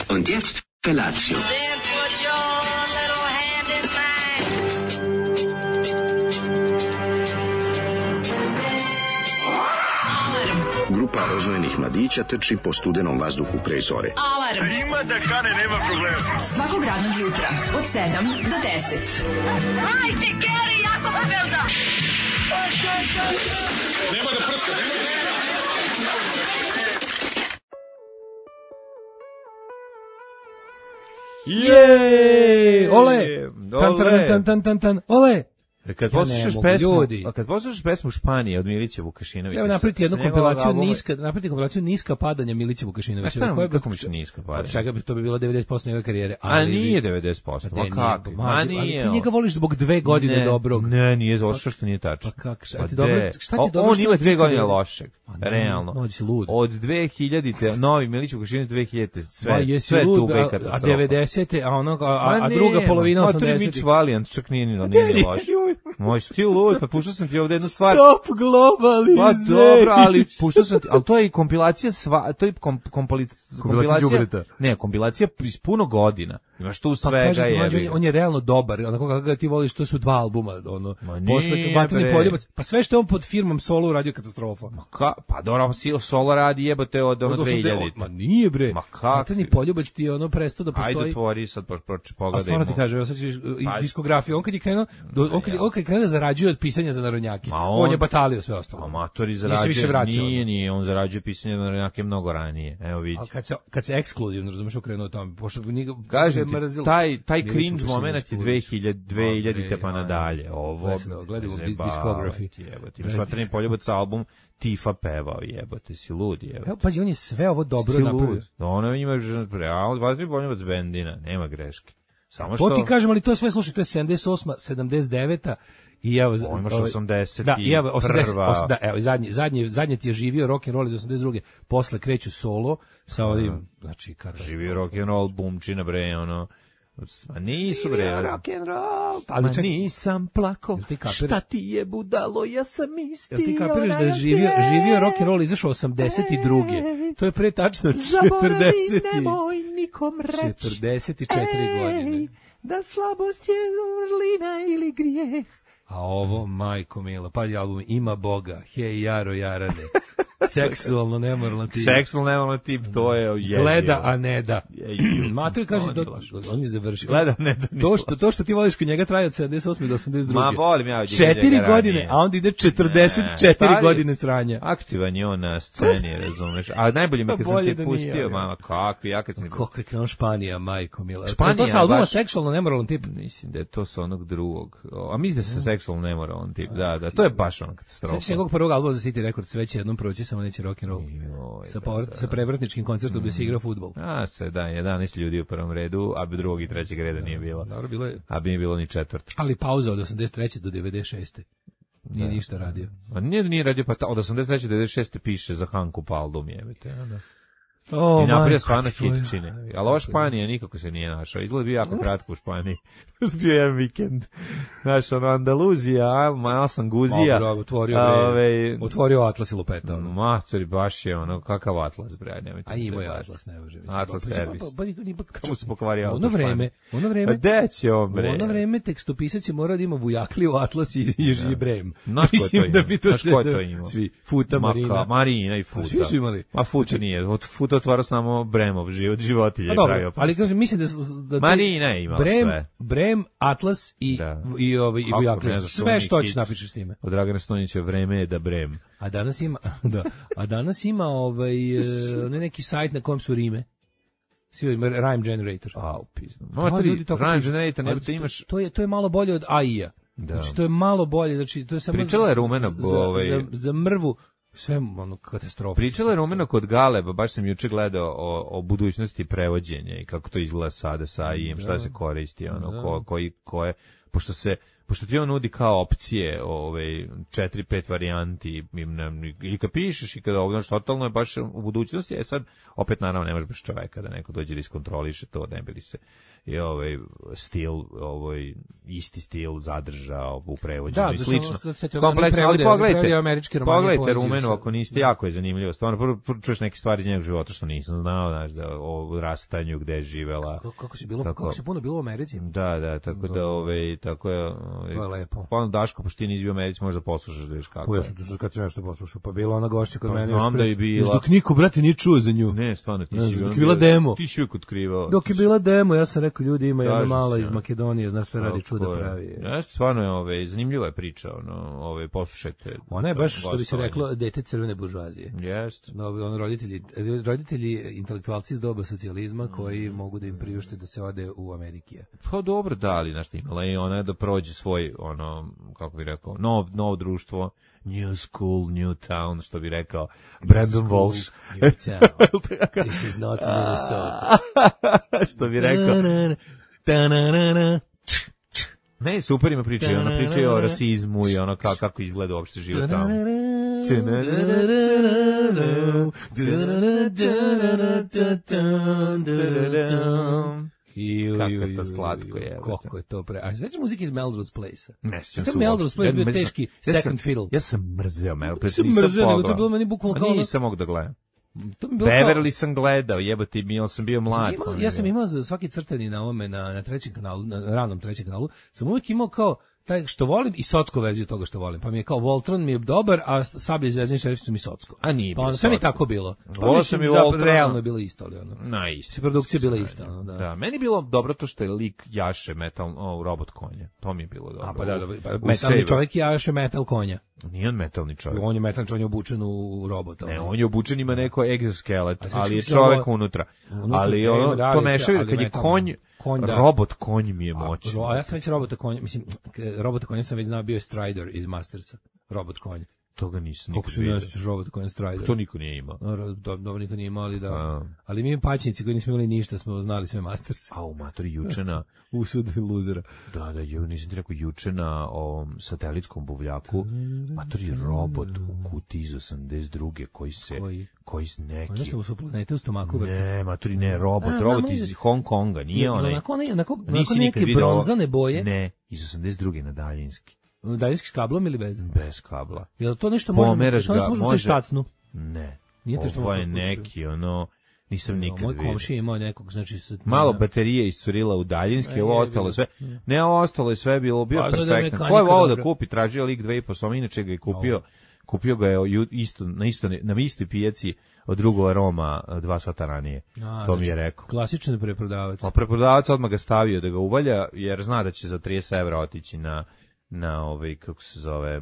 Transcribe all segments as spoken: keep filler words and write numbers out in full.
Und jetzt Felatio. Then put your little hand in mine. Grupa roznojenih mladića trči po studenom vazduhu pre zore. Alarm. Ima da kane, nema problema. Svakog radnog jutra od sedam do deset. Hajde, Geri, jako se velda. Nema da prska, nema da prska. Jej! Ole! Tan, tan, tan, tan, tan, tan. Ole! Kad Ja poslušaš ne mogu, pesmu, ljudi. a kad poslušaš pesmu Španije od Milića Vukašinovića. Treba napraviti jednu sa njegovog kompilaciju albuma- niska, napraviti kompilaciju niska padanja Milića Vukašinovića. A šta nam- Koja bi- kako misliš niska padanja? Od čega bi to bi bilo devedeset posto njegove karijere. A ali bi- nije devedeset posto, Pa ma ne, kako? nije, Ma mlađe, ali nije. ti on. njega voliš zbog dve godine Ne, dobrog. Ne, nije zato što što nije tačno. Pa kako, šta Pa ti dobro- de. šta ti O- dobro On što ima ti dve ti godine dobro? lošeg, Pa ne, realno. mlađe si lud. Od dve hiljadite novi Milić Vukašinović dve hiljadite Ma sve, jesi sve lud, tuga i a- a katastrofa. devedesete, a ono, a, a, Ma a druga ne, polovina ma, to je osamdesetih. Mitch Valiant, čak nije ni nije ni loš. Moj stil lud, pa puštao sam ti ovde jednu stvar. Stop globalization. Pa dobro, ali puštao sam ti, ali to je i kompilacija sva, to je kom, kompili, kompilacija, đubreta. ne, kompilacija iz puno godina. Imaš tu Pa svega kažete, je. mlađe, on je, on je realno dobar, onako kako ga ti voliš, to su dva albuma, ono, Ma posle nije, Vatreni bre. poljubac, pa sve što je on pod firmom Solo uradio katastrofa. Ka, pa dobro, si solo radi jebote od ono Od osamdeset dve hiljadite. Ma nije bre, Ma kak Vatreni ti? poljubac ti je ono prestao da Ajde postoji. otvori sad, pa pa- A pogledajmo. stvarno ti kaže, evo sad ćeš, i Pa- diskografija, on kad je krenuo, do, on kad, je- on kad je krenuo da zarađuje od pisanja za narodnjake, Ma on, on- je batalio sve ostalo. Amatori Nije se zarađuje, više vraćao. nije, nije, on zarađuje pisanje na neke mnogo ranije. Evo vidi. Ali kad se, kad se ekskluzivno, razumeš, okrenuo tamo, pošto bi njega Kažem ti, mrzilo. taj, taj Milić cringe Vukašinović, moment je Vulić. dve hiljade, dve hiljadite pa Bre, nadalje. Ovo, Gledamo, gledamo zajebavati, diskografi. jebote. Imaš Vatreni poljubac album, Tifa pevao, jebote, si lud, jebote. Evo, pazi, on je sve ovo dobro Si napravio. lud. Ono ima realno Vatreni poljubac bendina, nema greške. Samo To što... ti kažem, ali to je sve, slušaj, to je sedamdeset osma, sedamdeset deveta i evo... O, imaš ovaj, osamdeset Da, i evo, prva. osamdeset, os- da, evo, zadnji, zadnji, zadnji ti je živio rock and roll iz osamdeset druge Posle kreću solo sa ovim, znači, katastrofa. Živio rock and roll bumčina, bre, ono... Ma nisu, bre. Rock and roll. Ma Ali čekaj, nisam plako, Jel ti kapiraš? šta ti je budalo, ja sam isti. jel ti kapiraš da je onaj živio, te- živio rock and roll izašao osamdeset druge To je pre tačno Zaboravi, četrdeset i- nemoj nikom reći. četrdeset četiri godine. Da slabost je vrlina ili grijeh. A ovo, majko mila, pa album Ima Boga, hej Jaro Jarane, seksualno nemoralan tip. Seksualno nemoralan tip, to je jezivo. Gleda, a ne da. Jezivo. Mater kaže, to, Odilaš. on je završio. Gleda, ne da. To što, to što ti voliš kod njega traje od sedamdeset osme do osamdeset druge Ma, volim ja od njega Četiri ranije. godine, a onda ide četrdeset četiri Ne, stari- godine sranja. Aktivan je on na sceni, razumeš. A najbolje mi je Pa kad sam bolje te da nije, pustio, ali. mama, kakvi, ja kad sam... Kako je krenuo Španija, majko mila. Španija, to sa albuma baš- seksualno nemoralan tip. Mislim da je to sa onog drugog. O, A mislim da se seksualno nemoralan tip. Da, da, to je baš ona katastrofa. Sveći njegovog prvog albuma za City Records, sve će jednom proći, samo neće rock and roll. Joj, Sa, da, povrat, da. sa prevratničkim koncertom gde se igra fudbal. A, se da, jedanaest ljudi u prvom redu, a bi drugog i trećeg reda nije bilo. Dobro, bilo je, A bi nije bilo ni četvrt. ali pauza od osamdeset treće do devedeset šeste Nije ništa radio. A nije, nije radio, pa ta, od osamdeset treće do devedeset šeste piše za Hanku Paldum, jebite. A, da. O, I napravio majko stvarno ti tvoja. hit čine. Ali ova Španija nikako se nije našao. Izgleda bio jako kratko u Španiji. bio je jedan vikend. Znaš, ono, Andaluzija, Alma, Sanguzija. Dobro, otvorio, a, bre, ove, otvorio Atlas i lupeta. Ono. Matori, baš je ono, kakav Atlas, bre, nemojte. A se imao je zajebati. Atlas, ne može. mislim. Atlas Pa, pa, servis. pa, pa, pa, Kako se pokvario Ono auto u vreme, Španiji? ono A vreme, gde će on, u bre? ono vreme tekstopisac je morao da ima Vujakliju, Atlas i, i, i Brem. Znaš ko je to Mislim imao? da bi to Znaš ko je sve- to imao? Svi, Futa, Ma Marina. ka- Marina i Futa. Pa svi su imali. Ma Futa nije. Od Futa otvara samo Bremov život, životinje. Pa je dobro, pravio. ali kažem, mislim da, da Marina je imala Brem, sve. Brem, Atlas i, Da. i, ovaj, i Kako, Vujaklija. ne znam što Sve oni što hoćeš hit. napišeš s time. Od Dragana Stojnića vreme je da Brem. A danas ima, da, a danas ima ovaj, e, ne neki sajt na kojem su rime. Svi ima Rhyme Generator. A, upizno. Da, Matri, ljudi tako Rhyme pišu. Generator, ne Ali te imaš... To je, to je malo bolje od A I-a. Da. Znači, to je malo bolje, znači, to je samo... Pričala je za- Rumena, za, ovaj- za, za mrvu, sve ono katastrofa. Pričala je Rumena kod Galeba, baš sam juče gledao o, o budućnosti prevođenja i kako to izgleda sada sa A I-em, šta se koristi, ono, ko, koji, ko je pošto se pošto ti on nudi kao opcije, ovaj četiri pet varijanti ili kad pišeš i kada ovo što totalno je baš u budućnosti, je sad opet naravno ne možeš bez čoveka da neko dođe da iskontroliše to, ne bi li se i ovaj stil, ovaj isti stil zadržao u prevođenju i slično. Kompleksno, ali pogledajte, pogledajte Rumenu ako niste, jako je zanimljivo. Stvarno, prvo, prvo čuješ neke stvari iz njenog života što nisam znao, znaš, da o rastanju, gde je živela. Kako, kako se bilo, kako, kako se puno bilo u Americi. Da, da, tako da, ovaj, tako je. Ovaj, to je lepo. Pa Daško, pošto ti nisi bio u Americi, možda poslušaš da vidiš kako. Pa ja sam to kad sam nešto poslušao, pa bila ona gošća kod mene. Znam da je bila. Dok niko, brate, nije čuo za nju. Ne, stvarno, ti si dok je bila demo. Ti si uvijek otkrivao. Dok je bila demo, ja sam rekao, ljudi, ima jedna mala iz Makedonije, znaš sve radi, čuda pravi. Jeste, stvarno je, ovaj, zanimljiva je priča, ono, ovaj, poslušajte. Ona je baš, što bi se reklo, dete crvene buržoazije. Jeste. Ono, roditelji, roditelji intelektualci iz doba socijalizma koji mogu da im priušte da se ode u Amerikije. Pa dobro, da, ali, znaš, imala i ona da prođe svoj, ono, kako bi rekao, nov, novo društvo, new school, new town, što bi rekao Brandon Walsh. New town. This is not Minnesota. Što bi rekao. Ne, super ima priča, ona priča i o rasizmu i ono kako, kako izgleda uopšte život tamo. Kako je to slatko je. Kako je to pre... A sveća muzika iz Melrose Place-a? Ne sjećam se. Melrose Place bio teški second fiddle. Ja sam mrzeo Melrose Place. Nisam mrzeo, nego to je bilo meni bukvalno kao... Nisam mogu da gledam. Beverly sam gledao, jebote, bio sam bio mlad. Imao, ja sam imao za svaki crtani na ovome, na, na trećem kanalu, na ranom trećem kanalu, sam uvijek imao kao taj što volim i socko verziju toga što volim. Pa mi je kao Voltron mi je dobar, a Sablja i Zvezdani šerif su mi socko. A nije pa ono, sve mi tako bilo. Pa volao sam i Voltron. Realno je bilo isto, ali ono. Na isto. Produkcija bila ista, ono, da. Da, meni je bilo dobro to što je lik jaše metal, o, robot konja. To mi je bilo dobro. A pa da, da pa, metalni čovjek jaše metal konja. Nije on metalni čovjek. On je metalni čovjek, on je obučen u robota. Ne, on je obučen, ima neko egzoskelet, ali je čovjek unutra. Ali ono, to mešavaju kad je konj, konj da. Robot konj mi je moćan. A, a ja sam već robota konj, mislim, robota konja sam već znao, bio je Strider iz Mastersa. Robot konj. Toga nisam nikad vidio. Kako se ne robot konj Strider? To niko nije imao. Dobro, niko nije imao, ali da. A. Ali mi paćnici koji nismo imali ništa, smo znali sve Masters. A u matori juče na... Usud luzera. Da, da, ju nisam ti rekao, juče na ovom satelitskom buvljaku, matori robot u kutiji iz osamdeset druge koji se... Koji? Koji s neki... Ono što su planete u stomaku. Ne, maturi, ne, robot, a, robot iz Hong Konga, nije onaj. Onako, onako, onako neke bronzane boje. Ne, iz osamdeset druge na daljinski. Daljinski s kablom ili bez? Bez kabla. Jel to nešto može... Pomeraš ga, može... štacnu? Ne. Ovo je neki, ono... Nisam nikad vidio. Moj komšija imao nekog, znači... Malo baterije iscurila u daljinski, ovo ostalo sve... Ne, ovo ostalo je sve bilo, bio perfektno. Ko je volao da kupi, tražio lik dve i po soma, inače ga je kupio... Kupio ga je isto, na, isto, na istoj pijaci od drugog Roma dva sata ranije. A, to znači, mi je rekao. Klasičan preprodavac. Pa preprodavac odmah ga stavio da ga uvalja, jer zna da će za trideset evra otići na, na ovaj, kako se zove,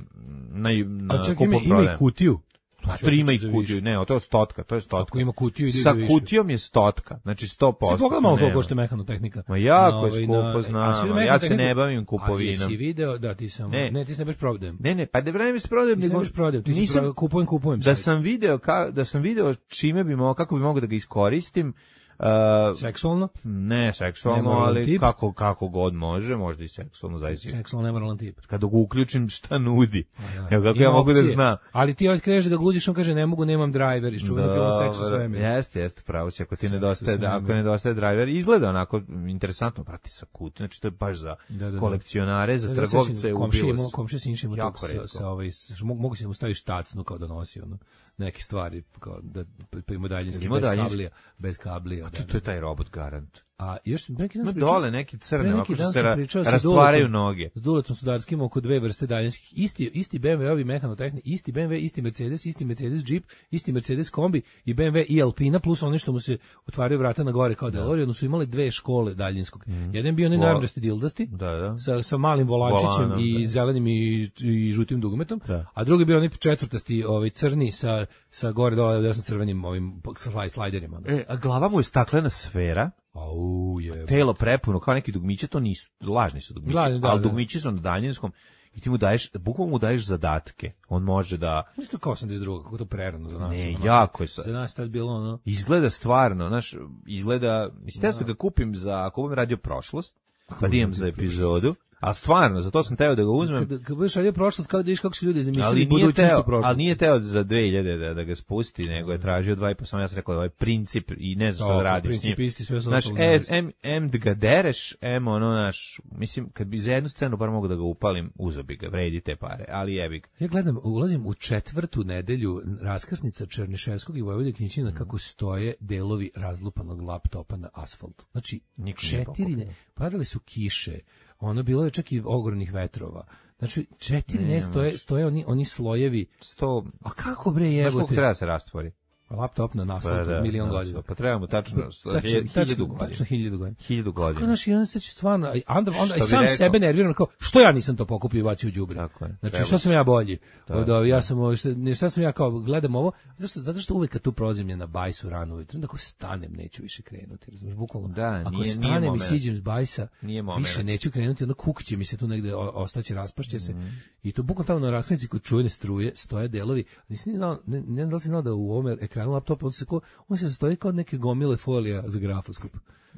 na, na a čak ima, ima i kutiju. Pa to ima i kutiju, ne, to je stotka, to je stotka. Ako ima kutiju, ide sa kutijom je stotka, znači sto posto. Ti pogledamo koliko košta mehano-tehnika. Ma jako je skupo, znam, ja se ne bavim kupovinom. A jesi video, da, ti sam, ne, ne ti se ne baš prodajem. Ne, ne, pa da vreme se prodajem, nego ne prodajem, ti se kupujem, kupujem. Da sam video, ka, da sam video čime bi mogao, kako bi mogao da ga iskoristim. Uh, seksualno? Ne, seksualno, ali tip. kako kako god može, možda i seksualno zaista. Seksualno nemoralan tip. Kad ga uključim, šta nudi? Evo kako ja mogu opcije. Da znam. Ali ti otkriješ da ga guziš, on kaže ne mogu, nemam driver, iščuveni film Seks u svemiru. Jeste, jeste, pravo si, ako ti nedostaje, da, ako nedostaje driver, izgleda onako interesantno, prati sa kut, znači to je baš za da, da, da. kolekcionare, za da, trgovce da, u bilos. Komšija Sinši ima to sa, sa ovaj, mogu se mu staviti štacnu kao da nosi ono. Neke stvari, kao da ima daljinski, bez kablija, bez kablija. A to, to je taj robot garant. A još neki dan no, dole neki crne, ako se ra, rastvaraju noge. S Duletom Sudarskim oko dve vrste daljinskih. Isti, isti B M W-ovi mehanotehni, isti B M W, isti Mercedes, isti Mercedes Jeep, isti Mercedes kombi i B M W i Alpina, plus ono što mu se otvaraju vrata na gore kao DeLorean, su imali dve škole daljinskog. Mm. Jedan bio onaj narandžasti dildasti, da, da. Sa, sa malim volančićem Volanom, i da. Zelenim i, i žutim dugometom, da. A drugi bio onaj četvrtasti, ovaj crni sa, sa gore dole desno crvenim ovim slajderima. E, a glava mu je staklena sfera. Au je. Telo prepuno kao neki dugmiće, to nisu, lažni su dugmići, Lažni, da, ali da. Dugmići su na daljinskom i ti mu daješ, bukvalno mu daješ zadatke. On može da... Isto kao osamdeset druga, kako to prerano za nas. Ne, ono, jako je. Sa... Za nas tad bilo ono... Izgleda stvarno, znaš, izgleda... Mislim, ja sam ga kupim za, ako budem radio prošlost, pa da imam za epizodu, A stvarno, zato sam teo da ga uzmem. Kad, kad budeš radio prošlost, kao da vidiš kako su ljudi Ali zamislili nije budućnost teo, u prošlosti. ali nije teo za dve hiljade da, da ga spusti, nego je tražio dva i po, sam ja sam rekao da ovaj princip i ne znam što da radim s njim. Principisti sve su Znaš, ostalo e, nas. em, em da ga dereš, em ono naš, mislim, kad bi za jednu scenu bar mogu da ga upalim, uzo bi ga, vredi te pare, ali jebi ga. Ja gledam, ulazim u četvrtu nedelju raskrsnica Černiševskog i Vojvode Knićina Mm. kako stoje delovi razlupanog laptopa na asfaltu. Znači, Niko nije četiri, pokupio. ne, padale su kiše, ono bilo je čak i ogromnih vetrova. Znači, četiri ne, stoje, stoje oni, oni slojevi. Sto, A kako bre znaš koliko jebote? treba da se rastvori? Laptop na asfaltu, milion godina. Pa treba mu tačno, Tačno, hiljadu tačno, godina. tačno hiljadu godina. Hiljadu Kako godina. naš jedan se će stvarno, a onda, onda i Što bi sam rekao? sebe nerviram kao, što ja nisam to pokupio i bacio u đubre. Tako je, Znači, treba što sam ja bolji? Da, Od, ovih, ja sam, ovo, šta, ne, šta sam ja kao, gledam ovo, zašto, zato što uvek kad tu prolazim je na bajsu rano ujutro, onda ako stanem neću više krenuti, razumiješ, bukvalno. Da, ako nije- nije stanem i moment. siđem s bajsa, Nije moment. više neću krenuti, onda kukće mi se tu negde, o- ostaće, raspašće se. Mhm. I to bukvalno tamo na raskrsnici kod čujene struje stoje delovi. Nisam ni znao, ne, ne znam da li si znao da u ovom ekranu laptopa on se, ko, on se sastoji kao od neke gomile folija za grafoskop.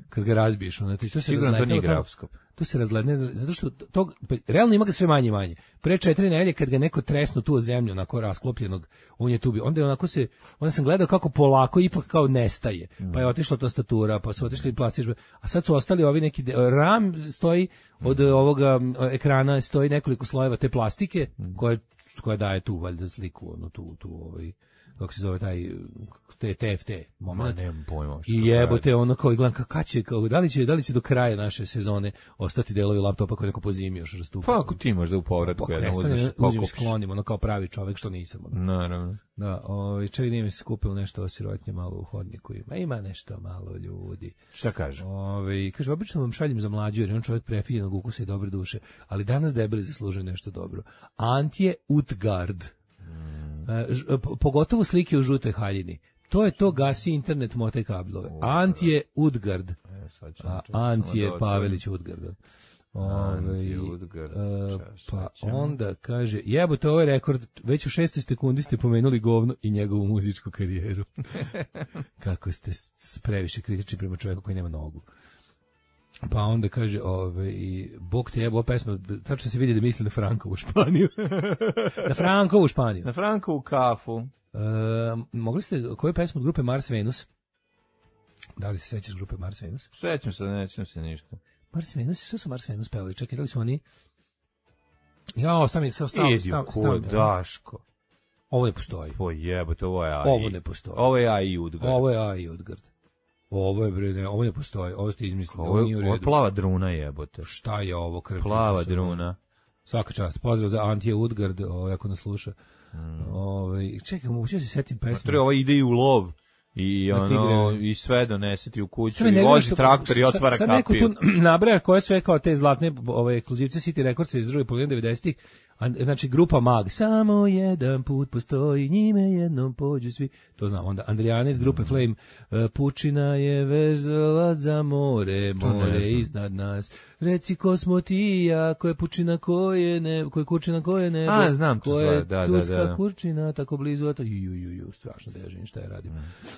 Kad ga razbiješ, onda ti to se Sigurno to razletelo nije tamo. grafoskop. To se razledne, zato što tog, pa, realno ima ga sve manje i manje. Pre četiri nedelje kad ga neko tresnu tu o zemlju, onako rasklopljenog, on je tu bio. Onda je onako se, onda sam gledao kako polako ipak kao nestaje. Pa je otišla tastatura, pa su otišli plastični, a sad su ostali ovi neki, de- RAM stoji od ovoga m, ekrana, stoji nekoliko slojeva te plastike, koja, koja daje tu valjda sliku, ono tu, tu ovaj, kako se zove taj, te T F T Ma moment. nemam pojma. što I to jebote, ono kao i gledam kao, kad će, kao, da li će, da li će do kraja naše sezone ostati delovi laptopa koji neko po zimi još rastupa. Pa ako ti možda u povratku Pa, jednom nestane, uzmeš, uzmem i pokupiš. sklonim, ono kao pravi čovek što nisam. Ono. Naravno. Da, ovaj, čak nije mi se skupilo nešto osirotnje malo u hodniku. Ima, ima nešto malo ljudi. Šta kaže? Ovaj, kaže, obično vam šaljem za mlađu jer je on čovjek prefiljenog ukusa i dobre duše, ali danas debeli zaslužuju nešto dobro. Antje Utgard. E, ž- po- pogotovo slike u žutoj haljini. To je to, gasi internet, motaj kablove. Antje Utgard. E, sad ću A, čekaj, samo Antije da otvorim. Pavelić Udgard. Ove, Antije Udgard, e, čas, pa sad ćemo. onda kaže, jebote, ovaj rekord, već u šestoj sekundi ste pomenuli govno i njegovu muzičku karijeru. Kako ste s- previše kritični prema čovjeku koji nema nogu. Pa onda kaže, ove, i Bog te jebo, ova pesma, tačno se vidi da misli na Frankovu Španiju. Na Frankovu Španiju. Na Frankovu kafu. E, mogli ste, koju pesmu od grupe Mars Venus? Da li se sećaš grupe Mars Venus? Sećam se, nećem se ništa. Mars Venus, šta su Mars Venus pevali? Čekaj, da li su oni... Jao, sam je stav, stav, Idi stav, u stav, kod, Daško. Ovo ne postoji. Po jebote, ovo je A I. Ovo ne postoji. Ovo je A I Udgard. Ovo je A I Udgard. Ovo je, bre, ne, ovo ne postoji. Ovo ste izmislili. Ovo Ovo nije u je, ovo je redu. plava druna jebote. Šta je ovo? Krv, Plava Isusa, druna. Svaka čast. Pozdrav za Antije Udgard, ovaj, ako nas sluša. Mm. Ovaj, čekaj, moguće se setim pesme. Tre, ovo ide i u lov. I Na ono, tigre. i sve doneseti u kuću. Sve I ne vozi što- traktor i sad- otvara sad neko kapiju. tu nabraja koje sve kao te zlatne ove ekskluzivce City Recordsa iz druge polovine devedesetih. A, znači grupa Mag, samo jedan put postoji, njime jednom pođu svi. To znam. Onda Andrijana iz grupe Flame, e, pučina je vezala za more, To ne more znam. iznad nas. Reci ko smo ti i ja, ko je pučina, ko je ne, ko je kurčina, ko je nebo. A, znam tu ko je stvar, da, da, turska da. kurčina, tako blizu, a to ju, ju, ju, strašno da ja živim, šta ja radim.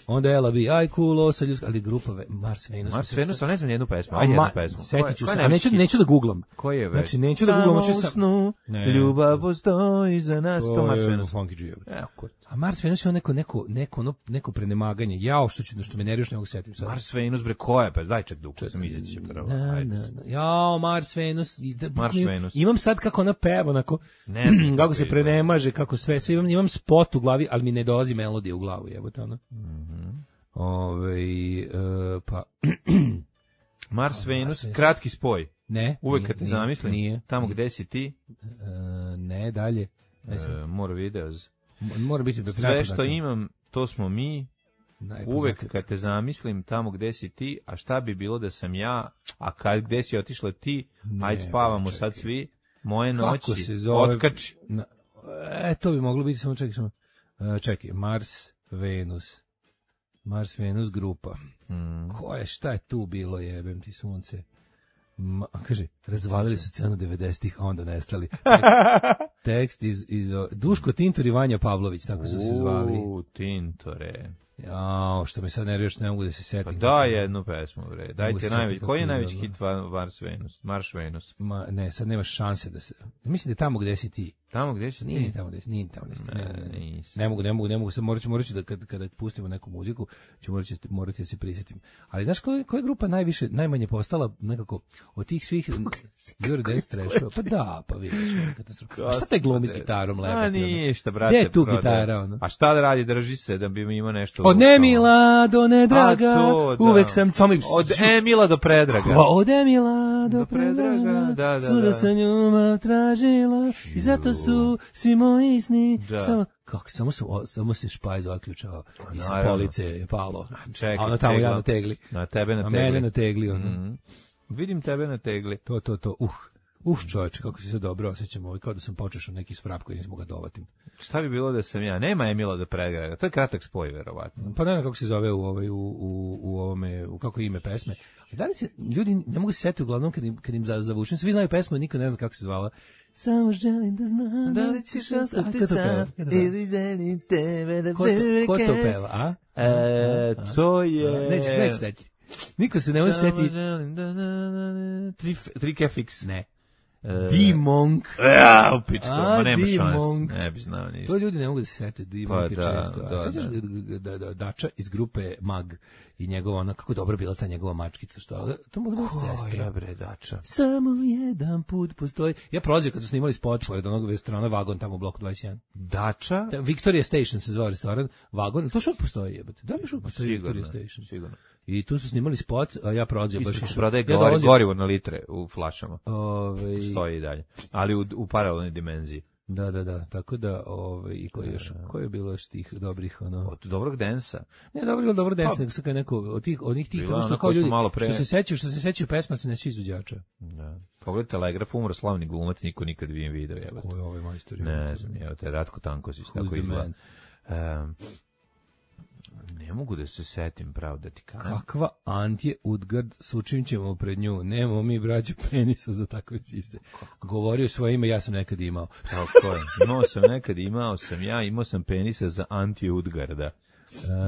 Onda Ela bi, aj cool, osa ljudska, ali grupa ve- Mars Venus. Mars Venus, ali ne znam jednu pesmu. A, Ajde ma, jednu pesmu. setit ću Ko je- se, ko je a neću, najveći hit? neću da googlam. Koji je već? Znači, neću da googlam, hoću Samo sam... u snu, Ne. ljubav postoji za nas. To Mars je Venus. Funky G. Evo, kod. A Mars Venus je on neko, neko, neko, ono, neko prenemaganje. Jao, što ću, što me nerviš, ne mogu setim sad. Mars Venus, bre, ko je? Pa daj ček duk, sam izaći će prvo. Na, Ajde. na, na. Jao, Mars Venus. I da, Mars imam, Venus. imam sad kako ona peva, onako, Ne znam kako kako se izgleda. prenemaže, kako sve, sve imam, imam spot u glavi, ali mi ne dolazi melodija u glavu, jebote, ono. Mhm. Ove, e, pa, Mars Venus, Venus. kratki spoj. ne. Uvek nije, kad te nije, zamislim, Nije. tamo nije. gde si ti, E, ne, dalje. Ne znam. e, more videos. M- Mora biti Sve što imam, to smo mi. Najpoznatiji. Uvek kad te zamislim, tamo gde si ti, a šta bi bilo da sam ja, a kad gde si otišla ti, Ne, ajde spavamo čekaj. sad svi, moje Kako noći, se zove? otkači. Na, e, to bi moglo biti, samo čekaj, samo, e, čekaj, Mars, Venus, Mars, Venus grupa. Mm. Ko je, šta je tu bilo, jebem ti sunce? Ma, kaže, razvalili su scenu devedesetih, a onda nestali. Tekst, tekst iz, iz, Duško Tintor i Vanja Pavlović, tako su se zvali. U, Tintore. Jao, što mi sad nerviraš, ne mogu da se setim. Pa daj jednu pesmu, bre. Mogu Dajte se najveći. setiti Koji je kako je najveći bilo. hit Va- Mars Venus? Marš Venus. Ma, ne, sad nemaš šanse da se... Mislim da je tamo gde si ti. Tamo gde si Nije ti? tamo gde si, nije tamo gde si. Ne, ne, ne, ne. nisi. Ne mogu, ne mogu, ne mogu, sad morat ću, morat ću da kad, kada pustimo neku muziku, ću morat ću, morat ću da se prisjetim. Ali znaš koja, koja je grupa najviše, najmanje postala nekako od tih svih Eurodance trashova? Pa da, pa vidiš, ono katastrofa. A šta taj glumi s gitarom lepo? A ništa, brate. Gde je tu prodaje. gitara, ono? A šta da radi, drži se da bi mi imao nešto... Od Emila do Nedraga, A to, da. uvek sam samo im... Od Emila do Predraga. Ko od Emila do Do Predraga, Predraga, da, da, svuda da. sam ljubav tražila i zato su svi moji sni. Da. Samo, kako, samo, sam, o, samo se špajz otključao i sa naravno. police je palo. Čekaj, A ono tamo tegla. ja na tegli. Na tebe na A tegli. mene na tegli. Ono. Mhm. Vidim tebe na tegli. To, to, to. Uh, uh čoveče, kako se sve dobro osjećam. Ovo, kao da sam počešao neki svrap koji nisam ga dovatim. Šta bi bilo da sam ja? Nema Emila do Predraga. To je kratak spoj, verovatno. Pa ne znam kako se zove u, ovaj, u, u, u ovome, u kako je ime pesme. A da li se, ljudi ne mogu se setiti uglavnom kad im, kad im za, zavučem. Svi znaju pesmu, niko ne zna kako se zvala. Samo želim da znam da li ćeš ostati sam ili želim tebe da Ko to, ko to peva, a? E, to je... Nećeš, nećeš setiti. Niko se ne može Samo setiti. želim da- da- da- da- Tri tri Kefix. Ne. E, D-Monk. Ja, u pičku, A, ma nema D-Monk. šans. Ne bi znao ništa. To ljudi ne mogu da se sete, D-Monk Pa je da, često. A da, sećaš da. da, da, da, Dača iz grupe Mag i njegova ona, kako dobro bila ta njegova mačkica, što to mogla biti Koja sestra. bre, Dača? Samo jedan put postoji. Ja prolazio kad su snimali spot pored onog restorana Vagon tamo u bloku dvadeset jedan. Dača? Da, Victoria Station se zvao restoran, Vagon, to što postoji jebate. Da li još uvijek postoji Sigurno, Victoria Station? sigurno. I tu su snimali spot, a ja prolazio baš Isto se išao. prodaje Ja gori, dolazio- gorivo na litre u flašama. Ovaj, Stoji i dalje. Ali u, u paralelnoj dimenziji. da, da, da, tako da, ovaj, i koji još, koji je bilo još tih dobrih, ono... Od dobrog densa. Ne, dobro ili dobro desno, nego sad kad neko od tih od njih tih Bila ono što ona kao koju smo ljudi malo pre- što se sećaju, što se sećaju pesma se ne svi izvođača. Da. Pogledaj Telegraf, umro slavni glumac, niko nikad nije video, jebate. Ko je ovaj majstor? Ne znam, evo te, Ratko Tankosis, tako the izgleda. Um, ne mogu da se setim, pravo da ti kažem. Kakva Antje Udgard, sučim ćemo pred nju. Nemamo mi braću penisa za takve sise. Govorio svoje ime, ja sam nekad imao. Tako je. Imao sam nekad, imao sam ja, imao sam penisa za Antje Udgarda.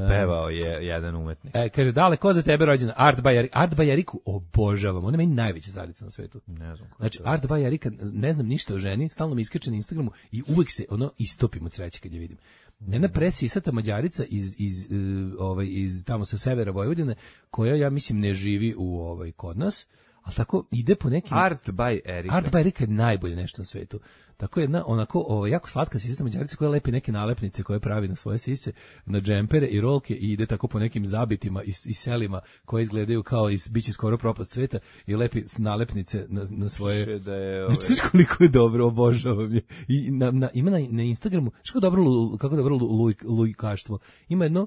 Pevao je jedan umetnik. E, kaže, dale, ko za tebe rođena? Art Bajariku. Art Bajariku obožavam. Ona je meni najveća zalica na svetu. Ne znam. ko Znači, to je. Art Bajarika, ne znam ništa o ženi, stalno mi iskače na Instagramu i uvek se ono istopim od sreće kad je vidim. Jedna presisata Mađarica iz, iz, uh, ovaj, iz tamo sa severa Vojvodine, koja, ja mislim, ne živi u ovaj, kod nas, ali tako ide po nekim... Art by Erika. Art Bajarika je najbolje nešto na svetu. Tako jedna, onako, ovaj, jako slatka sisata Mađarica koja lepi neke nalepnice koje pravi na svoje sise, na džempere i rolke i ide tako po nekim zabitima i, i selima koje izgledaju kao iz biće skoro propast sveta i lepi nalepnice na, na svoje... Piše da je, ovaj, Znači, znaš koliko je dobro, obožavam je. I na, na, ima na, na Instagramu, znaš kako dobro, lu- kako dobro lu- luj- lujkaštvo. Ima jedno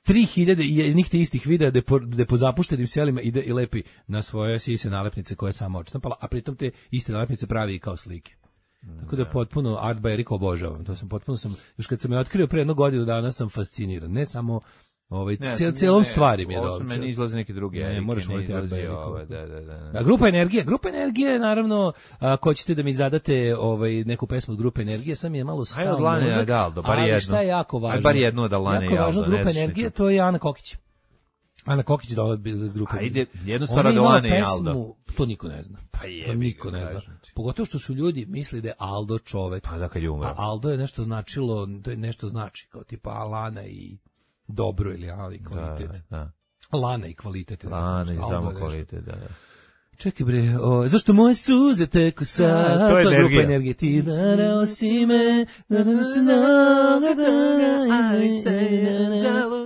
tri hiljade jednih te istih videa gde po, gde po zapuštenim selima ide i lepi na svoje sise nalepnice koje je sama odštampala, a pritom te iste nalepnice pravi i kao slike. Tako da potpuno Art by Erika obožavam. To sam potpuno sam, još kad sam je otkrio pre jednog godinu dana sam fasciniran. Ne samo ovaj, ne, cel, celom ne, stvari mi je ovo dobro. su meni izlaze neke druge Ne, Erike, moraš ne voliti Art izlazi by Eriku. ove, da, da, da. da. A grupa Energije, grupa Energije, naravno, ako ćete da mi zadate ovaj, neku pesmu od grupe Energije, sam je malo Ajde stao od Lane mozak, Adaldo, bar ali jedno. šta je jako važno? Ajde bar jedno od Lane Jako je važno Adaldo, od ne grupe znam Energije, šta. to je Ana Kokić. Ana Kokić dolazi iz grupe. Ajde, jednu stvar Ona od je imala Lane i pesmu, Aldo. to niko ne zna. Pa To jebi niko ga, ne zna. kažem ti. Pogotovo što su ljudi mislili da je Aldo čovek. Pa da kad je umro. A Aldo je nešto značilo, to je nešto znači, kao tipa Alana i dobro ili ali Da, kvalitet. da. Lana i kvalitet. ili tako Lana nešto. i Aldo samo je nešto. kvalitet, da, da. Čekaj bre, o, zašto moje suze teku sad? A, to je grupa Energija. Energije. Ti darao si me, da da se mnogo toga.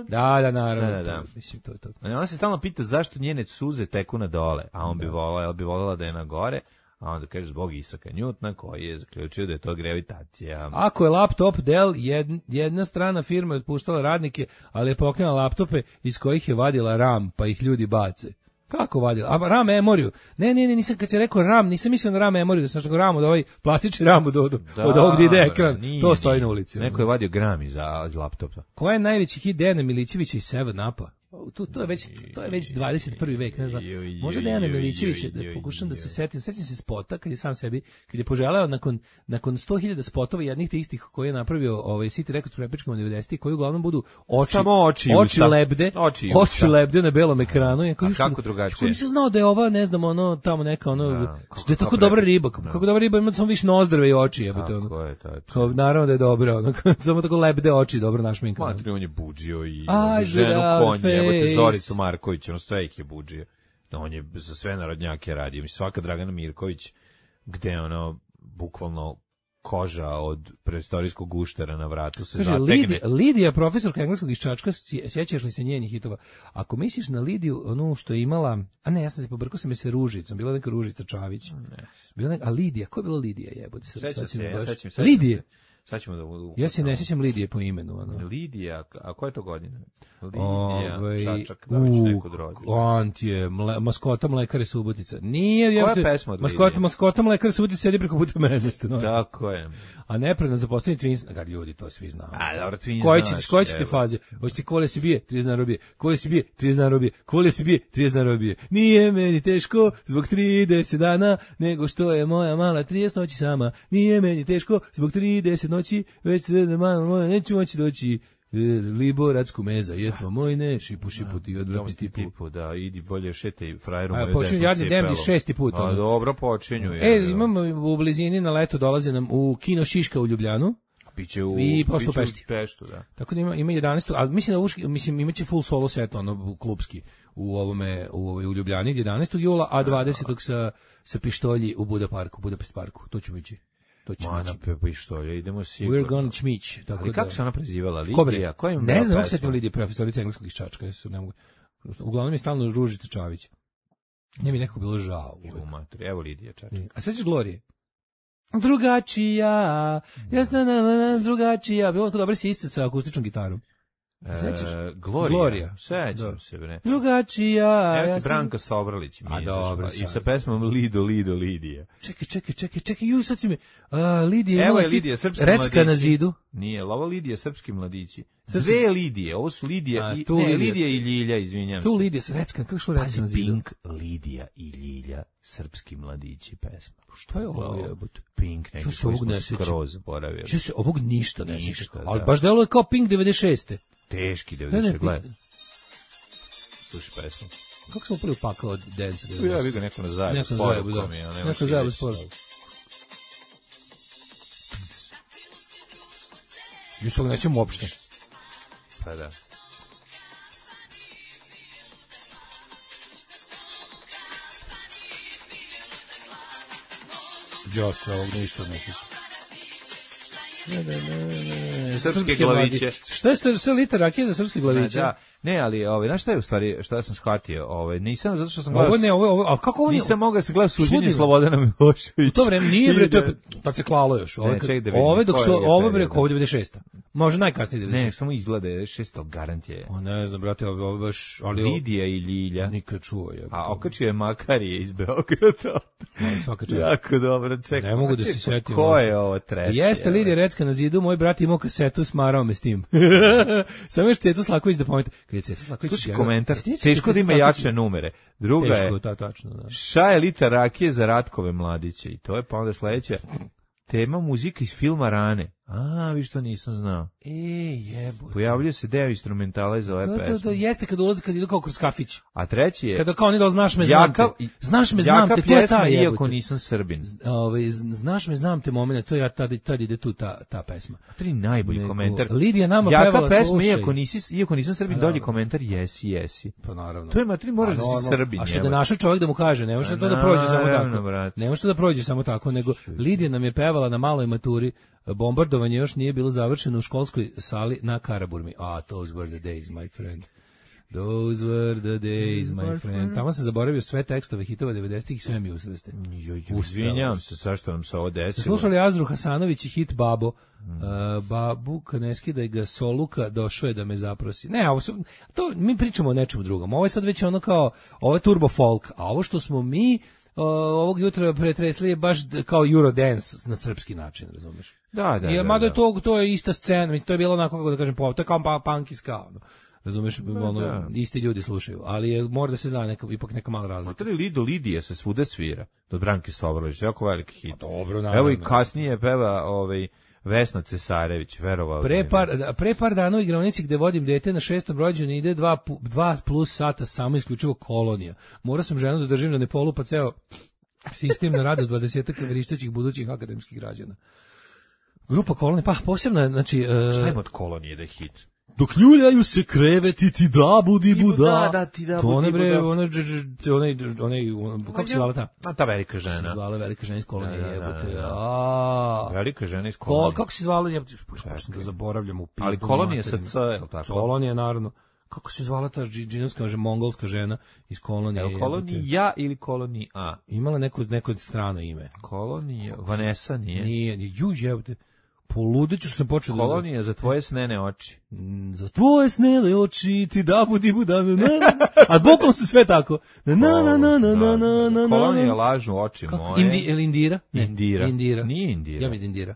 Da, da, naravno. Da, da, da. To, mislim, to je to. Ona se stalno pita zašto njene suze teku na dole, a on bi volao, jel bi voljela da je na gore, a onda kaže zbog Isaka Njutna koji je zaključio da je to gravitacija. Ako je laptop Dell, jed, jedna strana firma je otpuštala radnike, ali je pokrenula laptope iz kojih je vadila RAM, pa ih ljudi bace. Kako vadila? A RAM memoriju. Ne, ne, ne, nisam kad se rekao RAM, nisam mislio na RAM memoriju, da sam što RAM od ovaj plastični RAM od, od, Da, od ovog gde ide bre, ekran. nije, to stoji nije. na ulici. Neko je vadio gram iz, iz laptopa. Ko je najveći hit Dejana Milićevića i Seven Upa? tu to je već to je već dvadeset prvi vek, ne znam. Možda Dejan Milićević, da pokušam da se setim, sećam se spota kad je sam sebi, kad je poželeo nakon nakon sto hiljada spotova jednih te istih koje je napravio ovaj City Records prepičkama devedesetih, koji uglavnom budu oči, samo oči, oči lebde, oči, oči lebde na belom ekranu. Ja kao kako drugačije? Nisam znao da je ova, ne znam, ono tamo neka ono da je tako dobra riba, kako dobra riba, ima samo više nozdrave i oči, jebote ono. Kako je to? Kao naravno da je dobro, ono, samo tako lebde oči, dobro našminkano. Matri, on je budžio i ženu konje, jebote Zoricu Marković, ono sve ih je budžio. On je za sve narodnjake radio. Mi svaka Dragana Mirković, gde ono, bukvalno koža od preistorijskog guštera na vratu se Kaže, zategne. Lidija, Lidija, profesorka engleskog iz Čačka, sjećaš li se njenih hitova? Ako misliš na Lidiju, onu što je imala, a ne, ja sam se pobrkao sam je se Ružicom, bila neka Ružica Čavić. Ne. Bila neka, a Lidija, ko je bila Lidija, jebote? Sećam se, ja sećam se. Lidije. Sad ćemo da u, ja se ne sjećam Lidije po imenu. Ono. Lidija, a koja je to godina? Lidija, Ove, Čačak, da već neko drođe. Antije, mle, maskota Mlekare Subotica. Nije, koja je pesma od maskota, Lidije? Maskota Mlekare Subotica sedi preko puta mene. No. Tako je. A nepredno zaposleni Twins, kad ljudi, to svi znamo. A, dobro, Twins koji znaš. Koji ćete faze? Hoćete kole se bije, trideset dinara robije. Kole se bije, trideset dinara robije. Kole se bije, trideset dinara robije. Nije meni teško zbog trideset dana, nego što je moja mala trideset noći sama. Nije meni teško zbog trideset noći, već da malo moja neću moći doći. Liboradsku meza, jetva moj ne, šipu šipu ti odvratni tipu. tipu. Da, idi bolje šetaj frajeru moju desnu cipelu. A počinju jadni demdi šesti put. A dobro, počinju. E, imamo u blizini na leto dolaze nam u kino Šiška u Ljubljanu. Biće u, i posle u Pešti. Peštu, da. Tako da ima, ima jedanaest, ali mislim da uški, mislim imaće full solo set, ono, klubski, u ovome, u, ovoj, u Ljubljani, jedanaestog jula, a dvadesetog sa, sa pištolji u Buda parku, Budapest parku. To ću ići. To ću Mana pepe što je, idemo sigurno. We're gonna čmić. Tako ali da, kako se ona prezivala? Lidija? Kojim ne znam, kako se tim Lidija, profesorica engleskog iz Čačka. Jesu, ne mogu. Uglavnom je stalno Ružica Čavić. Nije mi nekako bilo žao. Evo Lidija Čačka. A sećaš Glorije? Drugačija, ja sam na, na, na, drugačija. Bilo to dobro si isto sa akustičnom gitarom. Sećaš? E, Glorija. Glorija. Sećam se, bre. Drugačija. Evo ti ja sam... Branka Sobrlić. A dobro. I sa pesmom Lido, Lido, Lidija. Čekaj, čekaj, čekaj, čekaj, ju, sad si mi... Uh, Lidija Evo je Lidija, srpski Recka mladići. Na zidu. Nije, ovo Lidija, srpski mladići. Dve Lidije, ovo su Lidija A, i... tu Ne, Lidija. Lidija i Ljilja, izvinjam Tu se. Lidija, Recka, kako što Recka Na zidu? Pink, Lidija i Ljilja, srpski mladići pesma. Što je ovo jebote? Pink, neki koji smo skroz boravili. Što se ovog ništa ne sjeća. Ništa, Ali da. baš deluje kao Pink devedeset šeste. Teški Ne, ne, devedeset, gledaj. Slušaj pesmu. Kako smo upali u pakao od dance? Ja bih ga neko na zajebu. Neko na zajebu, da. Neko na zajebu sporo. Jusog nećem uopšte. Pa da. Ja se ovog ništa ne sjeća. Ne, ne, ne, ne. Srpske glaviće. Šta je sve liter rakije za srpske glaviće? Da, ne, ali ovaj, znaš šta je u stvari, šta ja sam shvatio, ovaj, nisam zato što sam gledao. Ovo ne, ovo, ovo, al kako ovo nije? Nisam mogao da se gleda suđenje Slobodana Miloševića. To vreme nije bre, to je tad se klalo još. Ove, Ne, ček da vidim, ove dok su koji je ove bre, period? ovo devedeset šesta. Može najkasnije devedeset šesta. Ne, samo izgleda devedeset šest garant je. O ne znam, brate, ovo ovo baš, ali ovo Lidija i Ljilja. nikad čuo je. A okačio je Makarije iz Beograda. Ali svaka čast. Jako dobro, čekaj. Ne mogu da se setim. Ko je ovo trash? Jeste Lidija Recka Na zidu, moj brat imao kasetu, smarao me s tim. Samo još Ceto Slaković da pomete. Kad je Ceto Slaković... Slušaj komentar, teško da ima jače numere. Druga je, Teško, ta, tačno, da. ša je liter rakije za Ratkove mladiće. I to je pa onda sledeća tema muzika iz filma Rane. A, vi što nisam znao. E, jebote. Pojavljuje se deo instrumentala iz ove To, to, to pesme. jeste kad ulazi, kad idu kao kroz kafić. A treći je... Kada kao oni da znaš me, znam te. Jaka, Znaš me, znam jaka te, to je ta pjesma, jebote. iako nisam Srbin. Ove, z- znaš me, znam te momene, to je tad, tad ide tu ta, ta pesma. To je najbolji Nego, komentar. Lidija nama Jaka pevala, pesma, slušaj. iako, nisi, iako nisam Srbin, A, dolji dobro. komentar, jesi, jesi. Pa naravno. To je matri, moraš A, da si normalno. Srbin. A što da jebote. našao čovjek da mu kaže, ne može A, to da prođe samo naravno, tako. brate. Ne može to da prođe samo tako, nego Lidija nam je pevala na maloj maturi. Bombardovanje još nije bilo završeno u školskoj sali na Karaburmi. Ah, those were the days, my friend. Those were the days, my friend. Tamo sam zaboravio sve tekstove hitova devedesetih i sve mi usreste. Joj, joj, izvinjavam se, zašto nam se ovo Ste desilo. slušali Azru Hasanović i hit Babo. Mm. Uh, babu, kad ne skidaj ga Soluka, došao je da me zaprosi. Ne, ovo su, to, mi pričamo o nečemu drugom. Ovo je sad već ono kao, ovo je turbo folk, a ovo što smo mi uh, ovog jutra pretresli je baš d- kao Eurodance na srpski način, razumiješ? Da, da, I, da. mada da. je to, to je ista scena, mislim, to je bilo onako, kako da kažem, po- to je kao pa, punk i ska, ono. razumeš, ono, da. isti ljudi slušaju, ali je, mora da se zna neka, ipak neka mala razlika. Materi Lido Lidija se svuda svira, do Branke Sobrolić, jako veliki hit. Dobro, naravno. Evo i kasnije peva ovaj, Vesna Cesarević, verovao. Pre par, pre par dana u igronici gde vodim dete na šestom rođendan ide dva, dva plus sata samo isključivo kolonija. Morao sam ženu da držim da ne polupa ceo sistem na radost dvadesetak vrištećih budućih akademskih građana. Grupa kolonija, pa posebno, znači... Uh, Šta ima od kolonije da je hit? Dok ljuljaju se kreveti, ti da budi buda. Da, da, ti da to one budi bre, buda. One, onaj, onaj, kako se zvala ta? A ta velika žena. Kako se zvala velika žena iz kolonije, Da, da, jebote. da, da. A, Velika žena iz Ko, kolonije. kako se zvala, jebote, počnem da zaboravljam u pizdu. Ali kolonija sa materinu. C, je li tako? Kolonija, naravno. Kako se zvala ta džinovska, mongolska žena iz kolonije? Je li kolonija ili kolonija? Imala neko, neko strano ime. Kolonija, Vanessa nije. Nije, nije, ju jebote. Poludeću što sam počeo da... Kolonija za tvoje snene oči. Mm, Za tvoje snele oči ti da budi buda. Na, na, na. A bokom su sve tako. Na, na, na, na, na, na, na, na. Kolonija lažu oči Kako? moje. Indi, ili Indira? Ne, Indira. Indira. Nije Indira. Ja mislim Indira.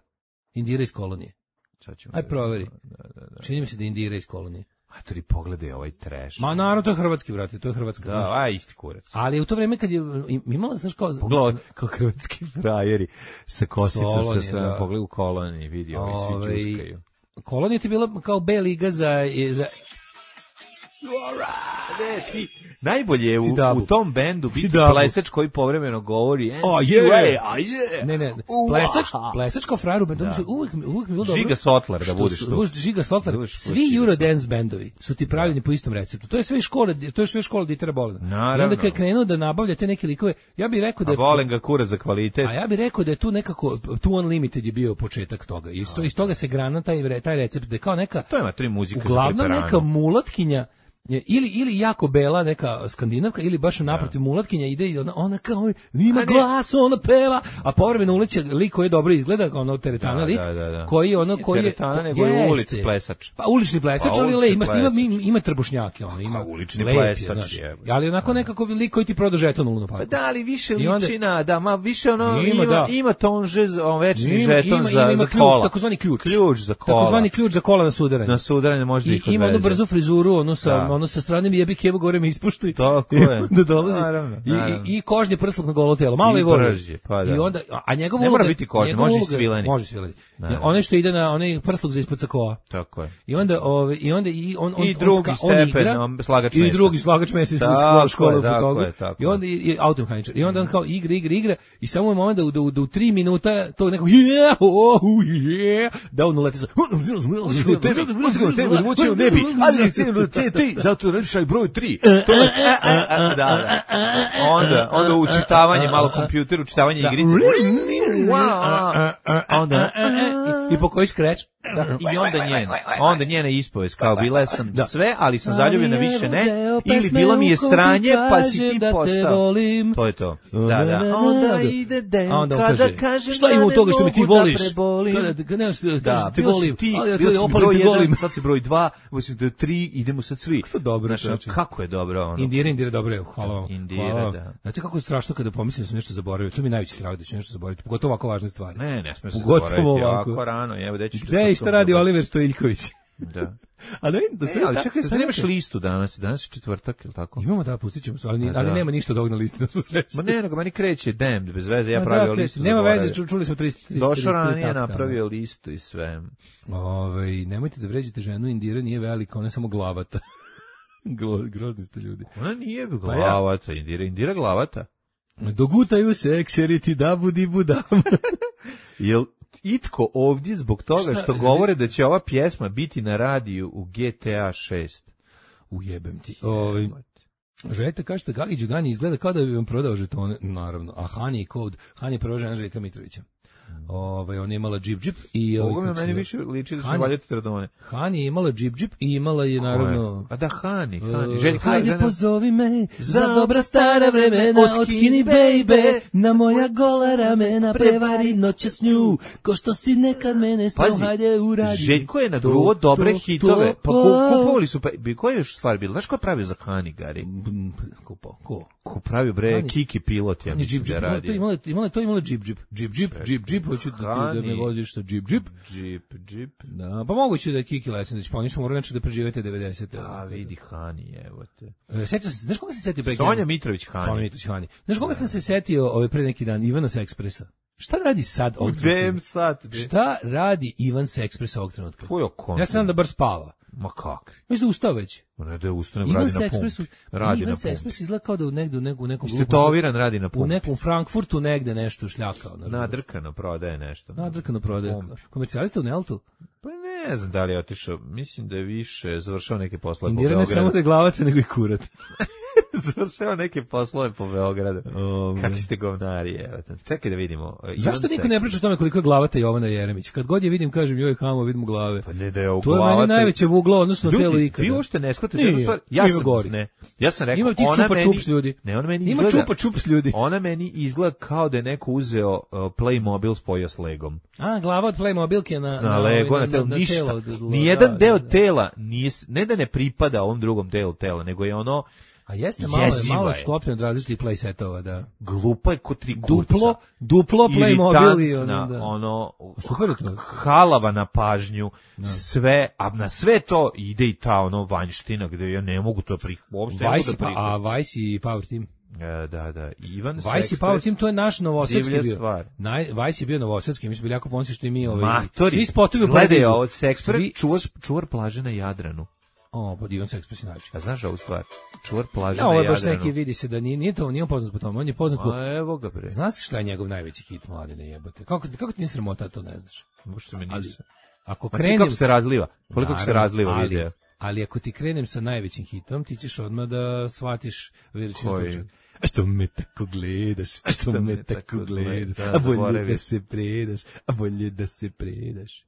Indira iz kolonije. Sad ćemo Aj da- proveri. Da, da, da. Čini mi se da je Indira iz kolonije. A tri pogledaj ovaj trash. Ma naravno, to je hrvatski, brate, to je hrvatska. Da, a isti kurac. Ali u to vreme kad je imala, znaš kao... Pogledaj kao hrvatski frajeri sa kosicom, sa Kolonije, sve, da. pogledaj u koloniji, vidi, ovi svi Ovaj, čuskaju. Kolonija ti je bila kao B liga za... za Ne, ti, najbolje je u, Tidabu. u tom bendu biti Tidabu. plesač koji povremeno govori A "N C je, A, a je. Ne, ne, Ua. plesač, plesač kao frajer u bendu, da. uvijek, mi- uvijek mi je bilo dobro. Žiga Sotlar da što budeš su- tu. budeš Žiga Sotlar, Da budeš tu svi Žiga Eurodance bendovi su ti pravljeni po istom receptu. To je sve iz škole, to je sve škola Ditera Bolena. I Naravno. onda kad je krenuo da nabavlja te neke likove, ja bih rekao da A je volim ga kurac za kvalitet. A ja bih rekao da je tu nekako tu Unlimited je bio početak toga. I iz, to- iz toga se grana taj re- taj recept da je kao neka To ima tri muzika za uglavnom preparane. neka mulatkinja je ili ili jako bela neka skandinavka ili baš naprotiv mulatkinja ide i ona, ona kao ima A ne. glas, ona peva, a povremeno uleće lik koji dobro izgleda kao ono teretana Da, lik da, da, da. koji ono Nije koji je teretana, ko- nego je jeste. ulični plesač. Pa ulični plesač, Pa ali le, ulični ima, ima, plesač. ima, ima trbušnjake, ono, ima ulični lep je, plesač, znaš. jebote. Ali onako nekako lik koji ti proda žeton u Luna Pa Parku. da, ali više I onda- ličina, da, ma više ono, Ima, ima, da. ima tonže, za- on večni Ima- žeton ima- za, ima- ima za ključ, kola. takozvani ključ. Ključ za kola. Takozvani ključ za kola na sudaranje. Na sudaranje može da I ih ima onu odveze. brzu frizuru, ono sa, Da. ono sa strane jebi kevo gore me ispuštuj. Tako I je. onda dolazi. Naravno, I, naravno. i, i kožni prsluk na golo telo. Malo I je voli. brži, pa da. I onda, a- a njegova Ne uloga... mora biti kožni, njegova može i uloga- svileni. Može svileni. Da. Ja, onaj što ide na onaj prsluk za ispod sakoa. Tako je. I onda, ove, i onda i on, on, I on drugi ska- on stepen, igra, on slagač I mesa. drugi slagač mesa iz Tako škole, je, škole tako fotogra. je, tako I onda i, i automehaničar. I onda on kao igra, igra, igra. I samo je moment da, u- da, u- da u tri minuta to neko yeah, oh, yeah, da on uleti sa... Uzgo tebi, uzgo tebi, odvučio ne bi, ali se te ti, zato rešaj broj tri. To je, a, a, a, da, da. Onda, onda učitavanje, malo kompjuter, učitavanje igrice. Wow. Onda, I po koji skreč? da, i onda njena, onda njena ispovest, kao bila sam sve, ali sam zaljubljena više ne, ili bilo mi je sranje, pa si ti postao. To je to. Da, da. Onda ide den, A onda on kada kaže, kažem šta da ima u ne toga što me ti mogu da voliš? prebolim. Kada, kada nemaš, Da, kažeš te bio si volim, ti, ali ja bio te si opali broj te jedan, volim. sad si broj dva, mislim da je tri, idemo sad svi. To dobro, Znaš, čoveče. kako je dobro ono. Indira, Indira, dobro je, hvala vam. Indira, hvala vam. da. Znate kako je strašno kada pomislim da sam nešto zaboravio, to mi je najveći strah da ću nešto zaboraviti, pogotovo ovako važne stvari. Ne, ne smije se Pogotovo zaboraviti, ovako. ovako rano, evo da ću... Gde i šta radi Oliver Stojiljković? Da. A da vidim, da E, sve... ali čekaj, da sad nemaš neke- listu danas, danas je četvrtak, ili tako? Imamo da, pustit ćemo se, ali, Da. ali nema ništa od ovog na listi, na svu sreću. Ma ne, nego meni kreće Damned, bez veze, ja Ma pravio da, listu. Nema zaboravio. veze, ču- čuli smo tristo tristo Došao ranije, takta, napravio listu i sve. da. Ovaj, nemojte da vređate ženu, Indira nije velika, ona je samo glavata. Glo- Grozni ste ljudi. Ona nije Pa ja. glavata, Indira, Indira glavata. Dogutaju se, ekseriti da budi budam. Jel itko ovdje zbog toga Šta? što govore da će ova pjesma biti na radiju u G T A šest? Ujebem ti. Ovaj, želite kažete Gagi Đugani izgleda kao da bi vam prodao žetone, naravno. A Hani je kod, Hani je prva žena Željka Mitrovića. Ovaj, ona je imala džip džip i... ovaj, Ovo mi kako se meni zove? više liči da će Hani. valjati tradone. Hani je imala džip džip i imala je naravno... A da, Hani, Hani. Uh, Željka, hajde žena- pozovi me za Za dobra stara vremena, otkini, otkini baby, baby, na moja gola ramena, prevari noće s nju, ko što si nekad mene snao, Pazi, hajde uradi. Željko je To, nagruo dobre to, hitove, to, pa to. ku- kupovali su, pa, bi koja je još stvar bila? Znaš ko je pravio za Hani, Gari? Mm, Ko, pa, ko? Ko pravi bre Hani- Kiki pilot, ja Hani mislim džip, da džip, imalo radi. to imalo, imalo to imalo džip, džip, džip, džip, džip, džip, hoću da, ti, da me Hani- voziš sa džip, džip. Džip, džip. Da, pa moguće da je Kiki Lesenić, pa oni su morali znači da preživete devedesete. A vidi Hani, evo te. E, Setio sam se, znaš koga se setio pre? Sonja Mitrović Hani. Sonja Mitrović Hani. Znaš koga sam se setio ovaj pre neki dan? Ivana sa Ekspresa. Šta radi sad ovog Gde trenutka? sad? Šta radi Ivan sa Ekspresa ovog trenutka? Tvoj okon. Ja sam da bar spava. Ma kakvi? Mislim da ustao već. Ne da je ustane, Ivan radi sa na Ekspresu, pumpi. Radi Ivan na sa pumpi. Ekspresu izgleda kao da u negde, u neku, u nekom Istetoviran radi na u pumpi. nekom Frankfurtu negde nešto šljakao. Nadrkano prodaje nešto. Nadrkano prodaje. Pump. Komercijalista u Neltu. Pa ne znam da li je otišao, mislim da je više završao neke poslove po Indira ne samo Beogradu. da je glavate, nego i kurat. Završao neke poslove po Beogradu. O, Kakvi ste govnari, evo. Čekaj da vidimo. Zašto Ivan niko Sek- ne priča o tome koliko je glavata Jovana Jeremić? Kad god je vidim, kažem, joj, hamo, vidimo glave. Pa ne da je u To je meni glavata- najveće vuglo, odnosno Ljudi, telo ikada. vi uopšte ne shvatate Nije, jednu stvar. Ja ima sam, gori. ne, ja sam rekao, Ima tih ona čupa meni, čups ljudi. Ne, ona meni Ima izgleda, čupa čups ljudi. ona meni izgleda kao da je neko uzeo uh, Playmobil spojio s Legom. A, glava od Playmobilke na, Na Lego, na, telo, ništa. telo od- od- Nijedan da, deo da, da. tela, nije, s- ne da ne pripada ovom drugom delu tela, nego je ono A jeste, malo je, jeziva malo je je. sklopljeno od različitih playsetova, da. glupa je ko tri kurca. Duplo, duplo Playmobil i ono, Iritantna, da. ono, Super je to. halava na pažnju, sve, a na sve to ide i ta ono vanjština gde ja ne mogu to prih, uopšte ne mogu Vice, da pa, prihvatim. a Vice i Power Team. E, da, da, Ivan Vice i Sexpress, Power Team, to je naš novosadski divlja bio. stvar. Naj, Vice je bio novosadski, mi smo bili jako ponosni što i mi ovaj, Matori, svi spotovi u gledaj Paradizu. ovo, Sexpress, Svi- čuvar, čuvar plaže na Jadranu. O, pa Ivan sa Ekspresa način. A znaš ovu stvar? Čuvar plaže Ja, na ovo je Jadranu. baš neki, vidi se da nije, nije to, nije on poznat po tome, on je poznat po... A evo ga bre. Znaš šta je njegov najveći hit, mladine jebote? Kako, kako ti nije sramota, to ne znaš? Možda me Ali, nisu. ako Ma ti krenem... kako se razliva? Koliko se Naravno, razliva ali, video? ali ako ti krenem sa najvećim hitom, ti ćeš odmah da shvatiš veličinu Koji? tuča. A što me tako gledaš, a što me tako gledaš, Da, a bolje zaboravim. da se predaš, a bolje da se predaš.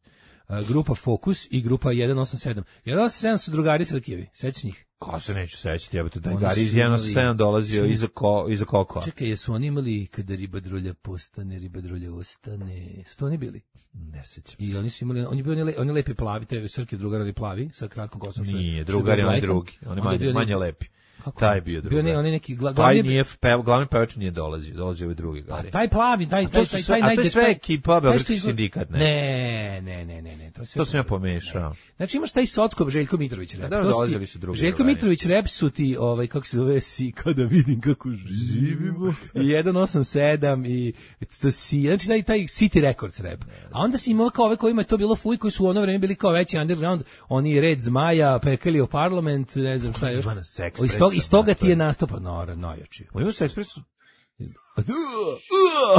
A, grupa Fokus i grupa jedan osam sedam. jedan osam sedam su drugari sa Rakijevi, sećaš njih? Ko se neće sećati, jebote, taj Oni Gari iz su jedan imali- sedam dolazio su- iza, ko, iza Kokova. Čekaj, jesu oni imali kada riba drulja postane, riba drulja ostane, su to oni bili? Ne sećam I se. oni su imali, oni bili oni, le, oni lepi plavi, te Srke drugar, oni plavi, sa kratkom kosom. što je- Nije, što je drugar je bio onaj Blajkan. drugi. On je Onda manje, bio manje neki- lepi. Kako? Taj je bio drugar. Bio ne, on je neki gla, Taj glavni, nije, pev, glavni pevač nije dolazio, dolazio ovaj drugi pa, Gari. taj plavi, taj, A to taj, su taj, sve- taj, a to je najde- sve taj- ekipa taj što Beogradski izgleda- sindikat, ne? Ne, ne, ne, ne, ne, to, je sve To sam ja drugo. pomešao. Ne. Znači imaš taj Socko Željko Mitrović rap. Da, To su ti- dolazili su drugi Željko drugari. Mitrović rap su ti, ovaj, kako se zove, si kada vidim kako živimo. I jedan osam sedam i to si, znači taj, taj City Records rap. A onda si imao kao ove kojima je to bilo fuj, koji su u ono vreme bili kao veći underground, oni Red Zmaja, Pekelio Parlament, ne znam šta još. Ivana Sexpressa, Iz toga, iz toga ti je mater. nastupao, no, najjači. U Ivan Sexpressu,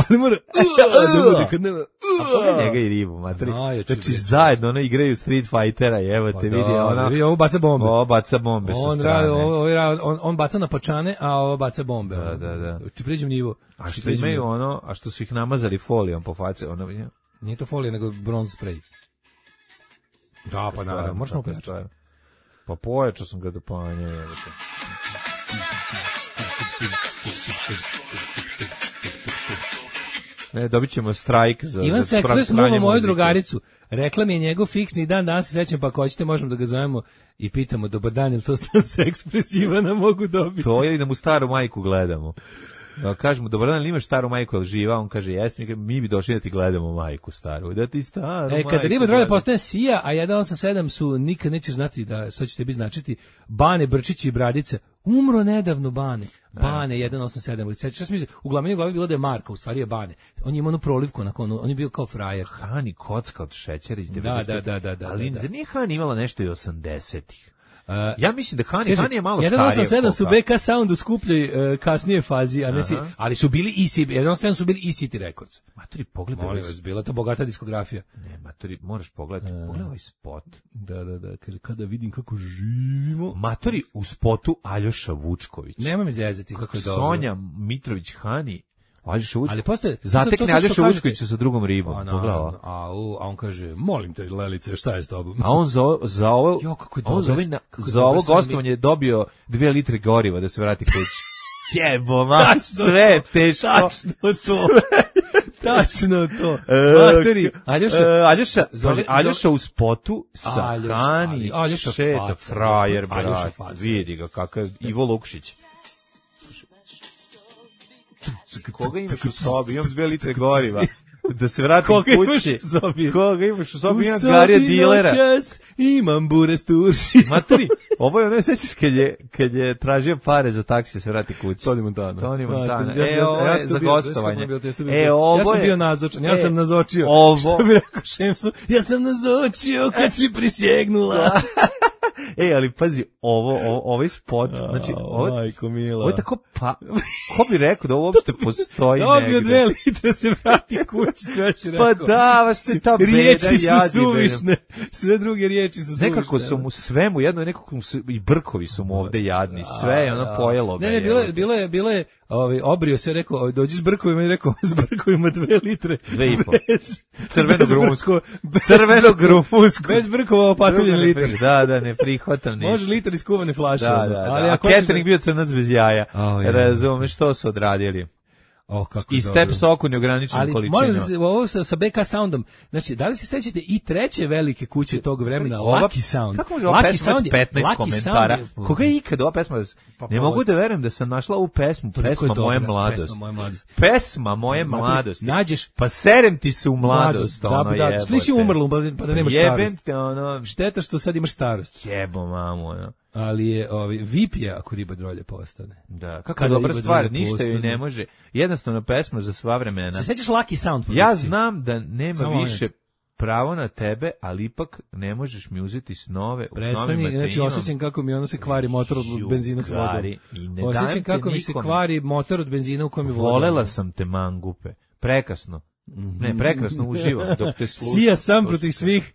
Ne mora, ne mora, kad nema, a pogledaj njega i ribu, materi. Najjači, Znači, bre. zajedno ono igraju Street Fightera, evo Pa te da, vidi, ona, vidi, ovo baca bombe. ovo baca bombe sa On, strane. radi, ovo, ovo, on, on baca na pačane, a ovo baca bombe. Da, da, da. Ti pređem nivo. A što pređem imaju nivo. ono, a što su ih namazali folijom po faci, ono, je, Nije to folija, nego bronz spray. Da, pa naravno, možeš malo tako je pojačati. stvar. Pa pojačao sam ga do panja, evo te. Ne, dobit ćemo strajk za... Ivan za se ekspres spranje muva moju muzike. drugaricu. Rekla mi je njegov fiksni dan, danas se sećam, pa ako hoćete možemo da ga zovemo i pitamo, dobar dan, ili to stan se ekspres Ivana mogu dobiti? To je da mu staru majku gledamo. Da kažemo, dobar dan, ili imaš staru majku, ali živa? On kaže, jeste, mi, mi bi došli da ti gledamo majku staru. Da ti staru E, majku kada riba drolja gledamo. postane Sija, a jedan osam sedam su, nikad nećeš znati da, sad će tebi značiti, Bane, Brčić i Bradice. Umro nedavno Bane. Bane, jedan osam sedam. Sećaš, šta mislim, u glavi u glavi bilo da je Marka, u stvari je Bane. On je imao onu prolivku, onako, ono, on je bio kao frajer. Hani kocka od šećera iz Da, devedesetih. da, da, da, da, Ali da. zar nije Hani imala nešto i osamdesetih? Uh, Ja mislim da Hani, Kaže, Hani je malo jedan starije. osam sedam su koka. B K Sound u skupljoj uh, kasnije fazi, a ne si, Aha. ali su bili i C B, jedan osam sedam su bili i City Records. Matori, pogledaj. Molim ovaj vas, bila to bogata diskografija. Ne, matori, moraš pogledati. Pogledaj ovaj spot. Da, da, da, kaže, kada vidim kako živimo. Matori, u spotu Aljoša Vučković. Nema mi zezati kako je dobro. Sonja Mitrović Hani. Aljoša Vučković. Ali postoje... Zatekne to- to što Aljoša kažete- Vučkovića sa drugom ribom. Pa, Pogledaj ovo. naravno, a, u, a on kaže, molim te, Lelice, šta je s tobom? A on za, ovo- za ovo, Jo, kako je on za, dobro, ovaj na- kako je za dobro ovo sam gostovanje je dobio dve litre goriva da se vrati kući. Jebo, ma, Tačno sve je to, teško. tačno to. Tačno to. E, Materi, Aljoša, E, Aljoša, Zove- kaže, Aljoša u spotu sa Aljoša, Hani, ali- Aljoša šeta faca, frajer, Aljoša brat, faca. vidi ga kakav Ivo Lukšić. Koga imaš u sobi? Imam dve litre goriva. Da se vratim Koga kući. imaš u sobi? Koga imaš u sobi? Imam Garija dilera. Noćas imam bure sturši. Matri, ovo je ono, sećaš kad je, kad je tražio pare za taksi da se vrati kući. Toni Montana. Toni Montana. Ja sam- E, ovo ja je sam za bio- gostovanje. ja sam bio- E, ovo ja sam je- bio nazočan, ja E, sam nazočio. ovo- Što bi rekao Šemsu, ja sam nazočio kad si prisjegnula. E, ali pazi, ovo, ovo, ovaj spot, znači, ovo, Majko mila. ovo je tako pa, ko bi rekao da ovo uopšte postoji Dobio negde? dve litre se vrati kući, sve si rekao. Pa da, vas te ta beda Riječi su jadi, suvišne, sve druge riječi su suvišne. Nekako su mu sve mu jedno, nekako mu se, i brkovi su mu ovde jadni, sve je ono pojelo ga. Ne, ne, bilo je, bilo je, bilo je, ovaj, obrio se, rekao, ovaj, dođi s brkovima i rekao, s brkovima dve litre. Dve i po. Bez- Crvenog bez rumunskog. brkova- bez- Crvenog rumunskog. Bez brkova opatuljen Ne litar. pri- Da, da, ne prihvatam ništa. Može litar iz kuvane flaše. Da, ono. da, da. Ali A ako hoćeš catering bio crnac bez jaja. Au, je. Razumeš što su odradili. O, kako I dobro. step soku neograničenom Ali molim količinom. vas, ovo sa, sa B K soundom, znači, da li se sećate i treće velike kuće tog vremena, Ova- Lucky Sound? Kako može ova Lucky pesma Sound imati je- petnaest Lucky komentara? Sound je- Koga je ikad ova pesma? Pa, Ne pa, mogu da verujem da sam našla ovu pesmu. Toliko je Pesma dobra, moje pesma mladosti. moje mladosti. Pesma moje Matri, mladosti. nađeš- Pa serem ti se u mladost, da, ono da, jebote. što nisi umrlo, pa pa da nemaš Jebem starost. te, ono, Šteta što sad imaš starost. jebo mamu, ono. Ali je, ovi, V I P je ako riba drolje postane. Da, kako Kada dobra riba stvar, drolje ništa joj postane. ne može. Jednostavno pesma za sva vremena. Se sećaš Lucky Sound? Ja produkcije? znam da nema Samo više pravo na tebe, ali ipak ne možeš mi uzeti snove u Prestani, novim znači materinom. osjećam kako mi ono se kvari motor od Ju, benzina s vodom. gari, i ne dajem Osjećam te kako mi se nikome. kvari motor od benzina u kojem je voda. Volela sam te mangupe. Prekasno. Ne, prekrasno uživam dok te slušam. Sija sam protiv svih.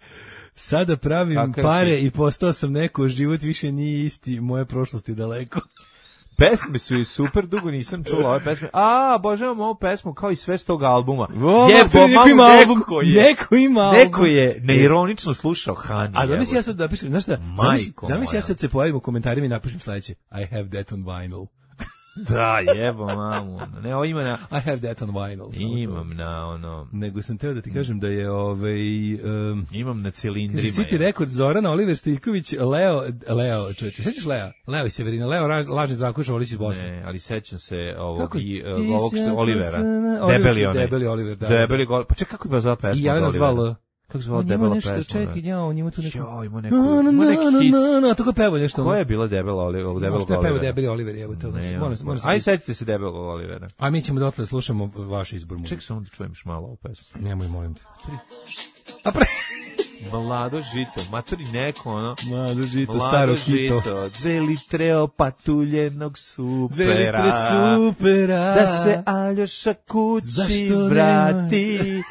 Sada pravim Kakav pare ti? i postao sam neko, život više nije isti, moje prošlosti daleko. Pesme su i super, dugo nisam čula ove pesme. A, obožavam ovu pesmu kao i sve s tog albuma. O, Jebo, Matri, neko mamu, ima album, neko je, neko ima album. neko je neironično slušao Hani. A zamisli jebote. ja sad da napišem, znaš šta, zamisli, Majko zamisli ja moja. sad se pojavim u komentarima i napišem sledeće. I have that on vinyl. Da, jebo, mamu. Ne, ovo ima na... I have that on vinyl. samo to. Imam na, ono... Nego sam teo da ti kažem da je ovaj... Um, Imam na kaže, cilindrima. City je. rekord Zorana, Oliver Stiljković, Leo, Leo, čovječe, sećaš Lea? Leo i Severina, Leo, raž, lažni Zdravko Šolić iz Bosne. Ne, ali sećam se ovog, Kako i, ti uh, ovog sjaka se- Olivera. sana- Debeli Oliver- onaj. Debeli Oliver, da. Debeli gol. Pa čekaj, kako je zvala pesma? I Jelena od Olivera? zvala. Kako zvala On ima debela nešto, pesma? čekaj, ja, on ima tu neku... Jo, ima neku, Na, na, ima neki na, hit. na, na, tako peva nešto. Koja je bila debela Olivera? Ovog debelog Možda je peva Olivera? Debeli Oliver, evo to. Ne, Moram, on- moram, Aj, setite se debelog Olivera. A mi ćemo dotle slušamo vaš izbor muzike. Ček samo da čujem još malo ovu pesmu. Nemoj, molim te. A pre... Mlado žito, matori neko, ono. Mlado žito, Mlado staro hito. žito, dve litre opatuljenog supera. Dve litre supera. Da se Aljoša kući Zašto vrati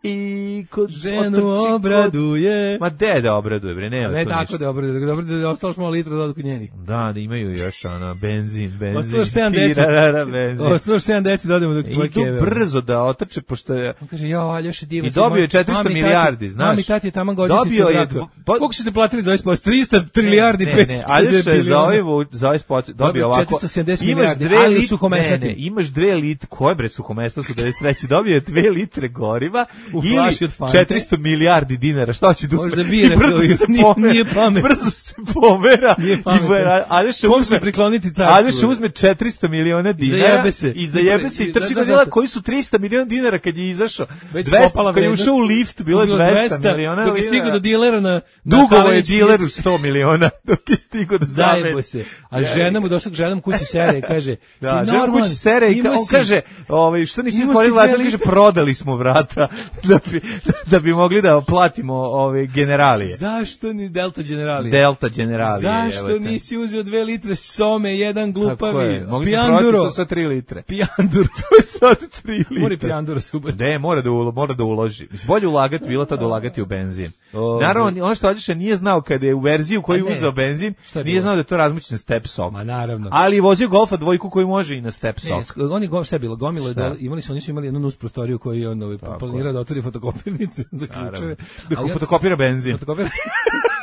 i kod ženu otrči kod- obraduje. Ma de da obraduje, bre, nema Ne to tako ništa. da obraduje, da obraduje, da ostalo malo litra da odu kod njenih. Da, da imaju još ono, benzin, benzin. Ostalo još sedam deci. tirarara, benzin. Ostalo još sedam deci da odemo do tvoje Idu keve. brzo da otrče, pošto je... On kaže, jo, Aljoša divan. I dobio je četiristo milijardi, znaš. Mami, tati je tamo godišnjica Dobio je braka. dvo- po- Koliko ste platili za ovaj spot? trista trilijardi, ne, petsto ne, Aljoša je za biliona. ovaj, vu- za ovaj spot dobio Dobio ovako. četiristo sedamdeset imaš milijardi, dve ali u lit- suhomesnatim. ne, ne, imaš dve litre, koje bre suhomesna su devedeset treće dobio je dve litre goriva U ili flaši od Fante. četiristo milijardi dinara. Šta hoće da uzme? Možda bira, I brzo se nije- pomera. nije pamet. Brzo se pomera. Nije I pametan. bera- Aljoša Kom se uzme prikloniti carstvu? Aljoša uzme četiristo miliona dinara zajebe se. i zajebe se i I- trči da, kod da, dela da. koji su trista miliona dinara kad je izašao. Već dvesta popala kad je vrednost. ušao u lift bilo je Bilo dvesta miliona. Dok je stigao do dilera na... na Dugovo je Kalenić dileru pijaci. sto miliona dok je stigo da Zajebo zameni. se. A žena mu došla k ženom kući sere i kaže, Da, si žena normalan, kući sere i imao ka- on si- kaže, ovaj, što nisi imao stvorili si vrata, dve kaže, litre. prodali smo vrata da bi, da bi mogli da platimo ove generalije. Zašto ni Delta Generali? Delta generalije. Zašto evo te. nisi uzeo dve litre some, jedan Tako glupavi, je, mogli smo prodati pijanduro, to sa tri litre. pijanduro, To je sad tri litre. mori pijanduro super. Ne, mora da, ulo, mora da uloži. Mislim, bolje ulagati, bilo to da ulagati u benzin. O, Naravno, ono što Aljoša nije znao kada je u verziju koju A ne. uzeo benzin, Šta je nije bilo? znao da je to razmućen step sok. Ma naravno. Ali je vozio Golfa dvojku koji može i na step Ne, sok. sk- oni go, šta je bilo, gomilo je Šta? dole, imali su, oni su imali jednu nus prostoriju koju je on ovaj, Tako planirao da otvori fotokopirnicu za Naravno. ključeve. Da Ali on- fotokopira benzin. fotokopira,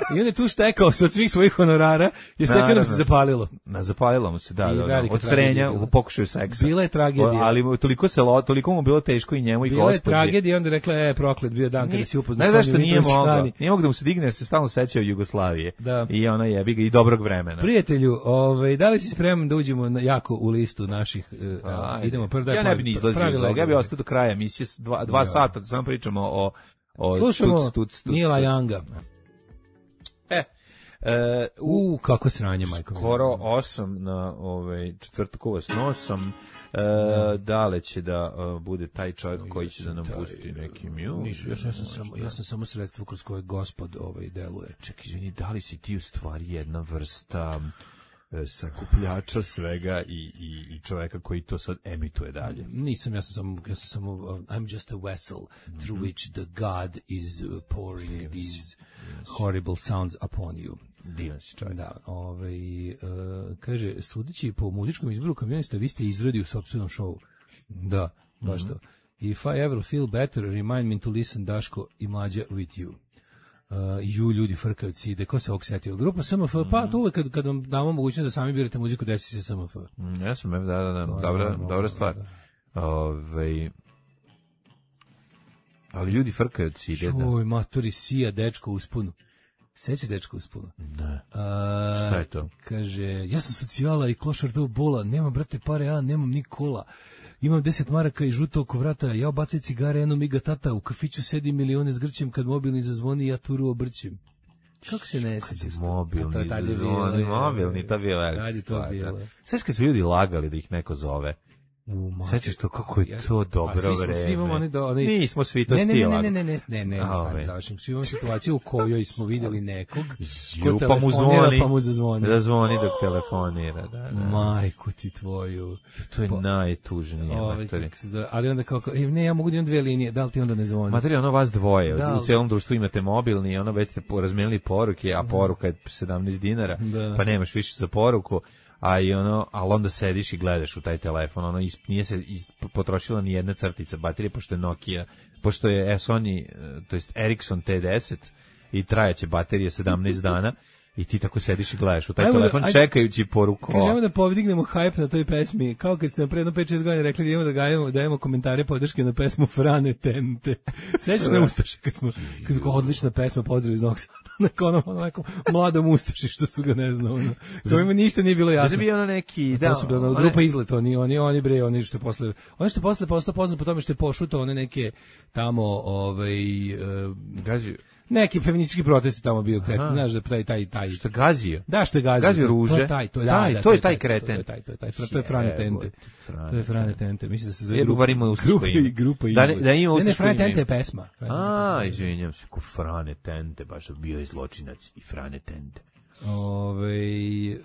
I on je tu stekao se od svih svojih honorara i stekao nam se zapalilo. Na zapalilo mu se, da, I da, da. velika Od trenja tragedija u pokušaju seksa. Bila je tragedija. O, ali toliko se lo, toliko mu bilo teško i njemu i Bila je gospođi. tragedija i onda je rekla, e, proklet bio dan kada si upoznao Ne Sonju zašto nije Mitrović mogao. Hani. Nije mogao da mu se digne jer se stalno sećao Jugoslavije. Da. I ona jebi ga i dobrog vremena. Prijatelju, ovaj, da li si spreman da uđemo na, jako u listu naših, uh, Ajde. idemo prvo da Ja ne bi ni izlazio iz ovoga, ja bi ostao do kraja emisije, s dva, dva Ja. sata, da samo pričamo o... o Slušamo tuc, tuc, tuc, Nila tuc. Younga. E, e, u U, kako sranje, majko. skoro osam na ovaj, četvrtku vas nosam, e, dale će da uh, bude taj čovjek koji će da nam pusti neki mju. Nisu, ja sam, ja sam samo, ja sam samo sredstvo kroz koje gospod ovaj deluje. Čekaj, izvini, da li si ti u stvari jedna vrsta e, sakupljača svega i, i, i čoveka koji to sad emituje dalje? Nisam, ja sam samo, ja sam samo, uh, I'm just a vessel through which the God is uh, pouring these horrible sounds upon you. Divan si čovjek. Da, ovaj, uh, kaže, sudeći po muzičkom izboru kamionista, vi ste izrodi u sopstvenom šovu. Da, baš to. If I ever feel better, remind me to listen Daško i Mlađa with you. Uh, ju ljudi frkaju cide, ko se ovog setio? Grupa S M F, pa to uvek kad, kad vam damo mogućnost da sami birate muziku, desi se S M F. Mm, ja sam, da, da, da, To je dobra, normalno, dobra stvar. da. Ovaj, ali ljudi frkaju od cide. Da. Čuj, matori, sija, dečko u spunu. Seća dečko u spunu? Ne. A, Šta je to? Kaže, ja sam socijala i klošar do bola, nemam, brate, pare, ja nemam ni kola. Imam deset maraka i žuto oko vrata, ja obacaj cigare, eno miga tata, u kafiću sedi milione s grćem, kad mobilni zazvoni, ja turu obrćem. Kako se ne sećaš? Mobilni, To je tad je zvoni, bilo, mobilni, to je bilo velika Tad je to stvar, bilo. da. Sveći kad su ljudi lagali da ih neko zove. U, mater, Sećaš to kako je ja- to dobro A svi smo, vreme. Svi imamo oni do, oni, Nismo svi to ne, ne, stila. ne, ne, ne, ne, ne, ne, A, stani, ovaj. završim. Svi imamo situaciju u kojoj smo vidjeli nekog Ju, ko pa mu telefonira, zvoni, pa mu zazvoni. da zvoni dok telefonira, da, da. Majku ti tvoju. To je Pa- najtužnije, Ovaj, matori. kako se zove, ali onda kako, e, ne, ja mogu da imam dve linije, da li ti onda ne zvoni? Matori, ono vas dvoje, Da. u cijelom društvu imate mobilni i ono već ste po- razmijenili poruke, a poruka je sedamnaest dinara, Da. pa nemaš više za poruku, a i ono, ali onda sediš i gledaš u taj telefon, ono, is, nije se is, potrošila ni jedna crtica baterije, pošto je Nokia, pošto je e, Sony, e, to jest Ericsson T deset i trajaće baterije sedamnaest dana, i ti tako sediš i gledaš u taj Ajmo da- telefon ajde- čekajući poruku. Kažemo da podignemo hype na toj pesmi, kao kad ste na predno pet šest godina rekli da imamo da gajemo, dajemo komentare podrške na pesmu Frane Tente. Sećaš na Ustaše kad smo, kad su odlična pesma, pozdrav iz Novog Sada, neko ono, ono, neko mladom Ustaši što su ga ne znao, ono. Kao ima ništa nije bilo jasno. Znači bi ono neki, Da, da, to su ono, one- grupa Izlet, oni, oni, oni bre, oni što je posle, oni što je posle postao poznat po tome što je pošutao one neke tamo, ovaj, e, Gazi, neki feministički protesti tamo bio, kret, Aha. znaš da taj, taj, taj, što gazio. da, što je gazio. Gazio to- ruže. To je taj, to je, Taj, da, da, to je taj To kreten. je taj, to je taj, to je Frane Tente. Jebote, Frane To je Frane Tente. Tente. Mislim da se zove Jebo, grupa. bar ima ustaško grupa ime. i grupa Da ne- Izlet. da ima Ne, ne, ustaško Frane ime. Tente je pesma. Frane A, Tente. izvinjam se, ko Frane Tente, baš bio je zločinac i Frane Tente. Ove, e,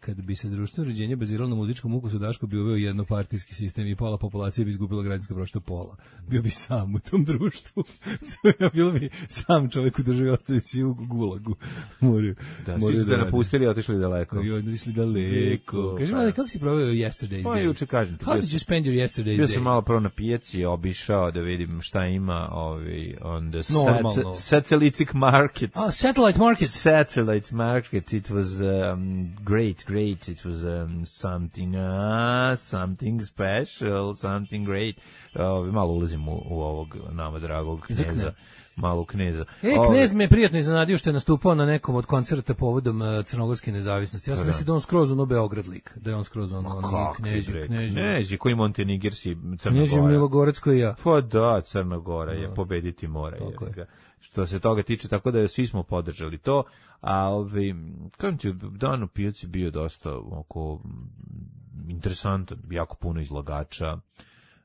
kad bi se društveno uređenje baziralo na muzičkom ukusu, Daško bi uveo jednopartijski sistem i pola populacije bi izgubila građanska prava, što pola. Bio bi sam u tom društvu. Bilo bi sam čovjek u državi, ostali svi u gulagu. Moraju, Da, svi moraju su te rade. napustili i otišli daleko. I odlišli daleko. Kaži pa. mi, kako si proveo yesterday's Pa, day? juče kažem ti, How bio did sam- you spend your yesterday's Bio day? sam malo prvo na pijaci, obišao da vidim šta ima ovi, on the Normalno. sat- satellite market. Ah, satellite market. Satellite market, it was um, great, great, it was um, something, uh, something special, something great. Uh, malo ulazim u, u ovog nama dragog Za kneza, kneza. malo kneza. E, Ovi- knez me prijatno iznenadio što je nastupao na nekom od koncerta povodom uh, crnogorske nezavisnosti. Ja sam Da. mislio da je on skroz ono Beograd lik, da je on skroz ono, ono Kakvi, knježi, bre, knježi. knježi, koji Montenegirsi, Crna Knježi Gora. Milogorec koji ja. Pa da, Crna Gora je, pobediti mora. Tako Je. je. Ga. Što se toga tiče, tako da svi smo podržali to, a ovi, kažem ti, dan u pijaci bio dosta oko mm, interesantan, jako puno izlagača,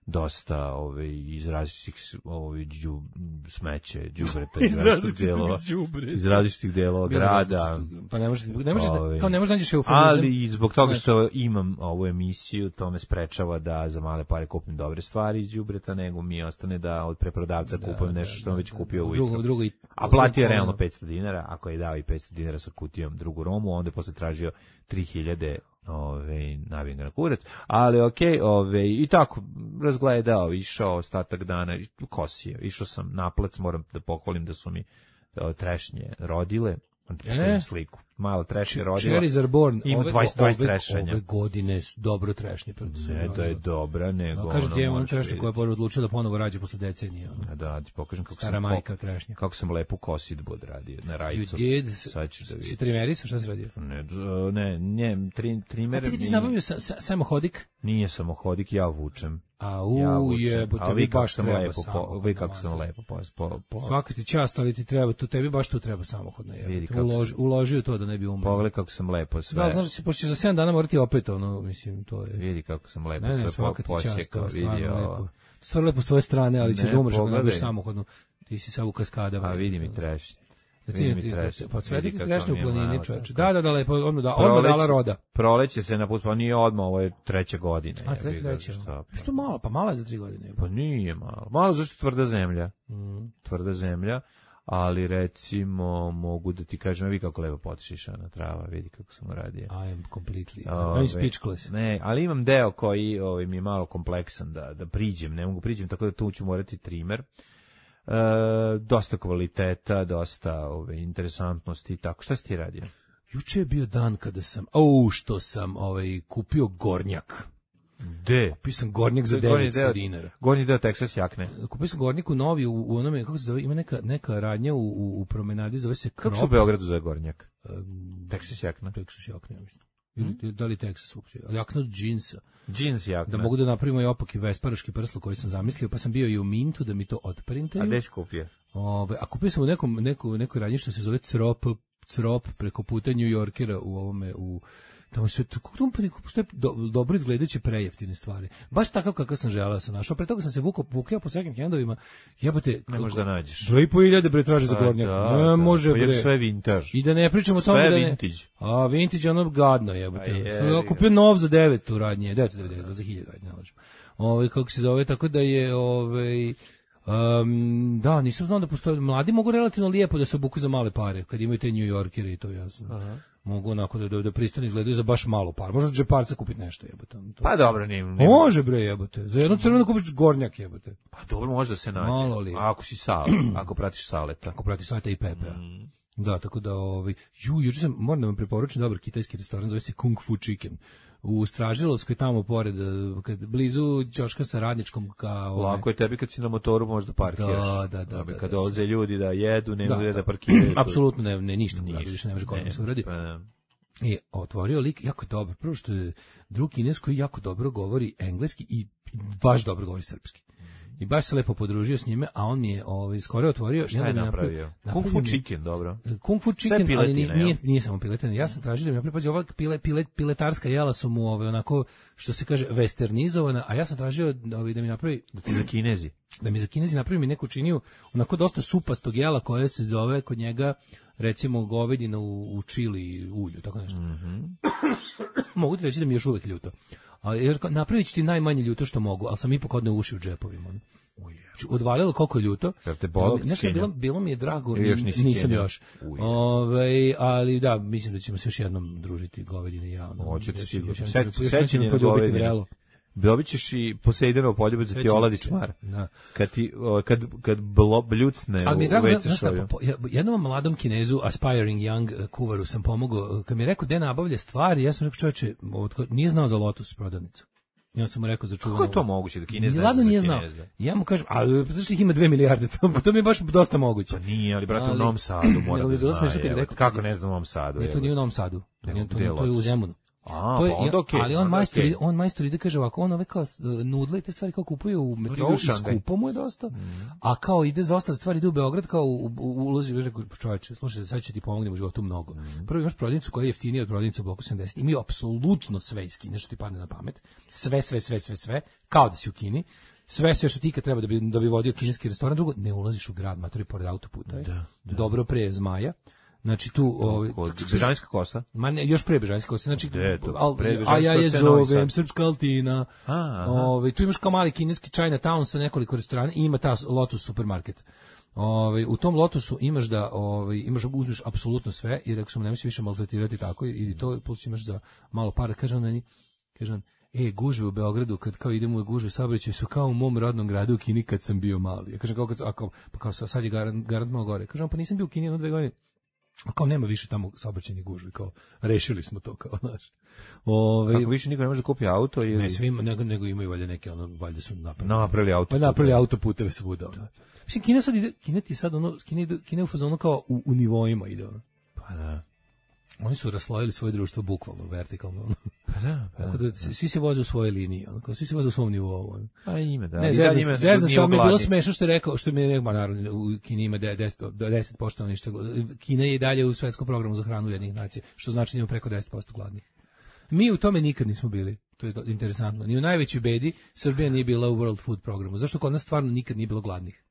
dosta ove iz različitih ove đu, smeće, đubreta iz različitih delova, iz različitih delova grada. Pa ne možeš, ne možeš, da, Ovaj, kao ne možeš nađeš eufemizam. Ali i zbog toga Znaš. što imam ovu emisiju, to me sprečava da za male pare kupim dobre stvari iz đubreta, nego mi ostane da od preprodavca kupujem nešto što sam već kupio ujutro. Drugo, drugo i A platio je drugo, realno ono. petsto dinara, ako je dao i petsto dinara sa kutijom drugu romu, onda je posle tražio tri hiljade ove, nabijem ga na kurac, ali okej, ove, i tako, razgledao, išao ostatak dana, kosio, išao sam na plac, moram da pohvalim da su mi o, trešnje rodile, E? sliku. Malo trash je rodila. Cherries are born. Ima ove, dvadeset, dvadeset ove, trešanja. ove godine su dobro trešnje. Ne da je dobra, nego ono... Kažete, imam trešnje vidjeti. koja je odlučila da ponovo rađe posle decenije. Ono. A da, ti pokažem kako Stara sam, majka trešnje. kako sam lepo kosidbu odradio na rajicu. You did? Sad ćeš da vidiš. Si trimerisao, šta si radio? Ne, d- ne, ne, tri, trimer... A ti ti si nije- nabavio sa, sa, samohodik? Nije samohodik, ja vučem. A u Ja vučem. jebote, A vi vi kako baš sam treba lepo, po, samohodno, vi kako sam mater. lepo po, po, po, Svaka ti čast, ali ti treba, to tebi baš tu treba samohodno. Vidi Jebote. kako Uloži, sam- uloži u to da ne bi umro. pogledaj kako sam lepo sve. Da, znaš da si, pošto ćeš za sedam dana morati opet, ono, mislim, to je... Vidi kako sam lepo Ne, ne, sve po, svaka ti čast, to posjekao, je stvarno vidi lepo. ovo. Stvarno lepo s tvoje strane, ali ćeš Ne, da umreš ako ne pogledaj. budeš samohodno. Ti si sad u kaskadama. A vidi mi trešnje. Da ti, Vidi mi ti, trešnje. pa cveti Vidi ti kako trešnje u mi je planini, malo čoveče. tako. Da, da, da, lepo, odmah da, odmah dala roda. Proleće se napustila, nije odmah, ovo je treća godina. A, jebi treće, ga, treće. šta, pa. Što malo, pa malo je za tri godine. Pa nije malo. Malo zašto tvrda zemlja. Mm. Tvrda zemlja, ali recimo mogu da ti kažem, vidi kako lepo potišišana trava, vidi kako sam uradio. I am completely, Ove, I'm speechless. Ne, ali imam deo koji ovaj, mi je malo kompleksan da, da priđem, ne mogu priđem, tako da tu ću morati trimer. E, dosta kvaliteta, dosta ove, interesantnosti i tako. Šta si ti radio? Juče je bio dan kada sam, au, što sam ovaj, kupio gornjak. De? Kupio sam gornjak za Gornji devetsto deo- dinara. Gornji deo Texas jakne. Kupio sam gornjak u novi, u, u onome, kako se zove, ima neka, neka radnja u, u, u promenadi, zove se Kako se u Krop. Beogradu zove gornjak? Um, Texas jakna. Texas jakna, ja mislim. Ili, da li Texas uopće? Ali jakna od džinsa. Džins jakna. Da mogu da napravimo i opaki vesparaški prslu koji sam zamislio, pa sam bio i u Mintu da mi to otprintaju. A gde si kupio? Ove, a kupio sam u nekom, neku, nekoj radnji što se zove Crop, Crop preko puta New Yorkera u ovome, u tamo sve, kako tamo postoje do, dobro izgledajuće prejeftine stvari. Baš takav kakav sam želeo sam našao. Pre toga sam se vukao, vukljao po second handovima. Jebote, Ne možeš da nađeš. Dve i po hiljade bre traže za Pa gornjak. da, Ne da. može Pa jer bre. sve vintage. I da ne pričamo o tome Sve da ne... vintage. A vintage ono gadno jebote. Pa je, Ja kupio nov za devetsto u radnje, devetsto devedeset za hiljadu, ajde ne lažem. Ovaj kako se zove, tako da je ovaj Um, da, nisam znao da postoje. Mladi mogu relativno lijepo da se obuku za male pare, kad imaju te New Yorkere i to jasno. Aha. Mogu onako da, da, da pristano izgledaju za baš malo par. Možda džeparca kupiti nešto jebote. To. Pa dobro, nije. nije. Može bre jebote. Za jednu crvenu kupiš gornjak jebote. Pa dobro, može da se nađe. Malo li. Ako si sal, ako pratiš saleta. Ako prati Saleta i Pepea. Mm. Da, tako da ovaj ju juče sam moram da vam preporučim dobar kitajski restoran, zove se Kung Fu Chicken. U Stražilovskoj tamo pored, kad blizu ćoška sa Radničkom kao Lako je tebi kad si na motoru možda parkiraš. Da, da, da, Abi, da, kad da, dolaze ljudi da jedu, ne mogu da, da. parkiraju. Apsolutno ne, ne ništa, Ništa. ništa, više ne može kod da se uradi. Pa, da. I otvorio lik, jako je dobro. Prvo što je drug Kines koji jako dobro govori engleski i baš dobro govori srpski. I baš se lepo podružio s njime, a on mi je ovaj, skoro otvorio. Šta je napravio? Kung Fu Chicken, dobro. Kung Fu Chicken, piletina, ali nije, jel? nije, nije samo piletina. Ja sam tražio da mi napravi, pazi, ova pile, pile, piletarska jela su mu ovaj, onako, što se kaže, westernizovana, a ja sam tražio ovaj, da mi napravi, Da ti za Kinezi. da mi za Kinezi napravi mi neku činiju, onako dosta supastog jela koje se zove kod njega, recimo, govedina u, u čili ulju, tako nešto. Mhm. Mogu ti reći da mi je još uvek ljuto. A, jer kao, napravit ću ti najmanje ljuto što mogu, ali sam ipak odne uši u džepovima. Odvalilo koliko je ljuto. Jel te bolo Nešto, skenja? bilo, bilo mi je drago, Ili još nisi nisam skenjao? još. Uje. Ove, ali da, mislim da ćemo se još jednom družiti govedine i ja. Ono, Hoćete još- sigurno. još jednom Seć- ću- još jednom ću sećanje me na poljubiti govedine. vrelo. Dobit ćeš i Poseidonov poljubac da ti Sećam oladi se. čmar. Da. Kad ti, o, kad, kad blo, bljucne Ali mi je u drago, ve ce znaš šta, šolju. po- ja- jednom mladom Kinezu, aspiring young uh, kuvaru sam pomogao, kad mi je rekao gde nabavlja stvari, ja sam rekao čoveče, otko- nije znao za Lotus prodavnicu. Ja sam mu rekao za čuveno. Kako je to moguće da Kinez ne Ladno zna za nije znao. Kineza? Ja mu kažem, a zašto ih ima dve milijarde, to, to mi je baš dosta moguće. Pa nije, ali brate u Ali- Novom Sadu mora Nego da bi bilo zna. smešno kad je evo, rekao- Kako ne zna u Novom Sadu? Ne, to evo. nije u Novom Sadu. To, Nego nije, to, gde je to je u Lotus? Zemunu. A, To je, pa onda okej. ali on onda majstor, okej. ide- on majstor ide kaže ovako, on ove kao s- nudle i te stvari kao kupuje u metrou u i Šangaj. skupo mu je dosta, a kao ide za ostale stvari ide u Beograd kao u, u, u ulazi u rekao čoveče, slušaj, sad će ti pomognem u životu mnogo. Prvo imaš prodavnicu koja je jeftinija od prodavnice u bloku sedamdeset. Imaju apsolutno sve iz Kine što ti padne na pamet. Sve, sve, sve, sve, sve, kao da si u Kini. Sve sve što ti kad treba da bi da bi vodio kineski restoran, drugo ne ulaziš u grad, matori pored autoputa. je. Da, da. Dobro pre Zmaja. Znači tu ovaj Kod Bežanjska kosa? Ma ne, još pre Bežanjska kosa, znači, Gde je to? al, Pre Bežanjska a ja je kosa je Novi zovem, Sad. Srpska Altina, A, aha. Ove, tu imaš kao mali kineski Chinatown sa nekoliko restorana i ima ta Lotus supermarket. Ove, u tom Lotusu imaš da ove, imaš uzmeš apsolutno sve i rekao sam nemoj se više maltretirati tako i, i to plus imaš za malo para. Kaže on meni, kaže on, e, gužve u Beogradu, kad kao idemo u gužve saobraćaj su kao u mom rodnom gradu u Kini kad sam bio mali. Ja kažem, kao kad, sam- a kao, pa kao sad je garant, garant malo gore. Kažem, pa nisam bio u Kini jedno dve godine. kao nema više tamo saobraćajnih gužvi, kao rešili smo to, kao, znaš. Ove, Kako više niko ne može da kupi auto ili... Ne svima, nego, nego imaju valjda neke, ono, valjda su napravili. Napravili auto. Pa napravili autoputeve svuda. Ono. Mislim, Kina sad ide, Kina ti sad, ono, Kina, ide, Kina je u fazonu kao u, u nivoima ide, ono. Pa da. Oni su raslojili svoje društvo bukvalno, vertikalno. Ono. Pa da, pa da. Tako da svi se voze u svojoj liniji, ono, kao svi se voze u svom nivou. Ono. Pa ime, da. Ne, zezam zezam samo mi je bilo smešno što je rekao, što mi je rekao, naravno, u Kini ima deset posto stanovništva. Kina je i dalje u svetskom programu za hranu Ujedinjenih nacija, što znači da ima preko deset posto gladnih. Mi u tome nikad nismo bili, to je interesantno. Ni u najvećoj bedi Srbija nije bila u World Food programu. Zašto kod nas stvarno nikad nije bilo gladnih?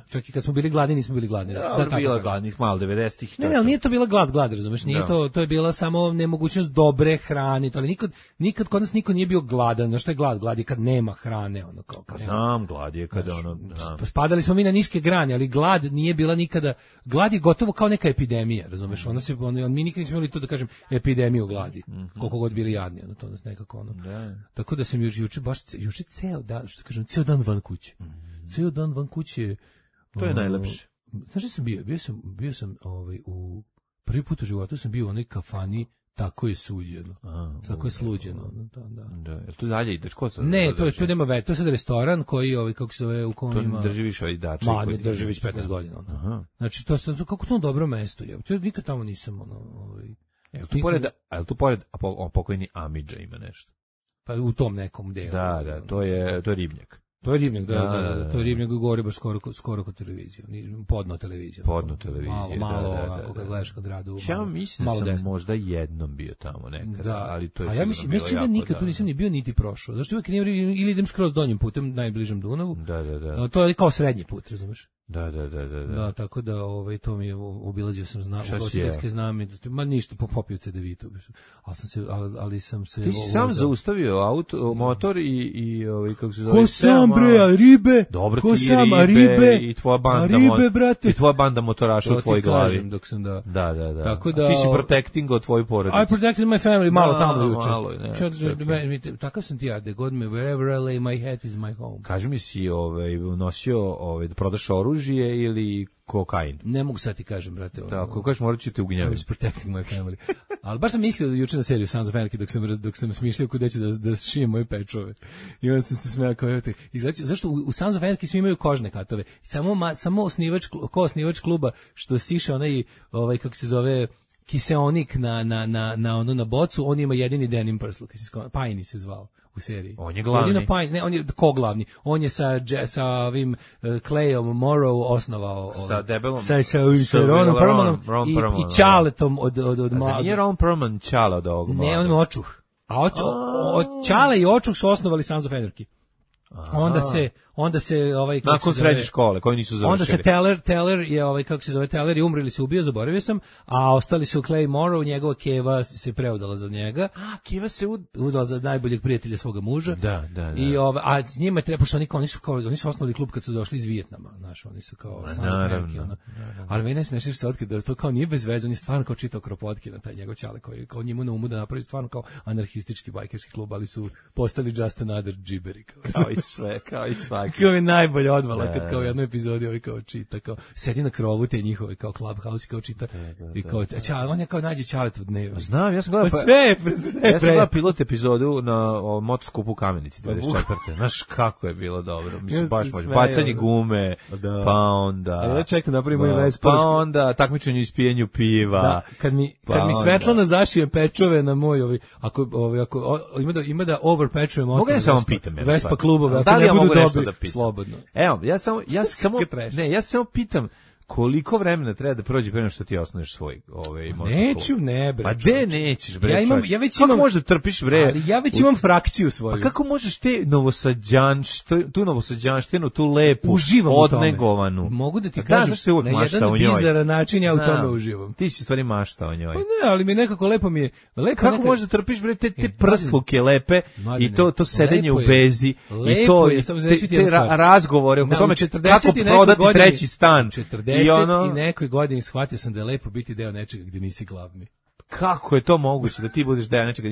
Čak i kad smo bili gladni, nismo bili gladni. Ja, da, tako bila gladnih malo devedesetih. Ne, ne, ali nije to bila glad, glad, razumeš, nije da. to, to je bila samo nemogućnost dobre hrane, ali nikad, nikad kod nas niko nije bio gladan. Znaš šta je glad? Glad je kad nema hrane, ono kao. Pa znam, glad je kada ono, znam. Spadali smo mi na niske grane, ali glad nije bila nikada, glad je gotovo kao neka epidemija, razumeš, ona se, on, on, mi nikad nismo imali to da kažem epidemiju gladi, mm-hmm. koliko god bili jadni, ono, to nas nekako ono. Da. Tako da sam juče, juče baš, juče ceo dan, što kažem, ceo dan van kuće. Mm-hmm. Ceo dan van kuće. To je najlepše. Znaš šta sam bio? Bio sam, bio sam ovaj, u prvi put u životu sam bio u onoj kafani Tako je suđeno. A, tako je sluđeno. Da, da. Da, jel tu dalje ideš? Ko sad? Ne, to je tu nema ve, to je sad restoran koji ovaj kako se zove u kom to ima. To drži više ovaj dačak. Ma, ne drži već petnaest godina. Aha. Znači to sad kako to dobro mesto je. To nikad tamo nisam ono, ovaj. Jel tu pored, jel tu pored a pokojni Amidža ima nešto? Pa u tom nekom delu. Da, da, to je to je ribnjak. To je Ribnjak, da, da, da, da, da. To je Ribnjak gore baš skoro, skoro kod televizije, podno televizija. Podno televizije, malo, da, malo, da, da, onako, kad gledaš kad gradu. Ja malo, mislim da sam desno. Možda jednom bio tamo nekada, da. Ali to je a ja mislim, mislim da nikad tu nisam ni bio niti prošao. Zašto uvijek nije, ili idem skroz donjim putem, najbližem Dunavu. Da, da, da. To je kao srednji put, razumeš? Da, da, da, da. Da, tako da ovaj to mi je obilazio sam znam, ugostiteljske zname, ma ništa, popio C D Vitu. Al sam se ali, ali sam se Ti si sam zaustavio auto, motor i i ovaj kako se zove? Ko sam bre, a ribe? Dobro, ko ti sam, ribe, ribe i tvoja banda, ribe, brate. I tvoja banda motoraša u tvojoj glavi. Dok sam da. Da, da, da. Tako da ti si protecting od tvoju porodicu. I protected my family malo da, tamo juče. Malo, ne. Okay. Takav sam ti ja, da god me wherever I lay my head is my home. Kaži mi si ovaj nosio ovaj da prodaš oružje ili kokain. Ne mogu sad ti kažem, brate. Da, ako kažeš morat ću te ugnjaviti. I was protecting my family. Ali baš sam mislio juče na seriju Sons of Anarchy dok sam dok sam smišljao kuda ću da da šijem moje pečove. I onda sam se smejao kao eto. I znači zašto u, u Sons of Anarchy svi imaju kožne katove. Samo ma, samo osnivač ko osnivač kluba što siše onaj ovaj kako se zove kiseonik na na na na ono na bocu, on ima jedini denim prsluk, Pajni se zvao u seriji. On je glavni. Pine, ne, on je ko glavni. On je sa sa ovim uh, Clayom Morrow osnovao sa ovaj, debelom sa sa, sa Ronom Perlmanom i, i Čaletom od od od Mlada. Nije Ron Perlman Čale od ovog Mlada. Ne, on je očuh. A očuh, od Čale i očuh su osnovali Sons of Anarchy. Aha. Onda se onda se ovaj kako nakon se srednje škole koji nisu završili. Onda se Teller Teller je ovaj kako se zove Teller je umrli se ubio, zaboravio sam, a ostali su Clay Morrow, njegova keva se preudala za njega. A keva se ud... udala za najboljeg prijatelja svoga muža. Da, da, da. I ovaj a s njima treba što oni oni su kao oni su osnovali klub kad su došli iz Vijetnama, znaš, oni su kao naravno, ono. Ali mene smešeš se otkriti da to kao nije bez veze, on je stvarno kao čitao Kropotkin na taj njegov ćale koji kao njemu na umu da napravi stvarno kao anarhistički bajkerski klub, ali su postali just another gibberi kao. Kao i sve, kao i svaki. Kao je najbolje odvala kad kao u jednoj epizodi ovaj kao čita, kao sedi na krovu te njihove kao Clubhouse kao čita i kao čale, on je kao nađe Čalet od dneva. Znam, ja sam gledao pa, sve, sve ja sam gledao pilot epizodu na o, motoskupu u Kamenici dvadeset četvrte Znaš kako je bilo dobro. Mislim, ja baš može. Bacanje gume, da. Pa onda... A ja čekam napravimo i Vespa. Pa onda takmičenje iz pijenju piva. Da, kad mi, pa kad mi Svetlana zašije pečove na moj, ovaj, ako, ovaj, ako o, ima da, ima da over pečujem mogu ja samo pitam. Vespa klubove, da li ja mogu nešto da pitam? Slobodno. Evo, ja samo, ja samo, ne, ja samo pitam, koliko vremena treba da prođe pre nego što ti osnuješ svoj ovaj motor? Neću, ne bre. Pa de nećeš bre? Ja imam, ja već kako imam. Kako možeš da trpiš bre? Ali ja već imam frakciju svoju. Pa kako možeš te novosađanštinu, tu novosađanštinu, tu lepu, uživam odnegovanu? Mogu da ti kažem, da na jedan bizaran način ja u tome uživam. Ti si stvari mašta o njoj. Pa ne, ali mi nekako lepo mi je. Lepo kako možeš da trpiš bre te, te prsluke lepe i to to sedenje u bezi i to te razgovore oko tome kako prodati treći stan. četrdeset i nekoj godini shvatio sam da je lepo biti deo nečega gdje nisi glavni. kako je to moguće da ti budeš deo nečega?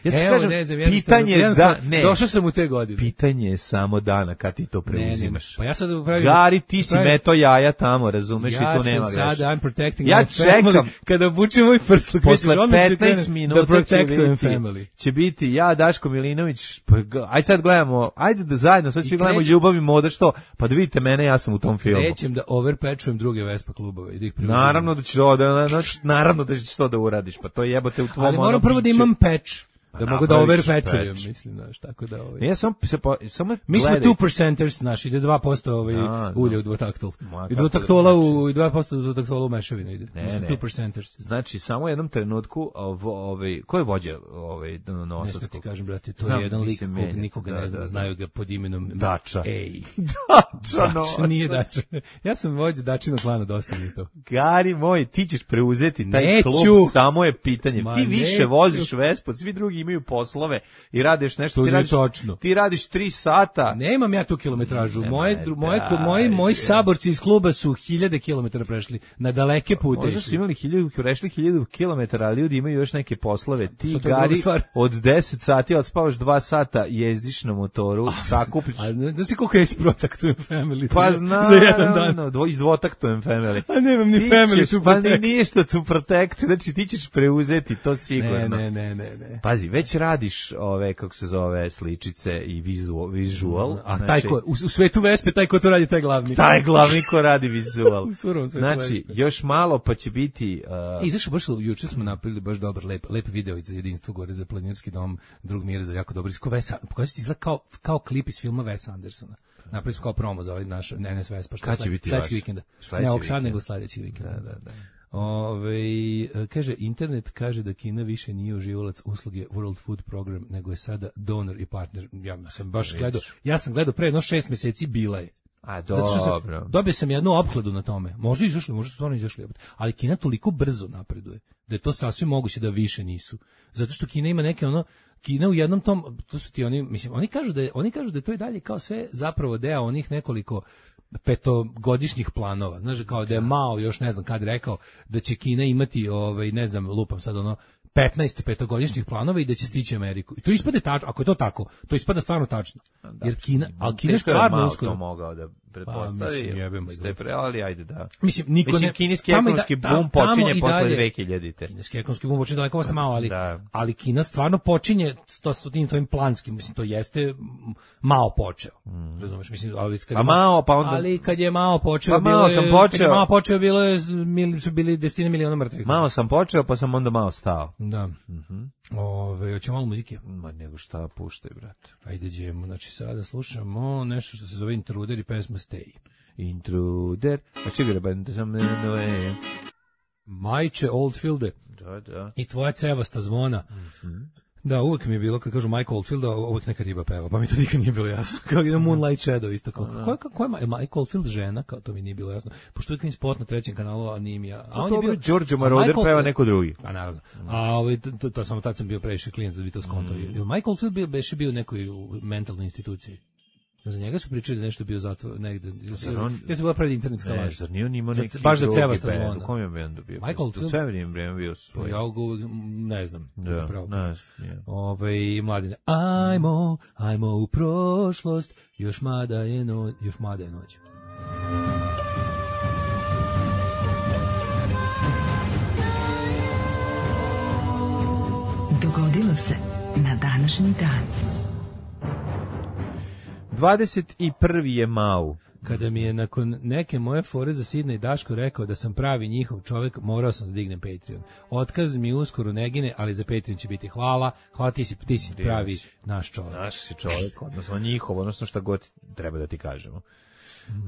Ja se Evo, kažem, ne znam, pitanje je da, ne, došao sam u te godine. pitanje je samo dana kad ti to preuzimaš. Ne, ne, pa ja sad pravim... Gari, ti si pravim, meto jaja tamo, razumeš, ja i tu nema sam greške. sad, I'm protecting Ja my family. čekam. Kada obučem moj prsluk, Posle misliš, odmah ću petnaest krenem minuta da protectujem će biti, family. će biti ja, Daško Milinović, pa, g- aj sad gledamo, ajde da zajedno, sad svi gledamo krećem- Ljubav i moda, što, pa da vidite mene, ja sam u tom filmu. Nećem da overpatchujem druge Vespa klubove i da ih preuzimam. Naravno da ćeš to da, na- na- naravno da ćeš to da uradiš, pa to jebote u tvom Ali moram onom prvo da biću. imam patch. Da mogu da napraviš overpatchujem, patch. mislim, znaš, tako da... Ovaj. Ja sam, se po, samo Mi smo gledaj. two percenters, znaš, ide dva posto ovaj, A, ulja no. u dvotaktul. Ma, I kako dvotaktola da u, i dva posto u dvotaktola u mešavinu ide. Ne, Mi smo ne. two percenters. Znači, samo u jednom trenutku, ovo, ovaj, ko je vođa ovaj, Ne znam ti Novosadskog? kažem, brate, to Znam, je jedan lik mislim, kog menja, nikoga da, ne zna, da, da. znaju ga pod imenom Dača. Ej. Dača, Dača, nije Dača. Ja sam vođa Dačinog klana, dosta mi je to. Gari moj, ti ćeš preuzeti taj Neću. klub, samo je pitanje. Ma ti više neću. voziš Vespu, svi drugi imaju poslove i radiš nešto. To ti nije radiš, točno. Ti radiš tri sata. Nemam ja tu kilometražu. Moje, Nemoj, dru- moje, daj, moji, moji bre. saborci iz kluba su hiljade kilometara prešli. Na daleke pute. Možda su imali hiljadu, prešli hiljadu kilometara, ali ljudi imaju još neke poslove. Ti, Sad to je druga Gari, stvar. od deset sati odspavaš dva sata, jezdiš na motoru, sakupiš. A ne- znaš ti koliko ja isprotaktujem family? Pa znam. Za jedan dan. znam, dvo, izvotaktujem family. A nemam ni Ti family ćeš, tu pa ni protect. ništa tu protect, znači ti ćeš preuzeti to sigurno. Ne, ne, ne, ne, ne. Pazi, već radiš ove, kako se zove, sličice i vizual, visual. A znači, taj ko, u, u svetu Vespe, taj ko to radi, taj glavni. taj glavni ko radi vizual. U surovom svetu Znači, Vespe. još malo pa će biti... Uh, E, izašao baš, juče smo napravili baš dobar, lep, lep video za jedinstvo gore za planinarski dom, drug mir za jako dobro. Ko Vesa, pokazati ti izgleda kao, kao klip iz filma Wesa Andersona. Napravili smo kao promo za ovaj naš N S Vespa. što Kad će sled- biti sledećeg vaš? vikenda. Sledeći Ne ovog sad, vikend. nego sledećeg vikenda. Da, da, da. Ove, kaže, internet kaže da Kina više nije uživalac usluge World Food Program, nego je sada donor i partner. Ja sam baš gledao, ja sam gledao pre jedno šest meseci, bila je. A, Zato što sam, dobro. dobio sam jednu opkladu na tome. Možda izašli, možda su stvarno izašli. Ali Kina toliko brzo napreduje da je to sasvim moguće da više nisu. Zato što Kina ima neke ono, Kina u jednom tom, to su ti oni, mislim, oni kažu da je, oni kažu da je to i dalje kao sve zapravo deo onih nekoliko petogodišnjih planova. Znaš, kao da je Mao još ne znam kad rekao da će Kina imati, ovaj, ne znam, lupam sad ono, petnaest petogodišnjih planova i da će stići Ameriku. I to ispada tačno, ako je to tako, to ispada stvarno tačno. Jer Kina, ali Kina Teško je stvarno Mao uskoro. to mogao da pretpostavi. Pa, mislim, jebem, Ste pre, ali ajde da. Mislim, niko Mislim, ne... kineski tamo i ekonomski da- bum tamo počinje i posle dalje- dve hiljadite. Kineski ekonomski bum počinje daleko posle malo, ali, Da. ali Kina stvarno počinje to s tim tvojim planskim, mislim, to jeste m, Mao počeo. Razumeš, mislim, ali kad A je Mao, pa onda- Ali kad je Mao počeo, Pa bilo Mao je, sam kad je počeo. Mao počeo, bilo je, mil- su bili desetine miliona mrtvih. Malo sam počeo, pa sam onda malo stao. Da. Ove, hoćemo malo muzike? Ma nego šta puštaj, brate. Ajde, ćemo, znači sada slušamo nešto što se zove Intruder i pesma Stay. Intruder, a čega da bende sam no je. Majče Oldfielde Da, da. i tvoja cevasta zvona. Da, uvek mi je bilo, kad kažu Mike Oldfield, a uvek neka riba peva, pa mi to nikad nije bilo jasno. Kao je Moonlight Shadow isto. Kao, ko, je, ko je Mike Oldfield žena? Kao to mi nije bilo jasno. Pošto uvek mi spot na trećem kanalu, a nije mi ja. A on je bio... Đorđe a Moroder Mike peva Oldfield- neko drugi. A naravno. A ovaj, to, to, to samo tad sam bio previše klijent da bi to skonto. Mm. Mike Oldfield bio, beše bio u nekoj u mentalnoj instituciji. Za njega su pričali da nešto bio zatvor negde. on- Ja sam bila pred internetska Ne, laž. zar nije on imao Za- neki baš za drugi cevasta bend? zvona. U kom je bendu bio? Michael To Oldfield? sve vrijeme bio svoj. Ja ga uvek, ne znam. Da, pravo. ne znam, je. Ove, mladine, ajmo, ajmo u prošlost, još mada je noć, još mada je noć. Dogodilo se na današnji dan. dvadeset prvi je Mau. Kada mi je nakon neke moje fore za Sidna i Daško rekao da sam pravi njihov čovjek, morao sam da dignem Patreon. Otkaz mi uskoro ne gine, ali za Patreon će biti hvala. Hvala, ti si, ti si pravi naš čovjek. Naš si čovjek, odnosno njihov, odnosno šta god treba da ti kažemo.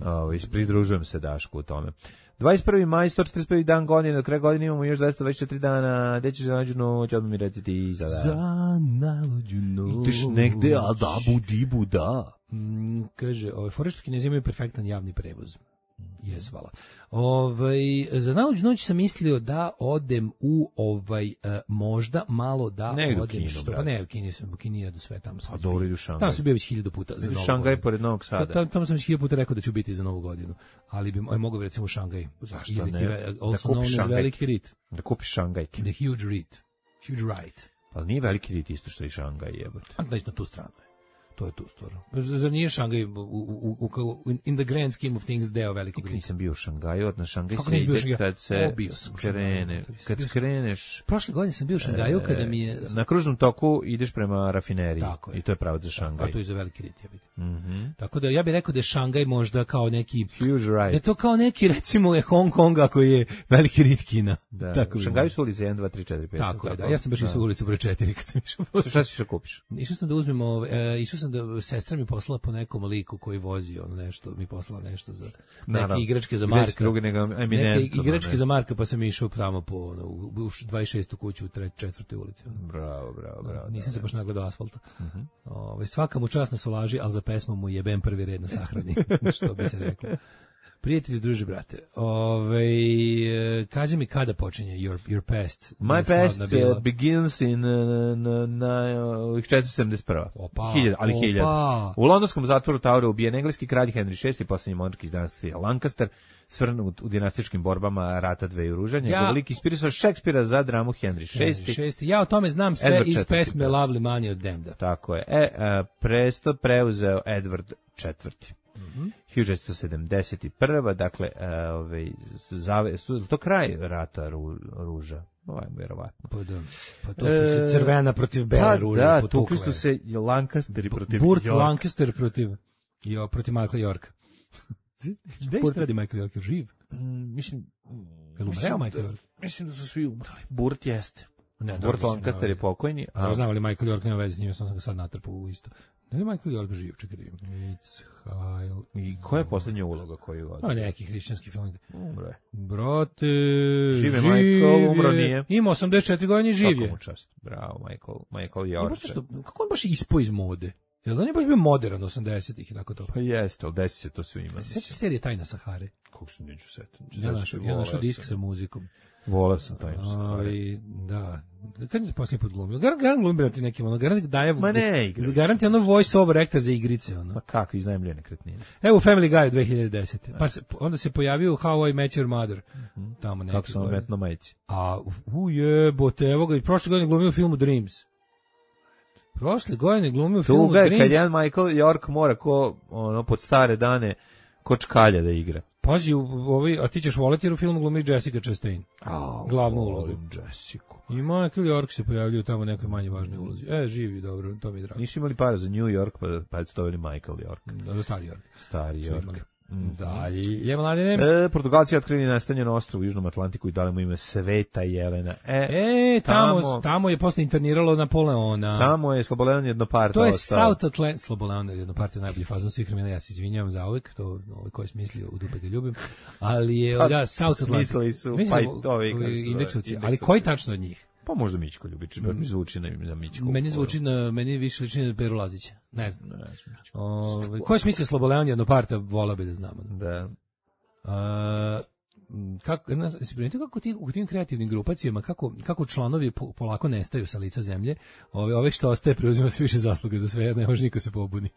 Ovo, pridružujem se Dašku u tome. dvadeset prvi maj, sto četrdeset prvi dan godine, do kraja godine imamo još dvesta dvadeset četiri dana, gde ćeš za nađu noć, odmah mi reci ti sada. Za nalođu noć. Ideš negde, a da, budi buda. Mm, kaže, ove fore što Kinezi imaju perfektan javni prevoz. Jes, hvala. Ovaj, za najluđu noć sam mislio da odem u ovaj uh, možda malo da ne odem Kinu, što brate. pa ne u Kini sam u Kini jedu sve tamo sam. A dobro idu Šangaj. Tamo sam bio već hiljadu puta za Novu Šangaj godinu. pored Novog Sada. Tamo, tamo sam već hiljadu puta rekao da ću biti za Novu godinu, ali bi aj mogao bi recimo u Šangaj. Zašto Ili ne? ti- Da Also kupiš known as Šangaj. veliki rit. Da kupiš Šangajke. The huge rit. Huge right. Pa nije veliki rit isto što i Šangaj jebote. A da na tu stranu je. To je tu stvarno. Zar nije Šangaj u, u, u, u, in the grand scheme of things deo velikog rita? Nisam bio u Šangaju, od na Šangaj Kako se nisi bio u ide Šangaju? kad se O, bio sam u krene, Šangaju. kad Bio sam- skreneš Prošle godine sam bio u Šangaju e, kada mi je... na kružnom toku ideš prema rafineriji Tako je. i to je pravac za A Šangaj. to je za veliki rit, ja bih. Mhm. Tako da ja bih rekao da je Šangaj možda kao neki... Huge Da je right. to kao neki, recimo, je Hong Kong ako je veliki rit Kina. Da. Tako U bi Šangaju bilo. su ulice jedan, dva, tri, četiri, pet. Tako je, da. Ja sam baš išao u ulicu broj četiri kad sam išao. Šta si što kupiš? Išao sam da uzmem, ove, e, išao sam da sestra mi poslala po nekom liku koji vozi ono nešto, mi poslala nešto za neke Naravno. igračke za Gde si Marka. drugi nego Neke eminentno, igračke ne? za Marka, pa sam išao tamo po ono, u u dvadeset šestu kuću u tre- četvrtoj ulici. ono. Bravo, bravo, bravo. Nisam se da, baš nagledao asfalta. Mhm. Ovaj, svaka mu čast na solaži, ali za pesmu mu jebem prvi red na sahrani, što bi se reklo. Prijatelji, druže, brate, ovaj, kaži mi kada počinje Your, your Past? My Slavna past bila. uh, begins in uh, na, na uh, četiristo sedamdeset prva. Opa, Hiljada, ali opa. hiljada. U londonskom zatvoru Toweru ubijen engleski kralj Henry šesti, posljednji monarh iz dinastije Lancaster, svrnut u dinastičkim borbama rata dveju ruža. Njegov Ja- lik inspirisao Šekspira za dramu Henry šesti. Šesti. Ja o tome znam sve Edward iz četvrti, pesme da. Lovely Money od Demda. Tako je. E, uh, presto preuzeo Edward četvrti. Mhm. hiljada četiristo sedamdeset prva. Dakle, uh, ovaj, zave, su, to kraj rata ru, ruža. Ovaj, vjerovatno. Pa da. Pa to su se crvena protiv bele Pa ruže da, potukle. tukli su se Lancasteri protiv Burt Yorka. Lancaster protiv jo, protiv Michaela Yorka. Gde Burt- radi Michael York? Živ? Mm, mislim, Jel umreo mislim Michael da- York? Mislim da su svi umrli. Burt jeste. Ne, Burt mislim, Lancaster je pokojni. A A znam ali Michael York nema veze s njim, sam sam ga sad natrpao u isto. Ne je Michael York živ, čekaj da vidim. It's Heil. i koja je poslednja uloga koju A vodi? neki hrišćanski film. Umro je. Brate, Živ je živ Michael, umro je. nije. Ima osamdeset četiri godine i živ Svaka je. mu čast. Bravo, Michael, Michael I baš York. nešto, kako on baš ispao iz mode? Jel da on je baš bio modern osamdesetih i nakon toga? Pa jeste, ali desi se to svima. Sećaš serije Tajna Sahare? Kako se neću setiti. Ja našao, ja našao disk sa muzikom. Volao sam taj Sahare. Ovaj, da. Kad se posljednji put glumio? Garant, garant glumio ti nekim, ono, garant daje... Ma ne igraš. Garant je ono voice over actor za igrice, ono. Ma kako, iznajmljive nekretnine. Evo u Family Guy dve hiljade desete. Pa se, onda se pojavio How I Met Your Mother. Tamo neki. Kako sam vam metno majici. A, u jebote, evo ga, i prošle godine glumio u filmu Dreams. Prošle godine glumio u filmu Tuga je Dreams. kad jedan Michael York mora ko, ono, pod stare dane ko čkalja da igra. Pazi, u, ovaj, a ti ćeš voleti jer u filmu glumi Jessica Chastain. Au, Glavnu volim ulogu. Jessica. I Michael York se pojavljaju tamo u nekoj manje važnoj ulozi. E, živi, dobro, to mi je drago. Nisu imali para za New York, pa, pa su doveli Michael York. Da, za stari York. Stari Su York. imali. Mhm. Dalje, je mladine. E, Portugalci otkrili nastanjen ostrvo u Južnom Atlantiku i dali mu ime Sveta Jelena. E, E, tamo, tamo- tamo je posle interniralo Napoleona. tamo je Slobodan Jednoparta To je ostao. South Atlantic, Slobodan jedna partija najbolji fazon svih vremena, ja se izvinjavam za uvek, to ovaj ko je smislio u dupe ga ljubim, ali je, Pa, da, South Atlantic. smislili su, Mislim pa da i mu- ovi, kako se zove, indeksovci, ali indeksovci. koji tačno od njih? Pa možda Mićko Ljubić, mm. mi zvuči na, za Mićko. Meni zvuči na, meni više liči na Peru Lazića, ne znam. Ne, ne znam, Mićko. Ovaj, ko je smislio Slobodan jedna partija, volao bi da znamo. Da. A, m, kako, na, si primetio kako ti, u tim kreativnim grupacijama, kako, kako članovi po, polako nestaju sa lica zemlje, ove, ove što ostaje preuzima sve više zasluge za sve, jer ne može niko se pobuni.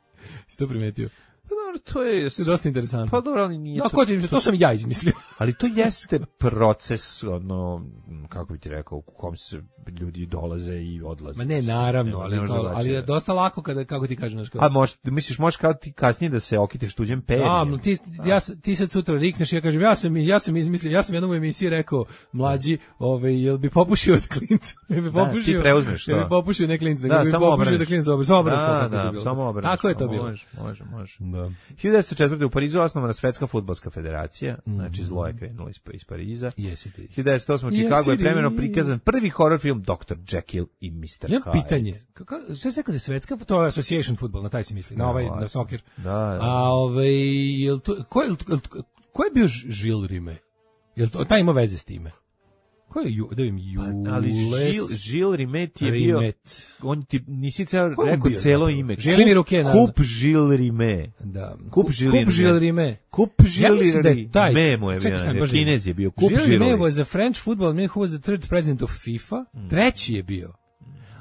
Si to primetio? Pa dobro, to je... To je dosta interesantno. Pa dobro, ali nije No, to... ko ti, to sam ja izmislio. Ali to jeste proces, ono, kako bi ti rekao, u kom se ljudi dolaze i odlaze. Ma ne, naravno, ali, Ne može kao, ali drugačije. je dosta lako kada, kako ti kažem, znaš, kao, A možeš, misliš, možeš kao ti kasnije da se okiteš tuđem perjem? a, no, ti, ja, s- ti sad sutra rikneš, ja kažem, ja sam, ja sam izmislio, ja sam jednom u emisiji rekao, mlađi, ovaj, jel bi popušio od klinca? Jel bi Da, popušio, ti preuzmeš jel bi to. popušio ne klinca, Da, nego bi samo popušio obrneš. da klinca obrne, samo obrne, Da, kako je to da, bilo. samo obrneš. Tako je to bilo. Može, može, može. Da. hiljadu devetsto četvrte. u Parizu osnovana Svetska fudbalska federacija, znači zlo je krenulo iz, iz Pariza. Jesi ti. hiljadu devetsto osme. u Jesi Čikagu je ti. premjerno prikazan prvi horror film doktor Jekyll i mister Imam Hyde. pitanje. Kako, šta se rekao da je svetska? To je association football, na taj se misli, na Da, ovaj, ovaj. na soccer. Da, da. A ovaj, jel to, ko je, ko je bio Žil Rime? Jel to, taj ima veze s time? Ko je Ju, da vidim, Jules... Ali Žil, Žil Rimet je bio... Rimet. On ti, nisi ceo Ko je rekao bio celo zapravo? ime. Želimir Uke, naravno. Kup Žil Rime. Da. Kup Žil Kup Žil Rime. Rime. Kup Ja Žil mislim da je taj... Rime mu je Čekaj, bio. sam, baš Kinez je bio. Kup Žil Žil Rime Rime. was a French football man who was the third president of FIFA. Treći je bio.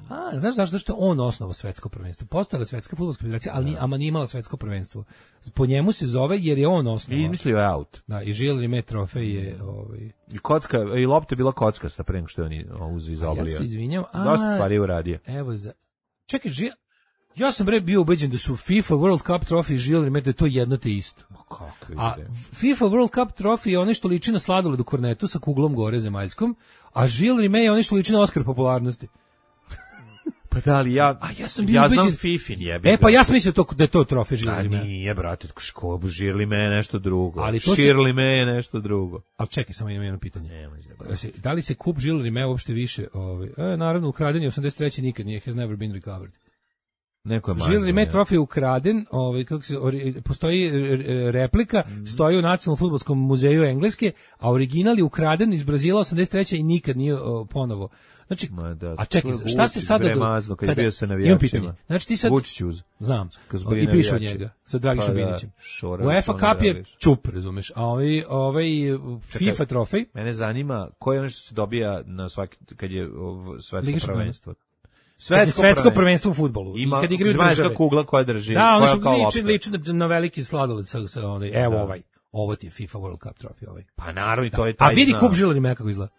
A, znaš zašto što je on osnovao svetsko prvenstvo? Postojala svetska fudbalska federacija, ali ni, ama nije imala svetsko prvenstvo. Po njemu se zove jer je on I osnovao. izmislio je out. Da, i Žil Rime trofej je ovaj. I kocka, i lopta je bila kockasta pre nego što je on uzeo iz Ja oblija. se izvinjam. A, Dosta stvari je uradio. Evo za. Čekaj, Žil. Ja sam bre bio ubeđen da su FIFA World Cup trofej i Žil Rime da je to jedno te isto. Kakvi A bre. FIFA World Cup trofej je onaj što liči na sladoled u kornetu sa kuglom gore zemaljskom, a Žil Rime je onaj što liči na Oskar popularnosti. Pa da li ja... A ja sam bio ja ubeđen- znam Fifin jebe. E pa ja sam mislio to, da je to trofej Žil A Rime. nije, brate, ško, Žirli me je nešto drugo. Ali to se- Širli me je nešto drugo. Ali čekaj, samo imam jedno pitanje. Nemoj da Se- Da li se kup Žil Rime uopšte više, ovaj, e, naravno ukraden je osamdeset treće nikad nije, has never been recovered. Neko je mazno. Žil Rime ja. trofej je ukraden, ovaj, kako se, ori- postoji e, e, replika, stoji u Nacionalnom fudbalskom muzeju Engleske, a original je ukraden iz Brazila osamdeset treće i nikad nije o, ponovo. Znači, Ma da, a čekaj, to je šta se Vučić, sada... bre, do- mazno, kad je bio sa imam navijačima. pitanje. Znači ti sad... Vučić uz. Znam. Kad su bili I pišu navijači. njega sa Dragišom Pa da, Binićem. šora, UEFA šora, Cup je Dragiš. čup, razumeš, a ovaj, ovaj FIFA trofej, Mene zanima koje je ono što se dobija na svaki, kad je ov, svetsko Liga šampiona. prvenstvo. svetsko, svetsko prvenstvo u fudbalu. Ima, I kad igraju znaš države. ta kugla koja drži, Da, ono koja što kao liči, lopta. liči na, na veliki sladoled sa, sa onaj, evo Da. ovaj. Ovo ti je FIFA World Cup trofej ovaj. Pa naravno i to je A taj vidi znak. kup Žila Rime kako izgleda.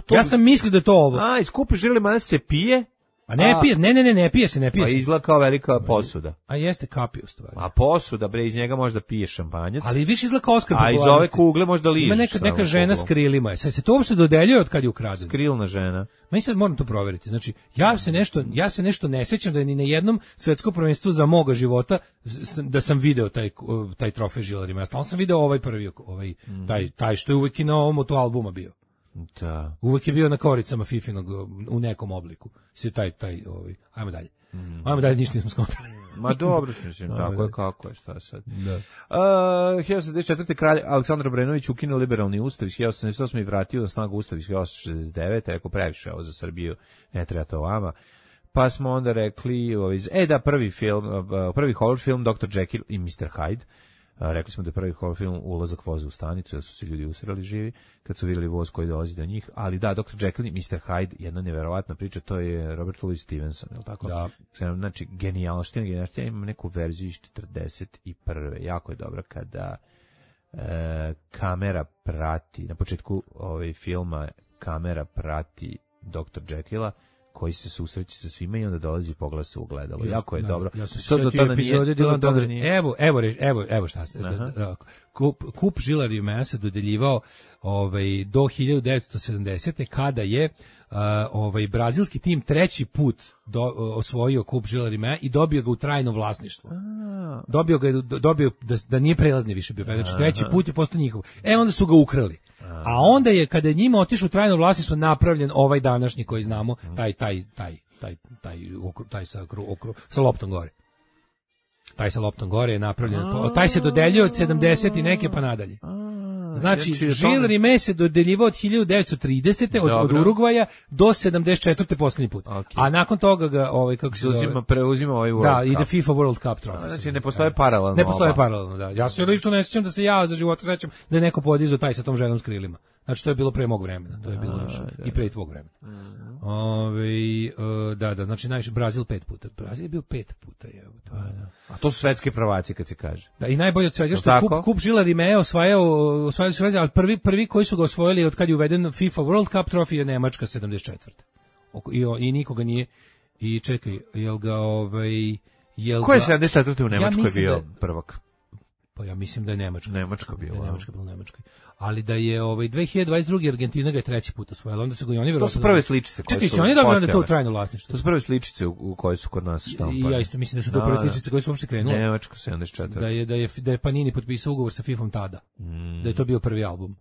to Ja bi- sam mislio da je to ovo. A, iskupi Žirli me se pije, A ne a- pije, ne, ne, ne, ne pije se, ne pije pa se. izgleda kao velika posuda. A jeste kapi u stvari. A posuda, bre, iz njega možda pije šampanjac. Ali više izgleda kao Oskar A iz ove popularnosti. kugle možda ližeš. Ima neka, samo neka žena s kuglom. krilima. Sad se to uopšte dodeljuje od kad je ukraden. Krilna žena. Meni sad moram to proveriti. Znači, ja se nešto, ja se nešto ne sećam da je ni na jednom svetskom prvenstvu za moga života s- da sam video taj taj trofej Žila Rime. Ja stalno sam video ovaj prvi, ovaj taj taj što je uvek i na ovom motoalbuma bio. Da. Uvek je bio na koricama Fifinog u nekom obliku. Se taj taj ovaj. Ajmo dalje. Ajmo dalje, ništa nismo skontali. Ma dobro, mislim, tako je kako je, šta sad. Da. Uh, hiljadu sedamsto šezdeset četvrte kralj Aleksandar Obrenović ukinuo liberalni ustav iz hiljadu sedamsto sedamdeset osme i vratio na snagu ustav iz hiljadu osamsto šezdeset devete Rekao, previše ovo za Srbiju, ne treba to vama. Pa smo onda rekli, ovaj, e da, prvi film, uh, prvi horror film doktor Jekyll i mister Hyde. A, rekli smo da je prvi horror film ulazak voza u stanicu, da su se ljudi usrali živi kad su vidjeli voz koji dolazi do njih, ali da, doktor Jekyll i mister Hyde, jedna neverovatna priča, to je Robert Louis Stevenson, je li tako? Da. Znači, genijalština, genijalština, imam neku verziju iz četrdeset prve jako je dobra kada e, kamera prati, na početku ovaj filma kamera prati doktor Jekylla, koji se susreće sa svima i onda dolazi i pogleda se u ogledalo. Jako je Da, dobro. Ja sam se To do setio tada epizode nije- Dylan to do tada Dog. nije- Evo, evo, re- evo, evo šta se. Aha. da- da- Kup, kup Žila Rime se dodeljivao ovaj, do hiljadu devetsto sedamdesete kada je uh, ovaj, brazilski tim treći put do, osvojio kup Žila Rime i dobio ga u trajno vlasništvo. Dobio ga, je- dobio da, da nije prelazni više bio. Znači treći put je postao njihov. E, onda su ga ukrali. A onda je, kada je njima otišao u trajno vlasništvo, napravljen ovaj današnji koji znamo, taj, taj, taj, taj, taj, okru- taj sa, okru, okru, sa loptom gore. Taj sa loptom gore je napravljen. po- Taj se dodeljuje od sedamdeset i neke pa nadalje. Znači, znači, Žil tome- Rime se dodeljivao od hiljadu devetsto tridesete od, od Dobro. Urugvaja do sedamdeset četvrte poslednji put. Ok. A nakon toga ga, ovaj, kako se Uzima, zove... preuzima ovaj World Da, Cup. ide FIFA World Cup trofej. Znači, ne postoje paralelno Ne postoje oba. paralelno, da. Ja se isto ne sjećam da se ja za života sećam da je neko podizao taj sa tom ženom s krilima. Znači, to je bilo pre mog vremena. To je bilo još i pre tvog vremena. Ove, e, da, da, znači najviše Brazil pet puta. Brazil je bio pet puta, je. To je. A to su svetske prvaci kad se kaže. Da, i najbolje od svega što Jel' kup, tako? kup Žila Rime osvajao, osvajali su razli, ali prvi, prvi koji su ga osvojili od kad je uveden FIFA World Cup trofej je Nemačka sedamdeset četvrte Oko- I, o- I nikoga nije, i čekaj, jel ga, ovaj, jel Ko je ga- sedamdeset četvrte u Nemačkoj mislim bio da- prvak? Pa ja mislim da je Nemačka. Nemačka bila, Da je a? Nemačka bila u Nemačkoj. Ali da je ovaj dve hiljade dvadeset druge Argentina ga je treći put osvojila, onda se ga i oni To verovatno. su prve sličice koje Čekaj, su se oni dobili onda to u postojale. trajno vlasništvo. To su prve sličice u, u koje su kod nas štampane. I ja isto mislim da su to prve sličice koje su uopšte krenule. Nemačka sedamdeset četvrte Da je da je da je Panini potpisao ugovor sa FIFom tada. Da je to bio prvi album.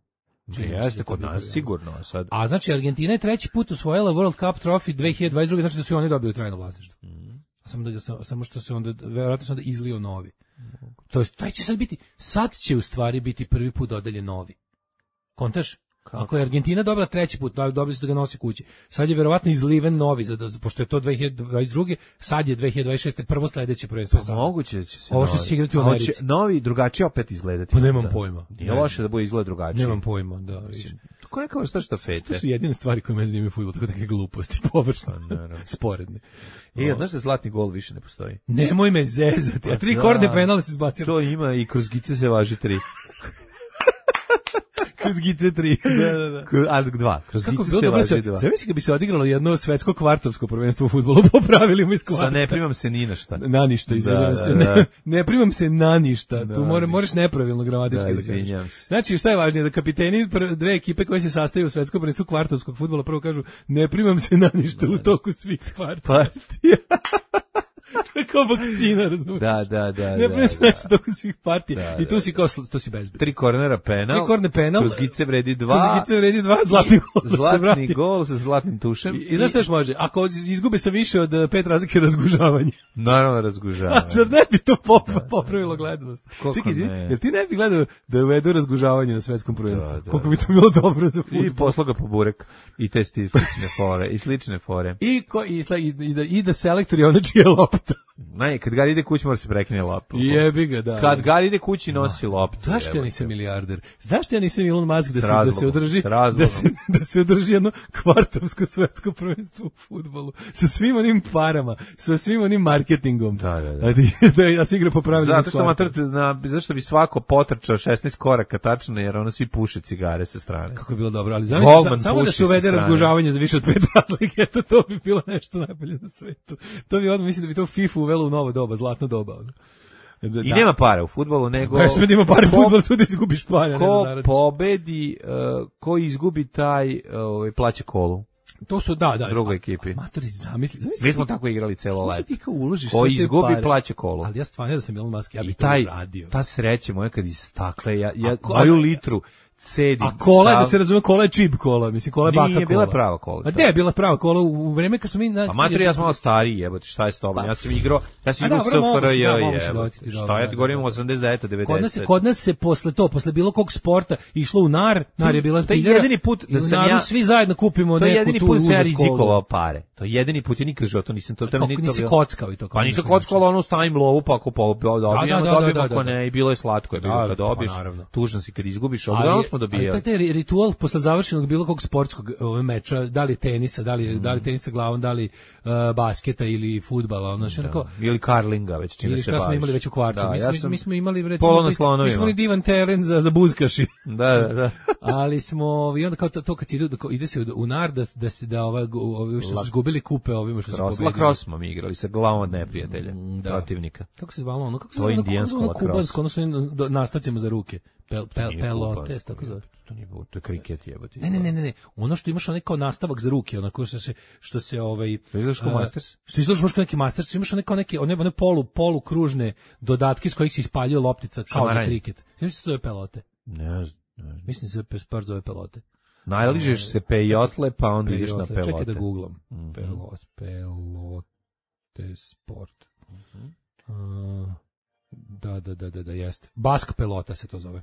Čini mi se da je Jeste, to kod bio nas prvi album. sigurno. A sad, A znači Argentina je treći put osvojila World Cup trofej dve hiljade dvadeset druge znači da su i oni dobili trajno vlasništvo. Samo da ga sam- samo što se onda verovatno se onda izlio novi. To jest taj će sad biti sad će u stvari biti prvi put dodeljen novi. Kontaš? Ako je Argentina dobila treći put, dobili su da ga nosi kući. Sad je verovatno izliven novi, za, pošto je to dve hiljade dvadeset druge. Sad je dve hiljade dvadeset šeste. prvo sledeće prvenstvo. Pa moguće da će se ovo što će se igrati u Americi. Novi drugačije opet izgledati. Pa nemam da. pojma. Nije loše da bude izgled drugačije. Nemam pojma, da. Mislim, to je neka vrsta štafete. To su jedine stvari koje me zanimaju fudbal, tako neke gluposti, površne, sporedne. I znaš da zlatni gol više ne postoji? Nemoj me zezati, a tri da, korne penale se zbacili. To ima i kroz gice se važi tri. Kroz gice tri. Da, da, da. Ali dva. Kroz Kako gice se važi dva. Zamisli kad bi se odigralo jedno svetsko kvartovsko prvenstvo u fudbalu po pravilima iz kvarta. Sa ne primam se ni na šta. Na ništa, izvinjam se. Da, da. Ne, ne primam se na ništa. Da, tu mora, moraš nepravilno gramatički da, da kažeš. Znači, šta je važnije? Da kapiteni dve ekipe koje se sastaju u svetskom prvenstvu kvartovskog fudbala prvo kažu ne primam se na ništa da, u toku svih partija. To je kao vakcina, razumiješ? Da, da, da. Ne primam se na ništa u toku svih partija. Da, I tu si kao, to si bezbedno. Tri kornera penal. Tri korne penal. Kroz gice vredi dva. Kroz gice vredi dva, zlatni gol. Zlatni gol sa zlatnim tušem. I, i znaš što još može? Ako izgube sa više od pet razlike, razgužavanje. Naravno razgužavanje. A zar ne bi to pop, popravilo gledanost? Čekaj, ne? Jel ti ne bi gledao da uvedu razgužavanje na svetskom prvenstvu? Da, da, koliko bi to bilo dobro za fudbal? I posloga po burek. I te slične fore. I slične fore. I, ko, i, i, i, da, i da selektori ono čije lopta. Ne, kad Gari ide kući mora se prekine loptu. Jebi ga, da. Kad Gari ide kući nosi loptu. Zašto ja nisam milijarder? Zašto ja nisam Elon Musk da se, razlogom, da se održi da se, da se održi jedno kvartovsko svetsko prvenstvo u fudbalu sa svim onim parama, sa svim onim marketingom. Da, da, da. Da, da, da se igra po pravilima. Zato što matrate na zašto bi svako potrčao šesnaest koraka tačno jer ono svi puše cigare sa strane. Kako je bilo dobro, ali zamisli samo da se uvede razgužavanje za više od pet razlike, eto to bi bilo nešto najbolje na svetu. To bi odmah mislim da bi to FIFA uvelo u novo doba, zlatno doba. Da. I nema para u fudbalu, nego... Pa što ima para u fudbalu, tu da izgubiš para. Ko pobedi, uh, ko izgubi taj, uh, plaća kolu. To su, da, da. Drugoj ekipi. Matori, zamisli, zamisli. Mi smo tako igrali celo leto. Ti kao uložiš ko izgubi, plaća kolu. Ali ja stvarno da sam Elon Musk, ja bih to radio. Ta sreća moja kad iz stakle, ja, ja moju litru cedim. A kola, sav... da se razume, kola je čip kola, mislim, kola je baka kola. Nije bila prava kola. A gde je bila prava kola u vreme kad smo mi... Na... Pa materi, ja sam malo stariji, jebote, šta je s tobom? Ja sam igrao, ja sam igrao S F R J, jebote. Šta ja ti govorim, osamdeset devete devedeset Kod nas, kod nas se posle to, posle bilo kog sporta, išlo u nar, nar je bila piljera. To je jedini put da sam ja... svi zajedno kupimo neku tu uzasku. To je jedini put da sam ja rizikovao pare. To je jedini put, ja nikad životu nisam to... Kako nisi kockao i to? Pa nisam kockao, ali ono stavim lovu, pa ako dobijemo, dobijemo, ako ne, i bilo je slatko, je bilo kad dobiš, tužno si kad izgubiš, ali uglavnom smo dobijali. Ritual posle završenog bilo kog sportskog ove meča, da li tenisa, da li, mm. da li tenisa glavom, da li uh, basketa ili fudbala, ono što onako ili karlinga, već čime se baviš. Ili šta smo imali već u kvartu. Da, mi, ja smo, sam mi smo imali recimo mi smo imali divan teren za za buzkaši. Da, da, da. Ali smo i onda kao to, to kad se ide ide se u nar da da se da ova ovi što su izgubili kupe ovima što su pobedili. Lacrosse smo mi igrali sa glavom od neprijatelja, da. Protivnika. Kako se zvalo ono? Kako se zvalo? Indijansko kubansko, odnosno nastavcima za ruke. Pel, pel, pelote, tako zove. To nije to je kriket jebote. Ne, ne, ne, ne, ono što imaš onaj kao nastavak za ruke, onako što se što se ovaj izlaš kao Masters. Što izlaš možda neki Masters, imaš onaj kao neki one one polu polu kružne dodatke s kojih se ispaljuje loptica kao za kriket. Mislim se to je pelote. Ne, mislim se sport zove pelote. Najližeš se pejotle, pa onda ideš na pelote. Čekaj da googlam. Pelot, pelote sport. Da, da, da, da, da, jeste. Bask pelota se to zove.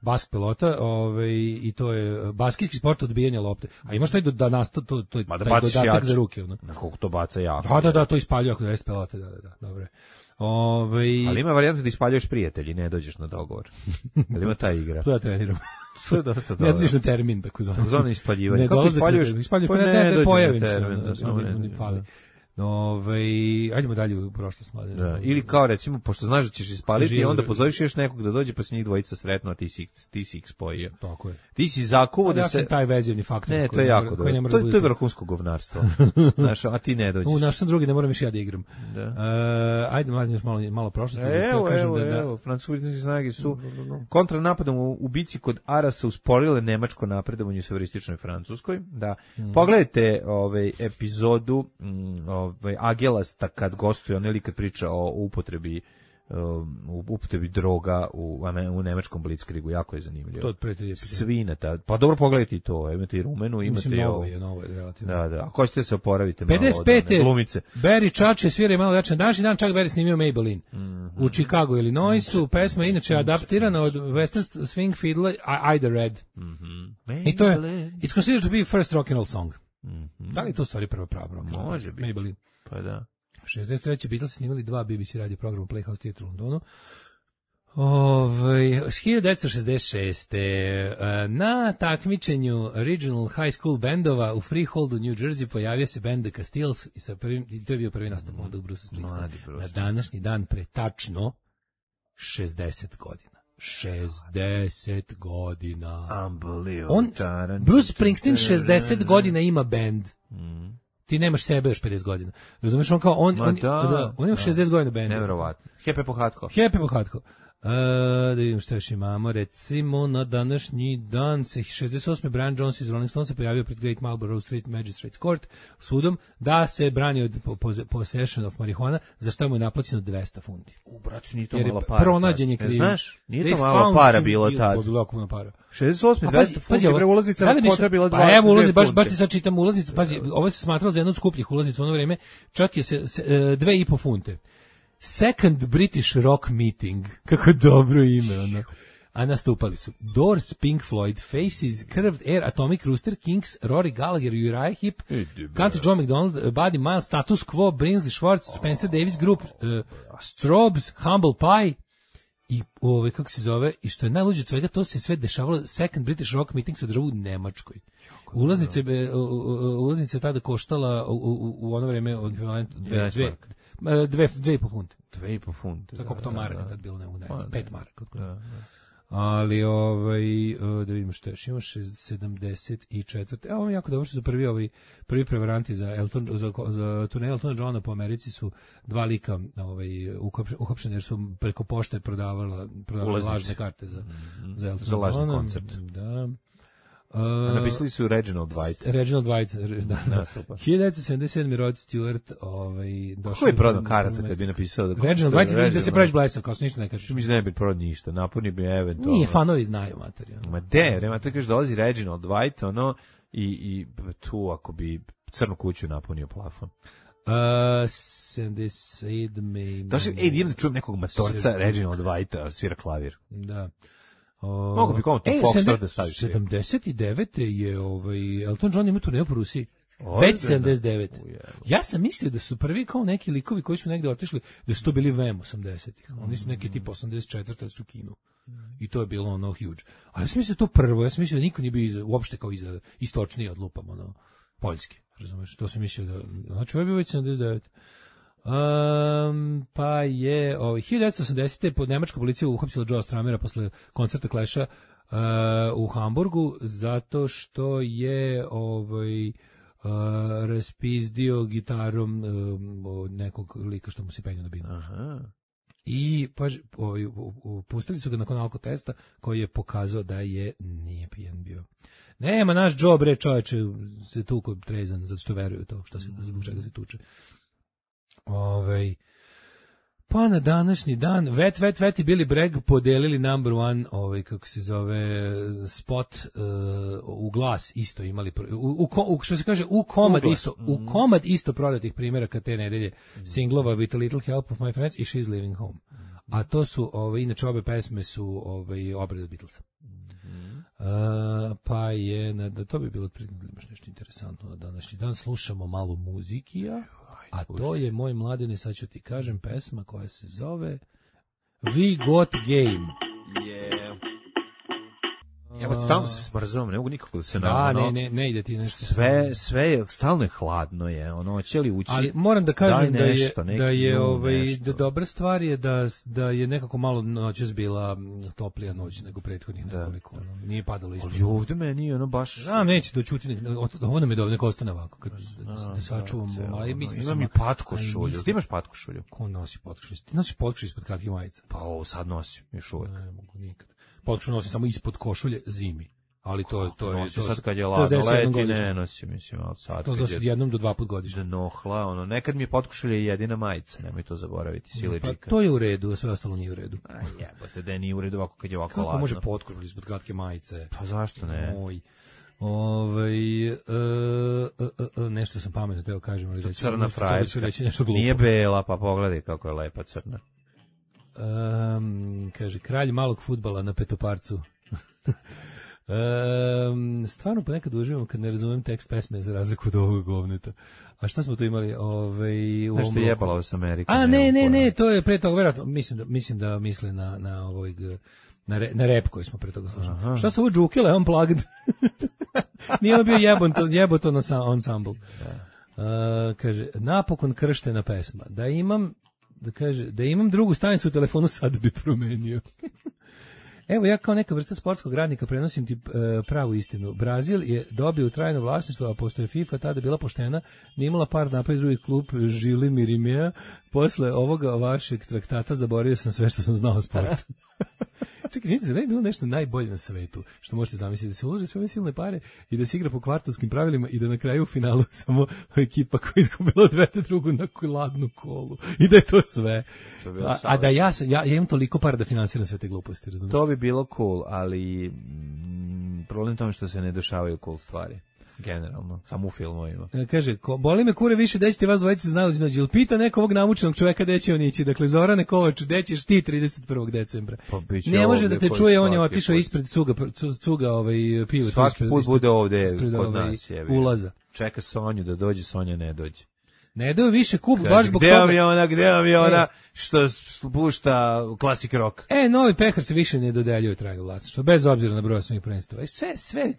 Bask pelota, ovaj i to je basketski sport odbijanja lopte. A imaš taj da nasta to to je taj dodatak za ruke, ono. Na koliko to baca jako. Da, da, da, to ispaljuje ako res pelote, da, da, da, dobro. Ovaj ali ima varijanta da ispaljuješ prijatelji, ne dođeš na dogovor. Jel ima ta igra? To ja treniram. To je dosta dobro. Ne dođeš na termin, tako zvano. Zona ispaljivanja. Kako ispaljuješ? Ispaljuješ, pa ne, ne pojavim se. Ove, ajdemo dalje u prošlost, mlade. Da, ili kao recimo, pošto znaš da ćeš ispaliti, i onda pozoveš još nekog da dođe, pa se njih dvojica sretnu, a ti si, ti si ih spojio. Tako je. Ti si zakuvo da ja se... Ja sam taj vezivni faktor. Ne, to je jako dobro. To, to je vrhunsko govnarstvo. Znaš, a ti ne dođeš. U, naš sam drugi, ne moram više ja da igram. Da. Uh, ajde, mlade, još malo, malo prošlosti. E, evo, da evo, da, evo, francuski snage su kontranapadom u, u bici kod Arasa usporile nemačko napredovanje u severističnoj Francuskoj. Da. Mm. Pogledajte ovaj, epizodu mm, ovaj, Agela kad gostuje, on ili kad priča o upotrebi u upotrebi droga u, u nemačkom blitzkriegu, jako je zanimljivo. To od pre trideset. Svi na ta, pa dobro pogledajte i to, imate i Rumenu, imate Mislim, i novo ovo. je, novo je, relativno. Da, da, ako ćete se oporaviti malo pedeset od pete one glumice. Barry Čače svira malo jače. Današnji dan čak Barry snimio Maybelline. Mm-hmm. U Chicago, Illinoisu. Pesma je inače adaptirana od Western Swing Fiddle I the Red. Mm-hmm. I to je, it's considered to be first rock and roll song. Mm-hmm. Da li je to stvari prva prava rock and roll? Može biti. Maybelline. Pa da. šezdeset treće Beatles snimali dva B B C radio programa Playhouse Theatre u Londonu. Ovaj hiljadu devetsto šezdeset šeste na takmičenju Regional High School bandova u Freeholdu, New Jersey pojavio se band The Castiles i sa prvim, to je bio prvi nastup onda u Bruce Springsteen. Na današnji dan pre tačno šezdeset godina. šezdeset godina. Unbelievable. On, Bruce Springsteen šezdeset godina ima band. Mm. Ti nemaš sebe još pedeset godina. Razumeš, on kao, on, on, da, da, on ima šezdeset godina band. Neverovatno. Hepe Pohatko. Hepe Pohatko. Uh, da vidim šta još imamo, recimo na današnji dan se šezdeset osme Brian Jones iz Rolling Stones se pojavio pred Great Marlborough Street Magistrates Court sudom da se brani od possession of marijuana, za što mu je naplaćeno dvesta funti. U, bratu, nije to jer malo para. Pronađen je kriv. Znaš, nije to malo para bilo tad. Bilo jako puno para. šezdeset osme dvesta funti, pre ulaznica na kontra bila dva. Pa evo ulaznica, baš, baš ti sad čitam ulaznica, pazi, ovo se smatralo za jednu od skupljih ulaznica u ono vrijeme, čak je se, se dve i po funte. Second British Rock Meeting. Kako dobro ime, ono. A nastupali su Doors, Pink Floyd, Faces, Curved Air, Atomic Rooster, Kinks, Rory Gallagher, Uriah Heep, Country Joe McDonald, Buddy Miles, Status Quo, Brinsley Schwartz, Spencer Davis Group, uh, Strobes, Humble Pie i ove, kako se zove, i što je najluđe od svega, to se sve dešavalo, Second British Rock Meeting se održava u Nemačkoj. Ulaznice, ulaznice je tada koštala u, u, u ono vreme od ekvivalent dve, dve, dve, dve i po funte. Dve i po funte. Tako to maraka tad bilo, ne, ne, ne, pet maraka. Da, da. Ali, ovaj, da vidimo što još, ima sedamdeset četvrte Evo jako dobro što su prvi, ovaj, prvi prevaranti za, Elton, za, za turnej Eltona Johna po Americi su dva lika ovaj, uhapšeni jer su preko pošte prodavala, prodavala lažne karte za, mm-hmm. za Eltona za lažni Johna. koncert. Da. Uh, A napisali su Reginald Dwight. Reginald Dwight, da. Nastupa. hiljadu devetsto sedamdeset sedme Rod Stewart, ovaj, došao. Ko je prodao karata kad bi napisao da... Reginald Dwight, Reginald, da se praviš blesav, kao se ništa ne kažeš. Mislim da ne bi prodao ništa, napuni bi eventualno... Nije, fanovi znaju materiju. Ma de, nema to kažeš dolazi Reginald Dwight, ono, i, i tu ako bi crnu kuću napunio plafon. Uh, sedamdeset sedme Da se, ej, idem da čujem nekog matorca Reginald Dwighta, svira klavir. Da. O, mogu bi kao to Foxtrot da staviš. sedamdeset devete je ovaj Elton John ima turneju po Rusiji. Već sedamdeset devete Ja sam mislio da su prvi kao neki likovi koji su negde otišli, da su to bili V E M osamdesetih Oni su neki tip osamdeset četvrte su u Kinu. I to je bilo ono huge. Ali ja sam mislio to prvo, ja sam mislio da niko nije bio iza, uopšte kao iza istočnije od lupam, ono, poljski. Razumeš? To sam mislio da, znači ovo je bio već sedamdeset devete Um, pa je ovaj, hiljadu devetsto osamdesete pod nemačka policija uhapsila Joea Stramera posle koncerta Clash-a uh, u Hamburgu zato što je ovaj uh, raspizdio gitarom um, od nekog lika što mu se penio na binu. Aha. I pa, ovaj, pustili su ga nakon alkotesta koji je pokazao da je nije pijan bio. Nema naš Joe bre čoveče se tuko trezan zato što veruju to što se zbog čega se tuče. Ovaj pa na današnji dan Vet Vet Vet i Billy Bragg podelili number one ovaj kako se zove spot uh, u glas isto imali u, u, u što se kaže u komad isto u komad isto prodatih primjeraka te nedelje mm. singlova With a Little Help of My Friends i She's Leaving Home. Mm. A to su ovaj inače obe pesme su ovaj obrade Beatlesa. Mm. Uh, pa je na, to bi bilo otprilike nešto interesantno na današnji dan slušamo malo muzikija. A to je moj mladine, sad ću ti kažem, pesma koja se zove We Got Game. Yeah. Ja, stalno se smrzavam, ne mogu nikako da se da, na ono, ne, ne, ne ide ti nešto. Sve, sve je, stalno je hladno je, ono, će li ući? Ali moram da kažem nešto, da je, da je ovaj, da dobra stvar je da, da je nekako malo noćas bila toplija noć nego prethodnih nekoliko, ono, nije padalo isto. Ali ovde meni, ono, baš... A, neće da čuti, ovo nam je dobro, neko ostane ovako, kad da sačuvamo, ali mislim... Imam i patkošulju, ti imaš patkošulju? Ko nosi patkošulju? Ti nosi patkošulju ispod kratkih majica? Pa ovo sad nosim, još uvek. Ne mogu nikad. Potpuno nosim samo ispod košulje zimi. Ali to to je Nosim to sad kad je to ladno se desi jednom leti, godišnje. ne nosim, mislim, ali sad To kad se je jednom do dva put godišnje. nohla, ono, nekad mi je potkušalje jedina majica, nemoj to zaboraviti, Pa siledžika. to je u redu, a sve ostalo nije u redu. A jebote, da nije u redu ovako kad je ovako Kako ladno. može potkušati ispod kratke majice? Pa zašto ne? Moj. Ovaj e, e, e, nešto sam pametno teo kažem, ali reći, Crna frajerska. reći nešto glupo. Nije bela, pa pogledaj kako je lepa crna. Um, kaže, kralj malog fudbala na petoparcu. um, stvarno ponekad uživam kad ne razumem tekst pesme za razliku od ovog govneta. A šta smo tu imali? Ovaj, u Nešto ovom je bloku? jebalo s Amerikom. A ne, ne, pojma. ne, to je pre toga, verovatno, mislim da, mislim da misle na, na ovoj g- na, re, na rep koji smo pre toga slušali. Šta su ovo džukile, unplugged? Nije ono bio jebon, jeboton ensemble. Uh, kaže, napokon krštena pesma. Da imam, da kaže, da imam drugu stanicu u telefonu, sad bi promenio. Evo, ja kao neka vrsta sportskog radnika prenosim ti e, pravu istinu. Brazil je dobio trajno vlasništvo, a pošto je FIFA tada bila poštena, nije imala par napad drugi klub Žili Mirimea. Posle ovoga vašeg traktata zaboravio sam sve što sam znao o sportu. Čekaj, znate, zar ne je bilo nešto najbolje na svetu, što možete zamisliti, da se ulože sve ove silne pare i da se igra po kvartovskim pravilima i da na kraju u finalu samo ekipa koja izgubila odvede drugu na ladnu kolu i da je to sve. To je bilo A, a da ja, sam, ja, ja imam toliko para da finansiram sve te gluposti, razumiješ? To bi bilo cool, ali mm, problem tome što se ne dešavaju cool stvari. Generalno, samo u filmovima. E, Kaže, ko, boli me kure više, dećete vas dvojice znali noć. Jel pita nekog ovog namučenog čoveka gde će on ići? Dakle, Zorane Kovač, gde ćeš ti trideset prvog decembra? Pa biće Ne može da ovdje te koji čuje, on je svaki otišao put. ispred cuga, cu- cuga ovaj, pivo. tu Svaki ispred- put ispred- bude ovde ispred, kod ovaj, nas. Jebi. ulaza. Čeka Sonju da dođe, Sonja ne dođe. Ne daju više kup, baš Kaže, zbog gde vam je toga. ona, gde vam je ona E. što spušta klasik rock? E, novi pehar se više ne dodeljuje trajno vlasništvo, bez obzira na broj svojih prvenstava. E, sve, sve,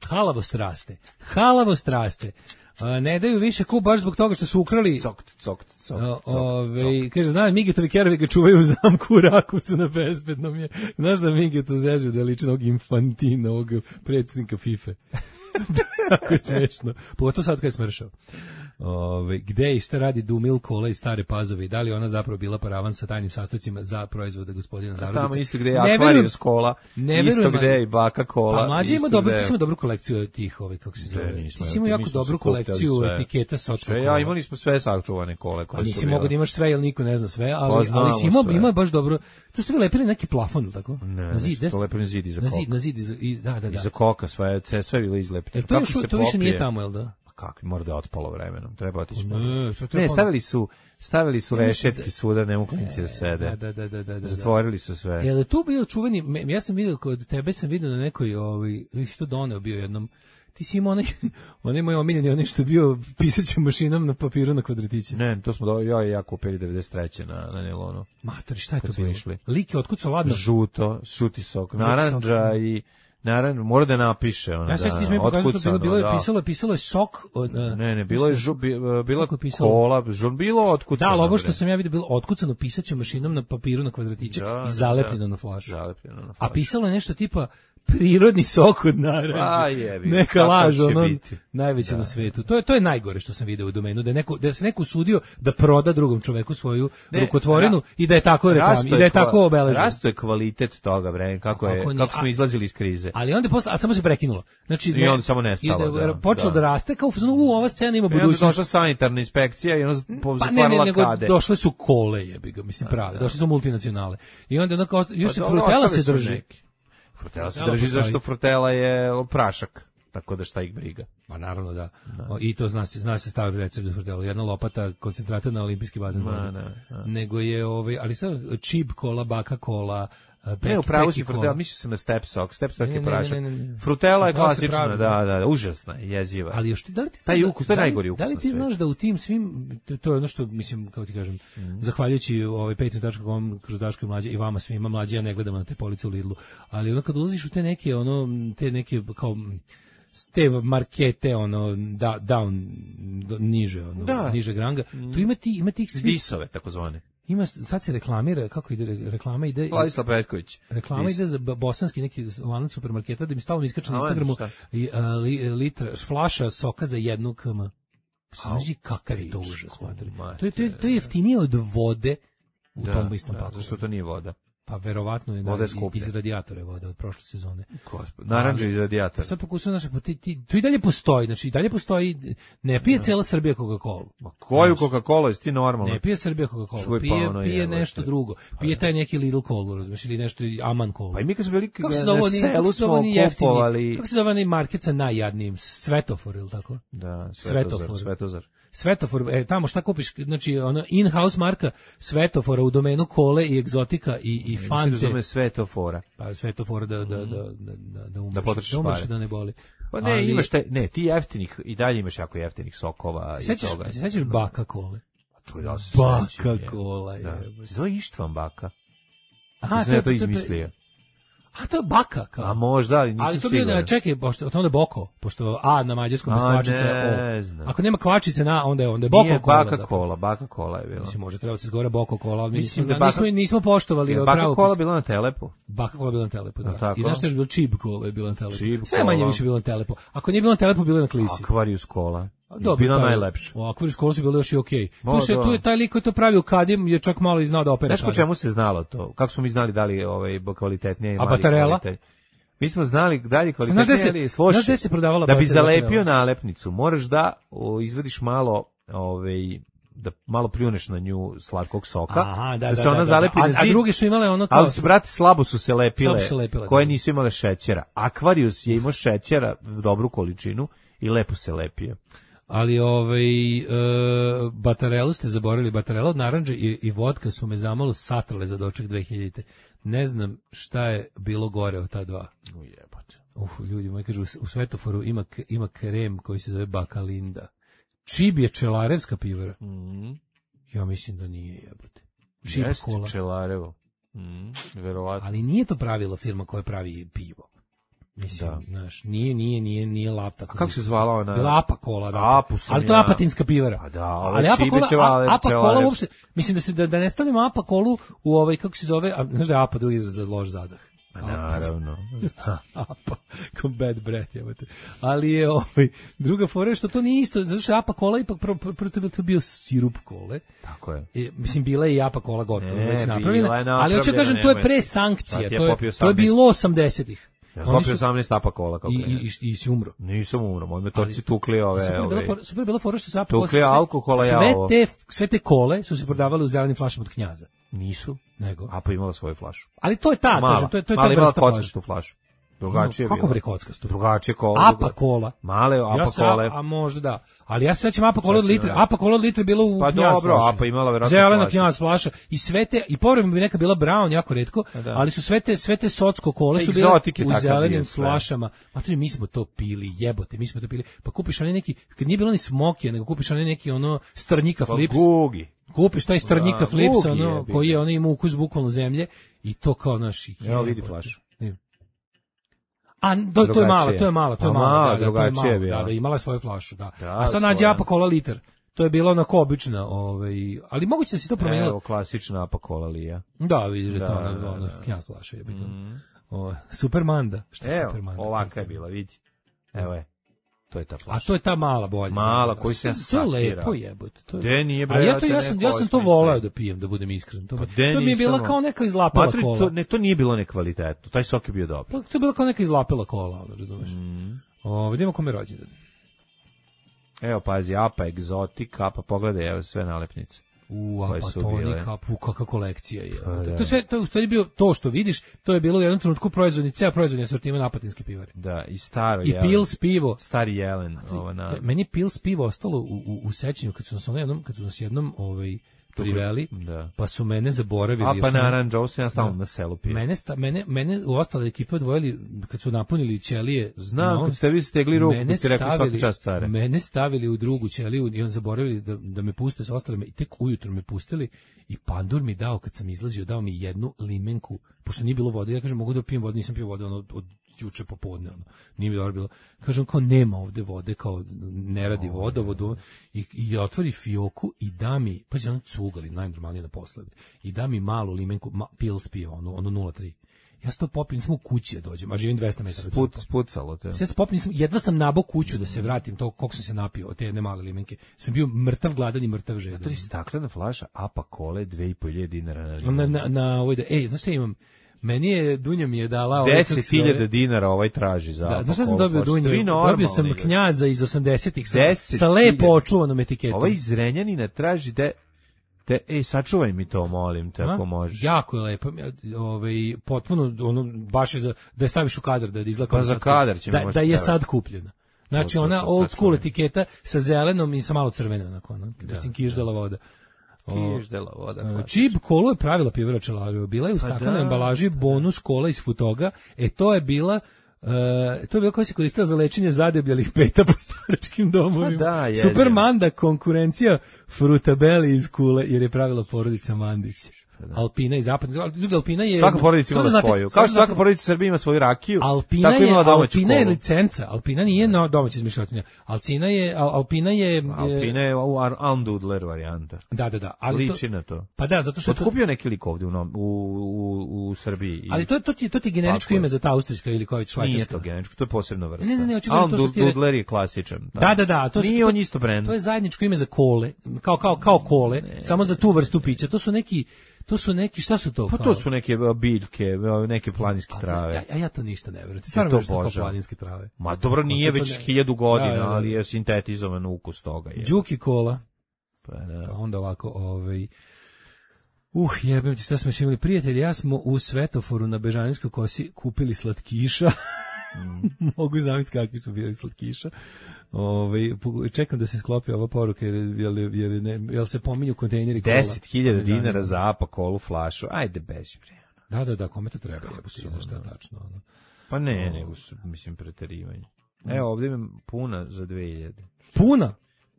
halavost raste. Halavost raste. A, ne daju više kup baš zbog toga što su ukrali. Cokt, cokt, cokt, O, cokt, ove, cokt. kaže, znam, Migetovi kerovi ga čuvaju u zamku u Rakovcu na bezbednom je. Znaš da Migeto zezve da liči na ovog Infantina, ovog predsjednika FIFA. Tako je smešno. Pogotovo sad kad je smršao. Ove, gde i šta radi Dumil Kola iz Stare Pazove i da li ona zapravo bila paravan sa tajnim sastojcima za proizvode gospodina Zarudice? Tamo isto gde je Ne Akvarijus verujem- kola, ne isto verujem, gde je ali- i Baka Kola. Pa mlađe ima isto dobru, gde ti je- si imao dobru kolekciju tih, ovaj, kako se Ne, zove. nismo, Ti si imao mi jako smo dobru sakupljali kolekciju sve. etiketa sa očkom Sve, ja, imali smo sve sačuvane kole Pa koje su nisi bile. mogao da imaš sve, jer niko ne zna sve, ali, Pa znamo ali si imao, sve. ima baš dobro. Tu ste vi lepili neki plafon, ili tako? Ne, na zid, nešto, to lepili zid iza na zid, koka. na zid, iza, i- da, da, da. Iza koka, sve, sve, sve je bilo izlepito. Jel to, Kako još, se to više nije popije? tamo, jel da? Pa kako, mora da je otpalo vremenom, treba otići. Ne, sad treba Ne, ponovo. stavili su, stavili su Ja mislim rešetke da- svuda, ne mogu klinici da sede. Da, da, da, da, da, da. Zatvorili su sve. Jel je tu bio čuveni, me- ja sam vidio kod tebe, sam vidio na nekoj, ovaj, vi si to doneo bio jednom, ti si imao onaj, onaj moj omiljeni, onaj što je bio pisaćom mašinom na papiru na kvadratiće. Ne, to smo do, ja i ja kupili devedeset treće na, na Nilonu. Matori, šta je Kad to smo bilo? išli. Lik je otkucao ladno. Žuto, šuti sok, Žuti narandža sok. i naran, mora da napiše ona. Ja se da, ti smo pokazali, bilo, bilo je da. pisalo, je pisalo je sok. Od, uh, Ne, ne, bilo je žu, bi, bilo Kako je pisalo? kola, žun, bilo Da, otkucano. ali ovo što bre. sam ja vidio bilo otkucano pisaćom mašinom na papiru na kvadratiće Da, i zalepljeno da. na flašu. Zalepljeno na A flašu. pisalo je nešto tipa prirodni sok od naranđe. A, jebi, Neka kakav laž, će ono, biti. najveća Da. na svetu. To je, to je najgore što sam video u domenu, da, je neko, da se neko usudio da proda drugom čoveku svoju Ne, rukotvorinu ra- i da je tako reklam, Rasto i da je kva- tako obeležen. Rasto je kvalitet toga, bre, kako, je, Kako kako, ni- smo a- izlazili iz krize. Ali onda posle, a samo se prekinulo. Znači, I onda samo nestalo, i da, počelo da, da. raste, kao u fazonu, u, ova scena ima I onda budućnost. došla sanitarna inspekcija i ona Pa ne, pozatvarala ne, nego kade. došle su kole, jebi ga, mislim prave. Došle su multinacionale. I onda onako, osta- još Pa se dobro, frutela ostali se su drži. neki. Frutela se Frutela drži postoji. zašto frutela je prašak. Tako da šta ih briga. Pa naravno da. O, I to zna se, zna se stavi recept za frutelu. Jedna lopata koncentrata na olimpijski bazen Ma, vode. ne, ne. Nego je, ovaj, ali sad čib kola, baka kola, peki, Ne, upravo si peki frutela, kola. mislio sam na step sok. Step sok Ne, je ne, ne, prašak. ne, ne, ne. Frutela je Frutela se klasična, pravi, da, da, užasna, je, jeziva. Ali još ti, da li ti Taj znaš da- ukus, to je da li- najgori ukus Da li na ti svetu. znaš da u tim svim, to, to je ono što, mislim, kao ti kažem, zahvaljujući ovaj patreon tačka com kroz Daško i Mlađe i vama svima, Mlađe, ja ne gledamo na te police u Lidlu, ali ono kad ulaziš u te neke, ono, te neke, kao, te markete, ono, da, down, do, niže, ono, Da. niže granga, tu ima ti, ima tih svih, Disove, takozvane. ima, sad se reklamira, kako ide, re- reklama ide, Vladislav Petković. reklama Dis. ide za b- bosanski neki lanac supermarketa da mi stalno iskače na A, Instagramu šta? i, a, li, litra, flaša soka za jednu km. Znači kakav je to pičku užas, mater. materinu. To je, to, je, to je jeftinije od vode u Da, tom istom da, paklu. zašto to nije voda? Pa verovatno je Voda je na, skuplja. iz radijatora voda od prošle sezone. Gospod, naranđe iz radijatora. Sad pokušam, znači, pa ti, ti, to i dalje postoji, znači i dalje postoji, ne pije cijela Srbija Coca-Cola. Ma koju Coca-Cola, jesi ti normalno? Ne pije Srbija Coca-Cola, Čuj, pa pije, ono pije je, nešto vrte. drugo. Pije taj neki Lidl Cola, razumiješ, ili nešto Aman Cola. Pa i mi kad smo bili Kako se na zove oni, selu kako se zove smo oni jeftini, kupovali... kako se zove oni market sa najjadnijim, Svetofor, ili tako? Da, Svetofar. Svetozar. Svetozar. Svetofor, e, tamo šta kupiš, znači ono in-house marka Svetofora u domenu kole i egzotika i, i Mislim fante. da zove Svetofora. Pa Svetofora da, da, da, da, da, da umreš, Da potrošiš da, umreš pare. da ne boli. Pa ne, Ali- imaš te, ne, ti jeftinih, i dalje imaš jako jeftinih sokova i Sećaš, toga. se sećaš baka kole? Čuj, da se Baka sećam, je. kola je. Da. Se zove Ištvan baka. Aha, Mislim da je to izmislio. A to je baka kao. A možda, ali nisam Ali to siguran. bio, čekaj, pošto o tome da je boko, pošto A na mađarskom je A, kvačica ne O. znam. Ako nema kvačice na, onda je onda je boko Nije kola. baka zapravo. kola, baka kola je bila. Mislim, može trebalo se zgore boko kola, ali mi Mislim nismo, da je baka- nismo, nismo poštovali Je pravo. baka kola bila na Telepu. Baka kola je bila na Telepu, da. A tako? I znaš što je bilo čib kola je bila na Telepu. Čib Sve manje kola. više bilo na Telepu. Ako nije bilo na Telepu, bilo je na Klisi. Akvarijus kola. Dobro, Bila taj- najlepša. O, Akvarijus kola su bile još i okej. Ma, Tu se da. tu je taj lik koji to pravi u Kadim je čak malo i znao da opere. Znaš po čemu se znalo to? Kako smo mi znali da li je ovaj kvalitetnije i A mali batarela? kvalitet? Mi smo znali da li je Znaš gde kvalitetnije se- ili sloši. znaš gde se prodavala Da bi batarela? zalepio nalepnicu, moraš da o, izvadiš malo ovaj da malo pljuneš na nju slatkog soka, Aha, da, da, se da, ona da, da. zalepi A- na a zid. druge su imale ono kao- Ali se, brate, slabo su se lepile, Slabo su se lepile, koje da. nisu imale šećera. Akvarijus je imao šećera u dobru količinu i lepo se lepio. Ali ovaj e, batarelu ste zaboravili, batarela od naranđe i, i vodka su me zamalo satrale za doček dve hiljadite. Ne znam šta je bilo gore od ta dva. Ujebote. Uf, ljudi moji kažu, u, u Svetoforu ima, k- ima krem koji se zove Bakalinda. Čib je čelarevska pivara. Mhm. Ja mislim da nije, jebote. Čib Jeste kola. Čelarevo. Mhm, verovatno. Ali nije to pravilo firma koja pravi pivo. Mislim, Da. znaš, nije, nije, nije, nije lap tako. A kako se zvala ona? Bila Apa kola, da. Apu sam Ali to je ja. apatinska pivara. A da, ove ali Apa čibe kola, ćevale- A- Apa kola ćelarevske. uopšte, mislim da se da, da ne stavimo Apa kolu u ovaj, kako se zove, a, znaš da je Apa drugi izraz za loš zadah. Ma naravno. Apa, kao bad breath, jebate. Ali je ovaj, druga fora je što to nije isto, zato što je Apa kola ipak prvo, prvo, prvo to je bio- to je bio sirup kole. Tako je. I, mislim, bila je i Apa kola gotovo, Ne, već bila napravljena, je ali hoću da kažem, to je napravljena, pre nemoj. sankcija, Pa ti je to je, popio to je osamnaest. bilo osamdesetih. Ja Oni popio su- osamnaest apa kola kako I, je. i, i, i si umro. Nisam umro, moji me torci Ali- tukli ove... Super je bila ove fora, super je bila fora što se Apa Tukli posle sve- alkohola, ja sve ovo. te, sve te kole su se prodavale u zelenim flašama od Knjaza. Nisu. Nego. Apa imala svoju flašu. Ali to je ta, Mala. kažem, to je, to je ta Mala imala vrsta flaše. kockastu flašu. Drugačije je Kako bilo. bre kockastu? Drugačije kola. Apa druga- kola. Male apa Ja se, kole. a, a možda da. Ali ja se sećam Apa kola od Sad litra. ne. Apa kola od litra je bilo u Pa Knjaz dobro, flaši. Apa imala verovatno Zelena flašu. Knjaz flaša i sve te, i povremeno bi neka bila brown, jako retko, da. ali su sve te, sve te socko kole su bile Egzotik je u takav zelenim bio sve. flašama. Ma to mi smo to pili, jebote, mi smo to pili. Pa kupiš onaj neki, kad nije bilo ni smokija, nego kupiš onaj neki ono strnjika Pa flips. gugi. Kupiš taj strnjika Da, flips, gugi ono, je bio. koji je ono ima ukus bukvalno zemlje i to kao naši. Evo vidi flašu. A to, to je Drugačije. malo, to je malo, to je Pa malo, malo, da, da, to je drugačije malo, je bila. da, da, imala je svoju flašu, da. Da, A sad nađe svoja. Apa kola liter. To je bilo onako obična, ovaj, ali moguće da se to promenilo. Evo, klasična apa kola lija. Da, vidiš da je to Da, ona, da, ona da. Knjaz flaša je bitno. O, Supermanda, šta je Evo, Supermanda? ovaka je bila, vidi. Evo je. To je ta flaša. A to je ta mala bolja. Mala, Da, koju se ja To je sakirao. lepo jebote. To je. De, nije, bre, A ja ja to te ja sam neko ja sam to osmislio. voleo da pijem, da budem iskren. To, Pa bi- de, to mi je bila nisam- kao neka izlapela Matri, kola. to, ne, to nije bilo nekvalitetno. Taj sok je bio dobar. Pa to je bila kao neka izlapela kola, ono, razumeš. Mm. O, vidimo kome je rođendan. Evo, pazi, apa, egzotik, apa, pogledaj, evo sve nalepnice. U, Koje su bile. apatonika, pu, kakva kolekcija je. Pa, da. To, sve, to je u stvari bio to što vidiš, to je bilo u jednom trenutku proizvodni, ceo proizvodni asortiman apatinske pivare. Da, i staro I jelen. Pils pivo. Stari jelen. Ovo na... Meni je Pils pivo ostalo u, u, u sećanju kad su nas ono jednom, kad su nas jednom ovaj, priveli, Da. pa su mene zaboravili. A jer pa su me- naranđa, ovo sam ja stalno Da. na selu pio. Mene, sta, mene, mene u ostale ekipe odvojili kad su napunili ćelije. Znam, na on- kad ste vi stegli ruku, mene kad ste rekli svaka stavili- čast care. Mene stavili u drugu ćeliju i on zaboravili da, da me puste sa ostalima i tek ujutro me pustili i pandur mi dao, kad sam izlazio, dao mi jednu limenku, pošto nije bilo vode, ja kažem mogu da pijem vodu, nisam pio vode ono, od juče popodne, ono, nije mi dobro bilo. Kažem kao nema ovde vode, kao ne radi vodovod i, i otvori fioku i da mi, pa se ono cugali, najnormalnije na posled, i da mi malu limenku, ma, Pils piva, ono, ono nula tri. Ja se to popijem, nisam u kući da dođem, a živim dvesta metara od Sput, supa. spucalo te. Sve se popijem, nisam, jedva sam nabao kuću da se vratim, to koliko sam se napio od te jedne male limenke. Sam bio mrtav gladan i mrtav žedan. To je staklena flaša apa kole dve i po hiljade dinara na limun. Na, na, na ovoj da, ej, znaš šta imam? Meni je, Dunja mi je dala... deset hiljada dinara ovaj traži za da, apa znaš šta sam kolu dobio flašu. Dunju? Dobio sam Normalni, Knjaza iz osamdesetih sa, deset sa lepo hiljada. očuvanom etiketom. Ovaj iz Renjanina traži de, de, ej, sačuvaj mi to, molim te, ako možeš. Jako je lepo, ovaj, potpuno, ono, baš je za, da je staviš u kadar, da izgleda kao Pa za sad kadar kupljena. ćemo da, možda da je trebati. sad kupljena. Znači, To, to, ona to, old sad school ćemo. etiketa sa zelenom i sa malo crvena, onako, ono, mislim, kiždela voda. Kiždela voda. O, klasično. Čib kolu je pravila pivara Čelario. Bila je u staklenoj da. embalaži bonus kola iz Futoga. E, to je bila Uh, to je bilo koja se koristila za lečenje zadebljalih peta po staračkim domovima. Da, jezivo. Super Manda, konkurencija Frutabeli iz Kule, jer je pravila porodica Mandić. Alpina i zapadna. Ljudi, Alpina je... Svaka porodica Samo ima da znate, svoju. samo Kao da što svaka znate, porodica u Srbiji ima svoju rakiju, Alpina tako je, imala domaću Alpina je kolu. licenca. Alpina nije no, domaća izmišljotinja. Alcina je, Al, Alpina je... Alpina je u Ar- Almdudler varijanta. Da, da, da. Ali Liči to, na to. pa da, zato što... je to- Otkupio neki lik ovdje u, Nom- u, u, u Srbiji. I ali to, to, ti, to ti je generičko Tako je. ime za ta austrijska ili koja nije švajcarska. to genetičko, to je posebna vrsta. Ne, ne, ne, očigledno to što ti re- Almdudler je klasičan. Da, da, da, to su- Nije to- on isto brend. To je zajedničko ime za kole, kao kao kao kole, samo za tu vrstu pića. To su neki to su neki šta su to? Pa kao? to su neke a, biljke, a, neke planinske trave. Ja, ja, ja to ništa ne verujem. Ti stvarno to veruješ da kao obožavam. planinske trave. Ma dobro, nije to već ne- hiljadu godina, Da, da, da. ali je sintetizovan ukus toga. Je. Đuki kola. Pa da. Pa onda ovako, ovaj Uh, jebem ti, šta smo još imali prijatelji, ja smo u Svetoforu na Bežanijskoj kosi kupili slatkiša. Mogu zamisliti kakvi su bili slatkiša. Ovaj čekam da se sklopi ova poruka jer jel, jel, ne, jel se pominju kontejneri kola. deset hiljada dinara za apa kolu flašu. Ajde, beži bre. Da, da, da, kome to treba, jebote, za šta tačno, ono. Pa ne, nego su, mislim, preterivanje. Evo, ovdje imam puna za dve hiljade. Puna.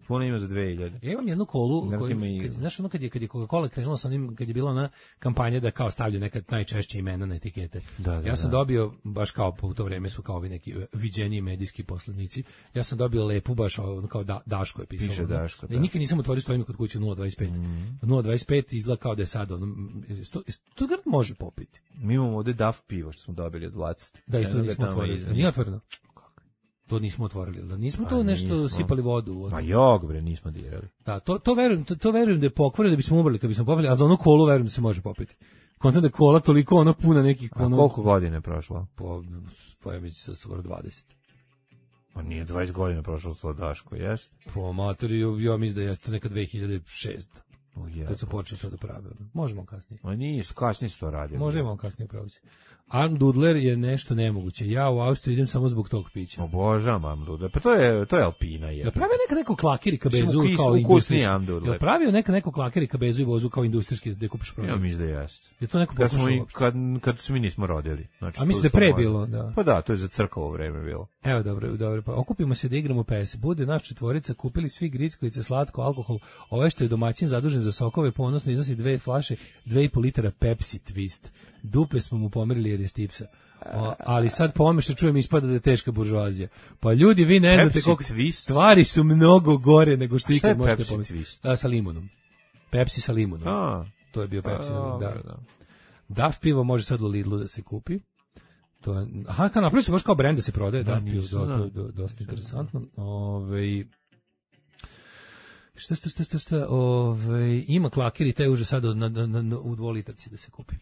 Puna ima za dve hiljade. Ja imam jednu kolu, Znate koju, ima i- kad, znaš ono kad je, kad je Coca-Cola krenula sa onim, kad je bila ona kampanja da kao stavlja neka najčešće imena na etikete. Da, da, ja sam da. dobio, baš kao po to vreme su kao ovi neki viđeniji medijski poslovnici, ja sam dobio lepu, baš ono kao da, Daško je pisalo. Piše ono. Daško, da. I nikad nisam otvorio, stojim kod kuće nula dvadeset pet. nula dvadeset pet izgleda kao da je sad, ono, sto, to grad može popiti. Mi imamo ovdje D A F pivo što smo dobili od Vlacite. Da, isto Eno ga nismo tamo otvorili. iznad. Nije otvoreno. To nismo otvorili, da nismo to Pa nešto nismo. sipali vodu. Ono. Ma jog, bre, nismo dirali. Da, to, to verujem, to, to verujem da je pokvareno da bismo umrli kad bismo popili, a za onu kolu verujem da se može popiti. Kontam da je kola toliko ono puna nekih... A Ono, koliko godine je prošlo? Po, po ja mislim skoro dvadeset. Pa nije dvadeset godina prošlo s Daško, jest? Po materiju, ja mislim da je to neka dve hiljade šeste. O, je. Kad su počeli to da prave. ono. Možemo kasnije. Ma nisu, kasnije su to radili. Možemo kasnije praviti. Almdudler je nešto nemoguće. Ja u Austriju idem samo zbog tog pića. Obožavam Amdudler. Pa to je, to je Alpina. Je. Ja pravio neka neko klakeri kabezu Mislim, ukis- kao ukusniji industrijski. Amdudler. Ja pravio neka neko klakeri kabezu i vozu kao industrijski da kupiš Ja prodavnicu. mislim da jeste. Je to neko Kad, smo, pokušao i- uopšte? kad, kad se mi nismo rodili. Znači, A to mislim da je smo pre možda- bilo, da. Pa da, to je za crkovo vreme bilo. Evo, dobro, dobro, pa okupimo se da igramo P S. Bude naš četvorica, kupili svi grickalice, slatko, alkohol. Ovaj što je domaćin zadužen za sokove, ponosno iznosi dve flaše, dve i po litara Pepsi Twist. Dupe smo mu pomerili jer je stipsa. O, ali sad pomeša čujem ispada da je teška buržoazija. Pa ljudi, vi ne znate Pepsi koliko Twist? stvari su mnogo gore nego što A šta je ikad možete Pepsi pomisliti. Twist? Da, sa limunom. Pepsi sa limunom. A, To je bio Pepsi. a, da. dobro, da. Daf pivo može sad u Lidlu da se kupi. To je, aha, kao napravili su baš kao brend da se prodaje, Da, Daf pivo, nisam do, znao. do, do, dosta interesantno. Ove, šta, šta, šta, šta, šta, ove, ima klakeri, taj už sad na, na, na, u dvolitarci da se kupi.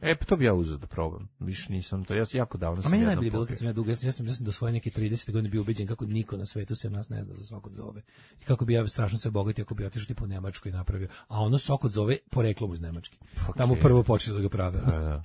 E, pa to bi ja uzeo da probam. Više nisam to, ja sam jako davno A sam meni jednom najbolje bilo popio. kad sam ja dugo, ja sam, ja sam, ja sam do svoje neke tridesete godine bio ubeđen kako niko na svetu sem nas ne zna za sok od zove. I kako bi ja strašno se bogatio ako bi otišao tipa u Nemačku i napravio. A ono sok od zove poreklom iz Nemačke. Tamo prvo počeli da ga prave. Da, da.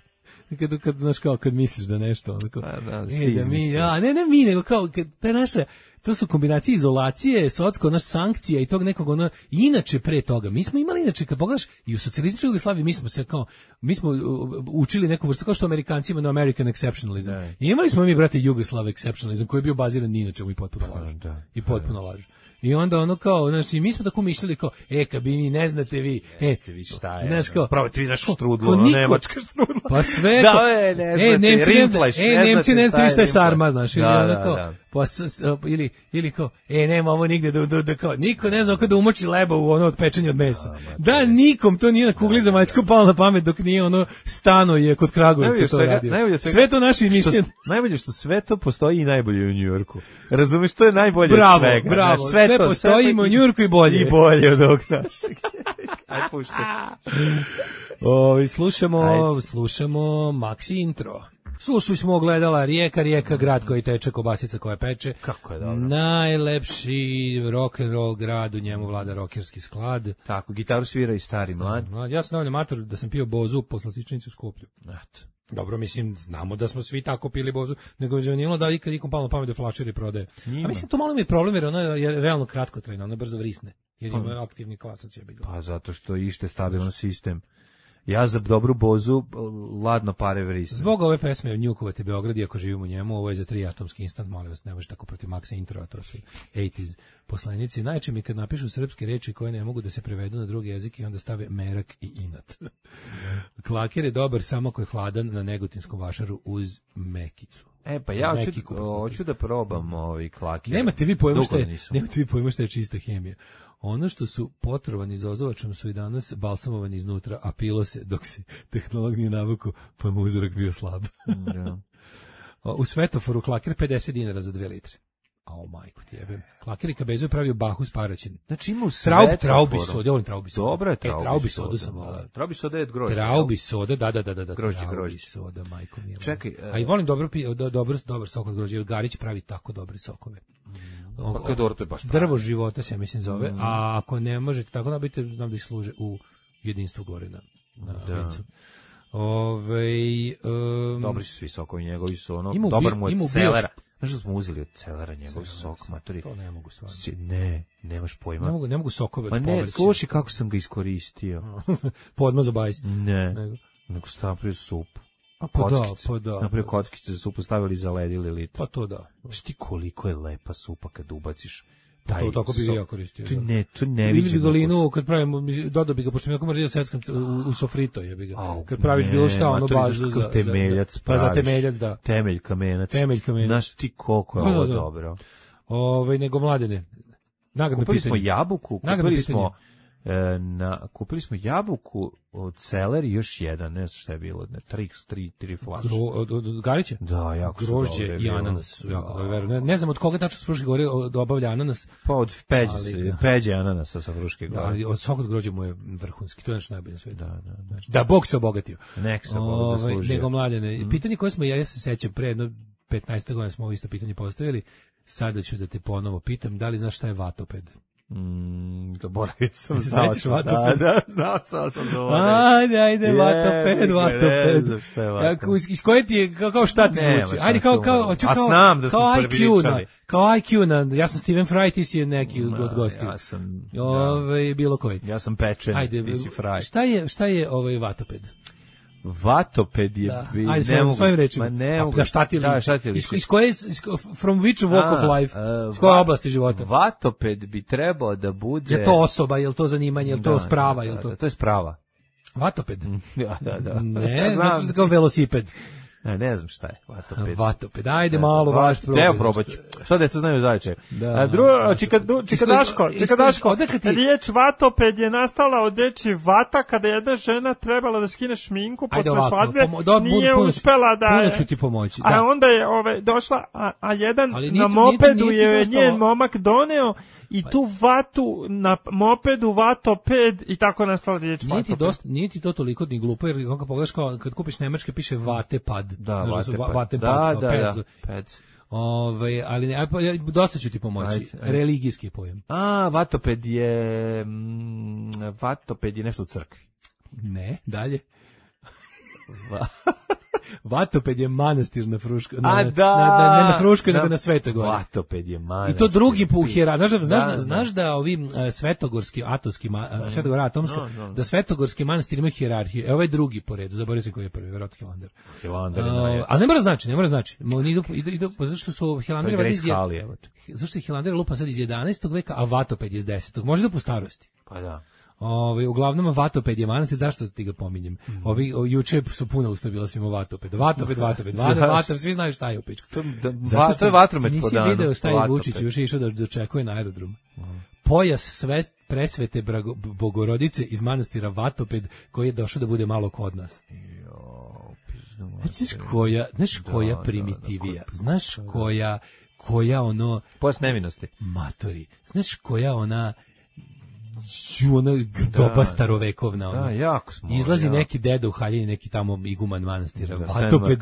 Kad, kad, znaš, kao, kad misliš da nešto, onako, Pa da, e, ste da mi, izmislili. ja, ne, ne mi, nego kao, kad, ta naša, to su kombinacije izolacije, socko, naš sankcija i tog nekog, ono, inače pre toga, mi smo imali, inače, kad pogledaš, i u socijalističkoj Jugoslaviji, mi smo se kao, mi smo uh, učili neku vrstu, kao što Amerikanci imaju na American exceptionalism. Da. I imali smo mi, brate, Jugoslav exceptionalism, koji je bio baziran ni na čemu i potpuno laž. da. I potpuno laž. I onda ono kao, znači, mi smo tako mišljali kao, e, kad bi mi ne znate vi, e, Jeste vi šta je, znaš ono, kao, probajte vi našu ko- štrudlu, ko ono, niko- nemačka štrudla. Pa sve Da, ko- e, ne e, znate, Nemci ne znate, Rindfleisch, e, ne Nemci znate ne šta znate je šta je Rindfleisch. sarma, znaš, ili Da, ono da, kao, da. pa s, s, ili, ili kao, e, nema ovo nigde da, da, da kao, niko ne zna kako da umoči leba u ono od pečenja od mesa. Da, nikom to nije na kugli zemaljsku palo na pamet dok nije ono stano je kod Kragujevca to radio. Sve to naši mišljenje. Najbolje što sve to postoji i najbolje u Njujorku. Razumeš, to je najbolje bravo, od svega. Bravo, znaš, sve, sve to, postoji sve u Njujorku i bolje. I bolje od ovog našeg. Aj, puštaj. O, slušamo, Ajde. slušamo Maxi intro. Slušali smo gledala Rijeka, Rijeka, grad koji teče, kobasica koja peče. Kako je dobro. Najlepši rock and roll grad, u njemu vlada rokerski sklad. Tako, gitaru svira i stari mlad. Ja sam navljam mator da sam pio bozu po slastičnici u Skoplju. Eto. Dobro, mislim, znamo da smo svi tako pili bozu, nego je zanimljivo da ikad ikom palo na pamet da flašeri prodaje. A mislim, to malo mi je problem, jer ona je realno kratkotrajna, ona brzo vrisne, jer ima aktivni kvasac je bilo. Pa zato što ište stabilan sistem. Ja za dobru bozu ladno pare vrisne. Zbog ove pesme Njukovate Beograd, iako živim u njemu, ovo je za tri atomski instant, molim vas, ne može tako protiv Maxa intro, a to su osamdesetih poslanici. Najče mi kad napišu srpske reči koje ne mogu da se prevedu na drugi jezik i onda stave merak i inat. Klaker je dobar samo ako je hladan na Negutinskom vašaru uz mekicu. E pa ja hoću, hoću da probam ovaj klaker. Nemate vi pojma šta je, nemate vi pojma šta je čista hemija. Ono što su potrovani za ozovačom su i danas balsamovani iznutra, a pilo se dok se tehnolog nije navuku, pa mu uzorak bio slab. Ja. U svetoforu klaker pedeset dinara za dve litre. Ao majku ti jebem. Klaker i kabezu pravio bahu s paraćin. Znači ima u svetoforu. Traub, traubi soda, volim traubi soda. Dobro je traubi, e, traubi soda. Sam volao. Traubi soda je grožđe. Traubi soda, da, da, da, da. Grožđe, traubi grožđe. soda, majko mila. Čekaj. Uh, a i volim dobro, do, dobro, dobar sok od grožđe. Garić pravi tako dobre sokove. Pa kad dobro, to je baš drvo života se, mislim, zove, mm. a ako ne možete tako nabiti, znam da ih služe u jedinstvu gore na, na da. Vincu. Ove, um, dobri su svi sokovi njegovi su ono, imu, dobar mu je celera. Znaš što smo uzeli od celera njegov sok, matori? To ne mogu stvarno. Ne, nemaš pojma. Ne mogu, ne mogu sokove od povrća. Ma ne, sluši kako sam ga iskoristio. Podmaz za bajs. Ne, nego, nego sam napravio supu. A pa da, pa da. Napravio kockice za supu, stavili zaledili litru. Pa to da. Znaš ti koliko je lepa supa kad ubaciš taj to, tako bi ga ja koristio. Tu ne, tu ne vidim. Ili bi ga linu, kad pravimo, dodao bi ga, pošto mi jako mrzio da seckam u, u sofrito, je bi ga. Oh, kad praviš ne, bilo šta, ono bazu za, temeljac, za, za, pa za temeljac, da. Temelj kamenac. Temelj kamenac. Znaš ti koliko je da, ovo da, da. dobro. Ove, nego mladene. Nagradno kupili pitanje. smo jabuku, kupili smo, e, na, kupili smo jabuku od celeri, još jedan, ne znam šta je bilo, ne, tri, tri, tri flaše. Od, od, od Garića? Da, jako grožđe i ananas su jako da. Dobro. Ne, ne znam od koga tačno s Fruške gore dobavlja ananas. Pa od Peđe, ali, peđe ananasa sa Fruške gore. Da, ali od svakog grožđa mu je vrhunski, to je nešto najbolje na svijetu. Da, da, da. Znači, da Bog se obogatio. Nek se Bog zaslužio. Nego mladene, mm. pitanje koje smo, ja, ja se sećam, pre jedno petnaest godina smo ovo isto pitanje postavili, sada ću da te ponovo pitam, da li znaš šta je vatoped? Mm, zaboravio sam, znao sam, da, da, znao sam, sam zaboravio. Ajde, ajde, je, vatoped, vatoped. Ne znam šta je vatoped. Iz koje ti je, kao, kao šta ti ne, zvuči? Ajde, kao, kao, kao, a znam da smo prvi ličali. Kao I Q na, ja sam Steven Fry, ti si neki od gostiju. Ja sam, Ove, bilo koji. Ja sam pečen, ajde, ti si Fry. Šta je, šta je ovaj vatoped? Vatoped je da. bi, ajde, ne mogu, svojim rečima. Ma ne mogu. Da, šta ti da, šta ti iz, iz koje, iz, from which walk A, of life? Iz koje oblasti života? Vatoped bi trebao da bude... Je to osoba, je li to zanimanje, je li to da, sprava? Da, je li to... Da, to je sprava. Vatoped? Da, da, da. Ne, znači se kao velosiped. Ne, ne znam šta je vatoped. Vatoped, ajde malo baš probaj. Evo probat ću. Što deca znaju zajče? Da. A drugo, čikadaško, čikadaško. Riječ vatoped je nastala od reči vata kada je jedna žena trebala da skine šminku posle svadbe, nije uspela da je. Puno ću ti pomoći. A onda je ove, došla, a, a jedan na mopedu je njen momak doneo i tu vatu na mopedu vatoped i tako nastala riječ vatoped. Nije ti to toliko ni glupo, jer kako pogledaš kao kad kupiš nemačke piše vatepad. Da, vatepad. Vatepad, da, da, da, pec. Ove, ali ne, dosta ću ti pomoći. Ajde, ajde. Religijski pojem. A, vatoped je mm, vatoped je nešto u crkvi. Ne, dalje. Va. Vatoped je manastir na Fruškoj, na, A da, na, na, ne na Fruškoj, nego na Svetoj Gori. Vatoped je manastir. I to drugi po hierarhiji. Znaš, znaš, da, znaš da ovi uh, svetogorski, atomski, uh, Svetogor atomska, no, no. da svetogorski manastir ima hijerarhiju. Evo ovaj drugi po redu, zaboravio se koji je prvi, verovatno Hilandar. Hilandar uh, je ali ne mora znači, ne mora znači. Idu, idu, idu, zašto su Hilandari vadi iz zašto je Hilandar lupan sad iz jedanaestog veka, a Vatoped iz desetog Može da po starosti. Pa da. Ovaj uglavnom Vatoped je manastir, zašto ti ga pominjem? Mm. Ovi o, juče su puno usta bila svima Vatoped. Vatoped, Vatoped, Vatoped, svi znaju šta je u pičku. To, da, va, to je vatromet po danu. Nisi video šta je Vučić još išao da dočekuje na aerodrom. Mm. Pojas sve presvete Brago, Bogorodice iz manastira Vatoped koji je došao da bude malo kod nas. Znaš koja, znaš koja primitivija, znaš koja, koja ono... Pojas nevinosti. Matori, znaš koja ona... ona doba da, starovekovna. Ona. Da, jako smo. Izlazi jako. Neki deda u haljini, neki tamo iguman manastira, da, Vatoped.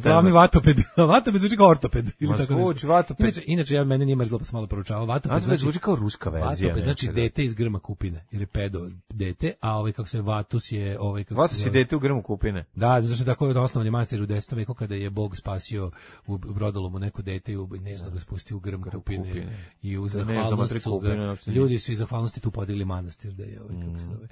Glavni Vatoped. Vatoped zvuči kao ortoped. Ili Ma, tako zvuči Vatoped. Inače, inače ja mene nije mrzlo pa sam malo proučavao. Vatoped, Vatoped zvuči kao ruska verzija. Vatoped znači dete iz grma kupine, jer je pedo dete, a ovaj kako se Vatus je ovaj kako Vatus je dete u grmu kupine. Da, zato što tako je osnovni manastir u desetom veku kada je Bog spasio u Brodolomu neko dete i nežno ga spustio u grm kupine, kupine. I u zahvalnost su ga, ljudi svi zahvalnosti tu podigli manastir da je ovaj kako se zove.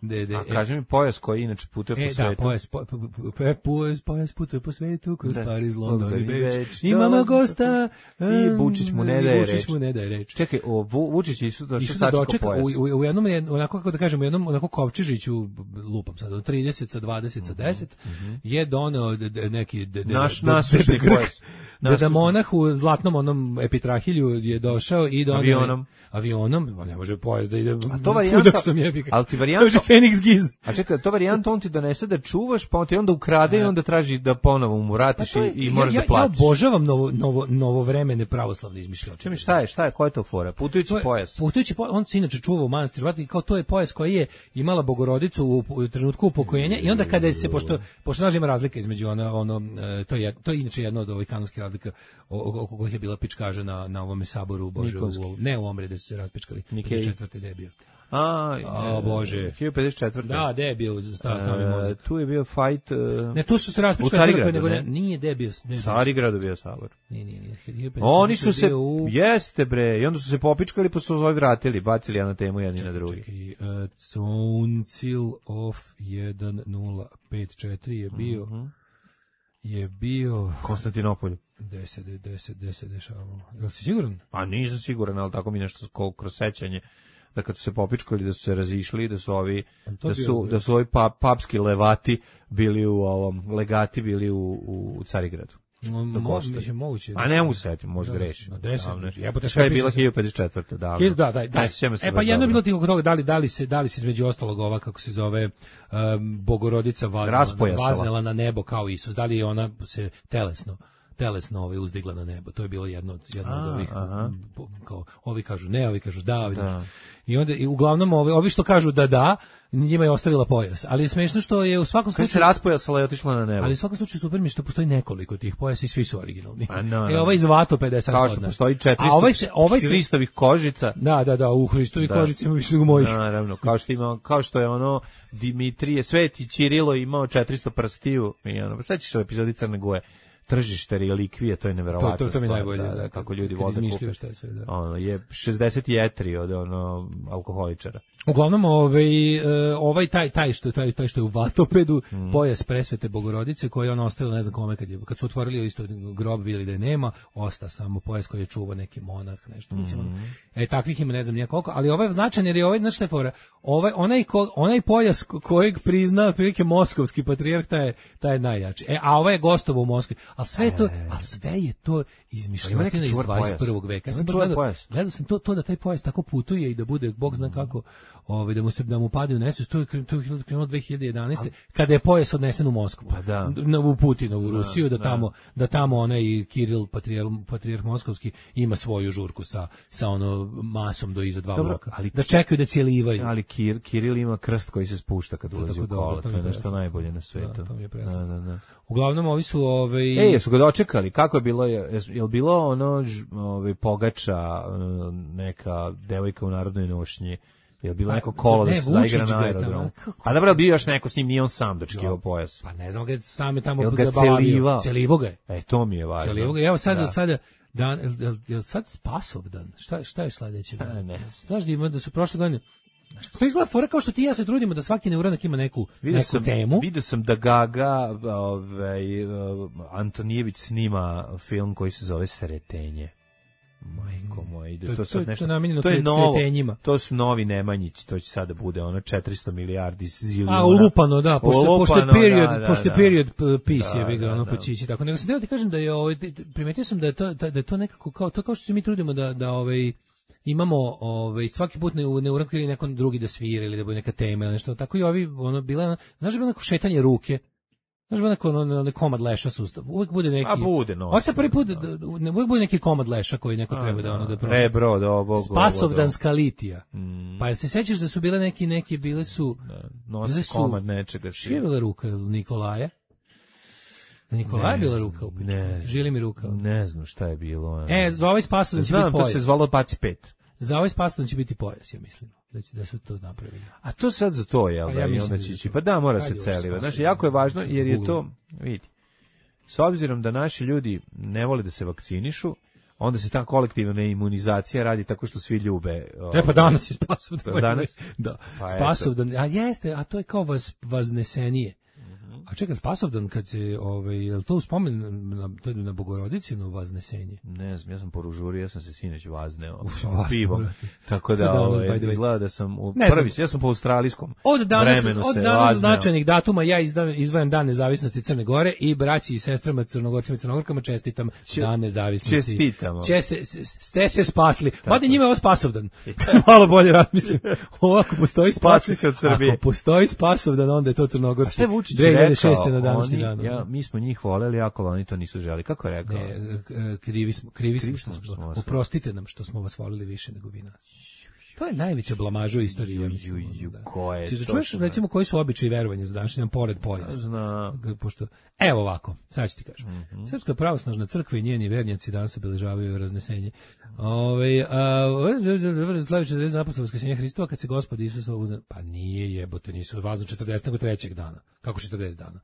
De, de, a kaži mi pojas koji inače putuje e, po svetu. Da, pojas, po, po, po, pojas, pojas putuje po svetu, kroz Pariz, London i Beč. Imamo gosta i Vučić mu ne daje reč. Vučić mu ne daje reč. Čekaj, o, Vučić isu došao sačekao pojas. U, u, u jednom, onako kako da kažemo, u jednom onako kovčižiću, lupam sad, od trideset sa dvadeset sa deset, mm -hmm. je doneo neki... De, de, Naš nasušni pojas. Deda monah u zlatnom onom epitrahilju je došao i doneo... Avionom. Avionom, ne može pojas da ide... A to varijanta... Ali ti varijanta... Phoenix Giz. A čekaj, to varijanta on ti donese da čuvaš, pa on ti onda ukrade i onda traži da ponovo mu vratiš pa je, i, i moraš ja, da platiš. Ja obožavam novo, novo, novovremene pravoslavne izmišljoće. Čemu šta je, šta je, koja je to fora? Putujući to je, pojas. Putujući pojas, on se inače čuva u manastiru, kao to je pojas koji je imala Bogorodicu u, u trenutku upokojenja i onda kada se, pošto, pošto znaš ima razlika između ono, ono to, je, to je inače jedno od ovih kanonskih razlika oko kojih je bila pičkaža na, na ovome saboru, Bože, u, ne u Omre da su se raspičkali, pedeset četvrte da je bio. A, a Bože. hiljadu pedeset četvrte Da, gde je bio stavni uh, mozak? Tu je bio fight... Uh, ne, tu su se raspičkali crkve, nego ne, nije gde je bio. U Carigradu bio sabor. Nije, nije, nije. Oni su se, u... jeste bre, i onda su se popičkali pa su zove vratili, bacili na temu jedni na drugi. Čekaj, uh, Council of jedan nula pet četiri je bio... Uh -huh. je bio... Konstantinopolju. deset, deset, deset dešavalo. Jel si siguran? A nisam siguran, ali tako mi nešto kroz sećanje. Da kad su se popičkali, da su se razišli, da su ovi, da su, bio, da su ovi pa, papski levati bili u ovom, legati bili u, u Carigradu. Mo, mo, mislim, moguće. A ne mogu se setiti, možda greši. Na deset. Jebote, šta je bila hiljadu pedeset četvrte Da, da, da, da. E pa jedno je bilo tih toga, da li, da li se, da li se između ostalog ova, kako se zove, um, Bogorodica vaznela, vaznela na nebo kao Isus. Da li je ona se telesno telesno ovaj uzdigla na nebo. To je bilo jedno od jedno od ovih aha. kao ovi kažu ne, ovi kažu da, da. I onda i uglavnom ovi ovi što kažu da da, njima je ostavila pojas. Ali je smešno što je u svakom slučaju se raspojasala i otišla na nebo. Ali u svakom slučaju super mi što postoji nekoliko tih pojasa i svi su originalni. A, no, no. E ovaj iz Vatopeda je sad kao što postoji četiristo ovaj se, ovaj se, Hristovih kožica. Da, da, da, u Hristovih kožica ima više nego mojih. Naravno, kao što ima, kao što je ono Dimitrije Sveti Ćirilo imao četiristo prstiju i ono, sećaš se u epizodi Crne Goje. Tržište relikvije, to je neverovatno. To, to, to mi najbolje, da, da, kako ljudi vole kupe. Šta je sve, da. Ono, je šezdeset jetri od ono alkoholičara. Uglavnom, ovaj, ovaj taj, taj, što, taj, taj što je u Vatopedu, mm. pojas presvete Bogorodice, koji je on ostavila, ne znam kome, kad, je, kad su otvorili isto grob, vidjeli da je nema, osta samo pojas koji je čuvao neki monah, nešto. Mm. E, takvih ima ne znam nijekoliko, ali ovaj je značajan jer je ovaj, znaš šta je fora, ovaj, onaj, ko, onaj pojas kojeg prizna prilike moskovski patrijarh, taj je, taj je najjači. E, a ovaj je gostovo u Moskvi. A sve je to, a sve je to izmišljotina iz dvadeset prvog veka. Ja sam gledao, gledao sam to, to da taj pojas tako putuje i da bude, Bog zna kako, ovaj, da mu se da mu padaju u nesvijest. To je krenulo dve hiljade jedanaeste kada je pojas odnesen u Moskvu. Pa da. Na, u Putinovu Rusiju, da, da tamo, da tamo onaj Kiril, patrijarh, patrijarh moskovski, ima svoju žurku sa, sa ono masom do iza dva dobro, bloka. Ali, da čekaju da cijelivaju. Ali Kir, Kiril ima krst koji se spušta kad ulazi u kola. To je nešto najbolje na svetu. Da, to mi je presno. Da, da, da. Uglavnom ovi su ovaj Ej, jesu ga dočekali? Kako je bilo? Je, je li bilo ono ovaj pogača neka devojka u narodnoj nošnji? Je li bilo neko kolo ne, da se zaigra na aerodromu? A dobro, bio još neko s njim, nije on sam dočekivao pojas. Pa ne znam, ga sam je tamo ga celivao. Celivo ga je. E, to mi je važno. Celivo ga. Evo sad, da. sada dan, je, je sad Spasovdan? Šta, šta je sledeće? Da, ne. Znaš da ima da su prošle godine to izgleda fora kao što ti ja se trudimo da svaki neuranak ima neku, neku sam, temu. Vidio sam da Gaga ovaj, Antonijević snima film koji se zove Sretenje. Majko moj, ide to, to sad to, nešto. To, to je novo. Kretenjima. To su novi Nemanjići, to će sada bude ono četiristo milijardi zilijuna. A ulupano, da, pošto pošto period, da, da, pošto da. period piece je Da, ga da, ono da. počići tako. Nego se da ti kažem da je ovaj primetio sam da je to da je to nekako kao to kao što se mi trudimo da da ovaj imamo ovaj svaki put ne ne urakli neko drugi da svira ili da bude neka tema ili nešto tako i ovi ono bila znaš da bilo neko šetanje ruke. Znaš ba neko ono, ono komad leša sustav. Uvijek bude neki. A bude no. Ovo se prvi put da, ne uvijek bude neki komad leša koji neko treba da ono da prošle. Rebro do ovog. Spasovdanska litija. Mm. Pa se sećaš da su bile neki neki bile su nosi komad nečega. Što je bila ruka Nikolaja? Nikolaja je bila ruka u pičku. Ne, Žili mi ruka. Ne znam šta je bilo. E, za ovaj Spasovdan će biti pojas. Znam, to se zvalo Paci pet. Za ovaj Spasovdan će biti pojas, ja mislim. Da, će, da su to napravili. A to sad za to, jel? Pa da, ja i onda će, pa da, mora se celiva. Znači, jako je važno, jer je to, vidi, s obzirom da naši ljudi ne vole da se vakcinišu, onda se ta kolektivna imunizacija radi tako što svi ljube. E pa danas je Spasovdan. Danas? Da, pa Spasovdan, a jeste, a to je kao vas, vaznesenije. A čekaj, Spasovdan kad se, ovaj, je li to uspomen na, to je na Bogorodičino vaznesenje? Ne znam, ja sam poružurio, ja sam se sinoć vazneo Uf, pivom. Tako da, ovaj, izgleda da sam u ne prvi, ja sam po australijskom od danas, vremenu od se danas značajnih datuma ja izdavim, izdvajam Dan nezavisnosti Crne Gore i braći i sestrama Crnogorcima i Crnogorkama čestitam Če, Dan nezavisnosti. Čestitamo. Če se, ste se spasli. Mada njima je ovo Spasovdan. Malo bolje razmislim. Ovako postoji spasi se od Srbije. Ako postoji Spasovdan, onda je to Crnogorski. dve hiljade šeste na današnji dan. Ja, mi smo njih voleli, ako oni to nisu želi. Kako je rekao? Ne, krivi smo, krivi smo što smo, smo oprostite nam što smo vas volili više nego vi nas. To je najveća blamaža u istoriji. Ju, ju, ju, da. Ko je? Či čuješ, recimo, koji su običaji verovanja za današnji dan pored pojasa? Zna. Pošto, evo ovako, sad ću ti kažem. Mm -hmm. Srpska pravoslavna crkva i njeni vernjaci danas obeležavaju raznesenje. Ove, a, slavi četrdeset dana posle Vaskrsenja Hristova, kad se Gospod Isus uzna... Pa nije jebote, nisu vazno četrdeset nego trećeg dana. Kako četrdeset dana?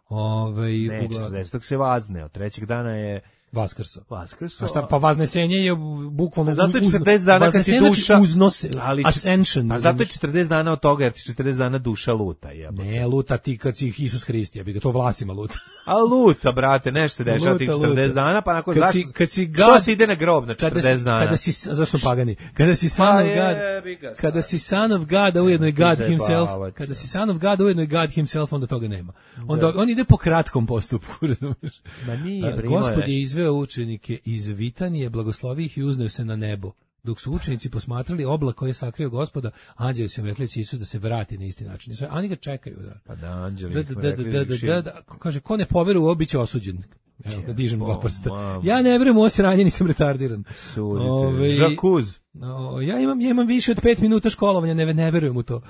Ove, ne, četrdesetog se vazne, od trećeg dana je Vaskrso. Vaskrso. A šta, pa vaznesenje je bukvalno... Pa zato je četrdeset dana kad ti duša... Znači uznose, ali, ascension. Pa zato je četrdeset dana od toga, jer ti četrdeset dana duša luta. Jebote. Ne, luta ti kad si Isus Hrist, ja bi ga to vlasima luta. A luta, brate, nešto se dešava tih četrdeset dana, pa nakon kad zašto... Si, kad si God, što se ide na grob na četrdeset dana? Kada si, zašto pagani? Kada si son pa of God, je, kada si son of God, a ujedno je God himself, kada si son of God, ujedno je God himself, onda toga nema. Onda on ide po kratkom postupku, razumiješ? Ma nije, Gospod je izveo učenike iz Vitanije, blagoslovi ih i uzneo se na nebo. Dok su učenici posmatrali oblak koji je sakrio Gospoda, anđeli su im rekli će Isus da se vrati na isti način. Oni ga čekaju. Da. Pa da, anđeli da, da, da, da, da, da, kaže, ko ne poveruje, biće osuđen. Evo, ga dižem dva prsta. Ja ne verujem u ovo sranje, nisam retardiran. Ove, Žakuz. O, ja, imam, ja imam više od pet minuta školovanja, ne, ne verujem u to.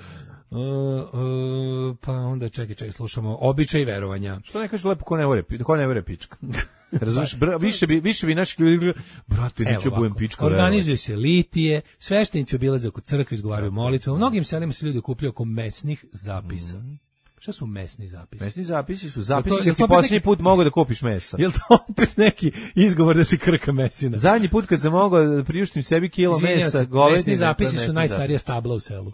Uh, uh, pa onda čekaj, čekaj, slušamo običaj verovanja. Što ne kaže lepo ko ne vere, ko ne vere pička. Razumeš, više bi više bi naši ljudi, brate, neću budem pička. Organizuje se litije, sveštenici obilaze oko crkve, izgovaraju molitve. U mnogim selima se ljudi okupljaju oko mesnih zapisa. Mm. Šta su mesni zapisi? Mesni zapisi su zapisi kad ti posljednji neki... put mogu da kupiš meso. Jel to opet neki izgovor da se krka mesina? Zadnji put kad sam mogao da priuštim sebi kilo Izvinjam mesa, govedine... Mesni zapisi su najstarija stabla u selu.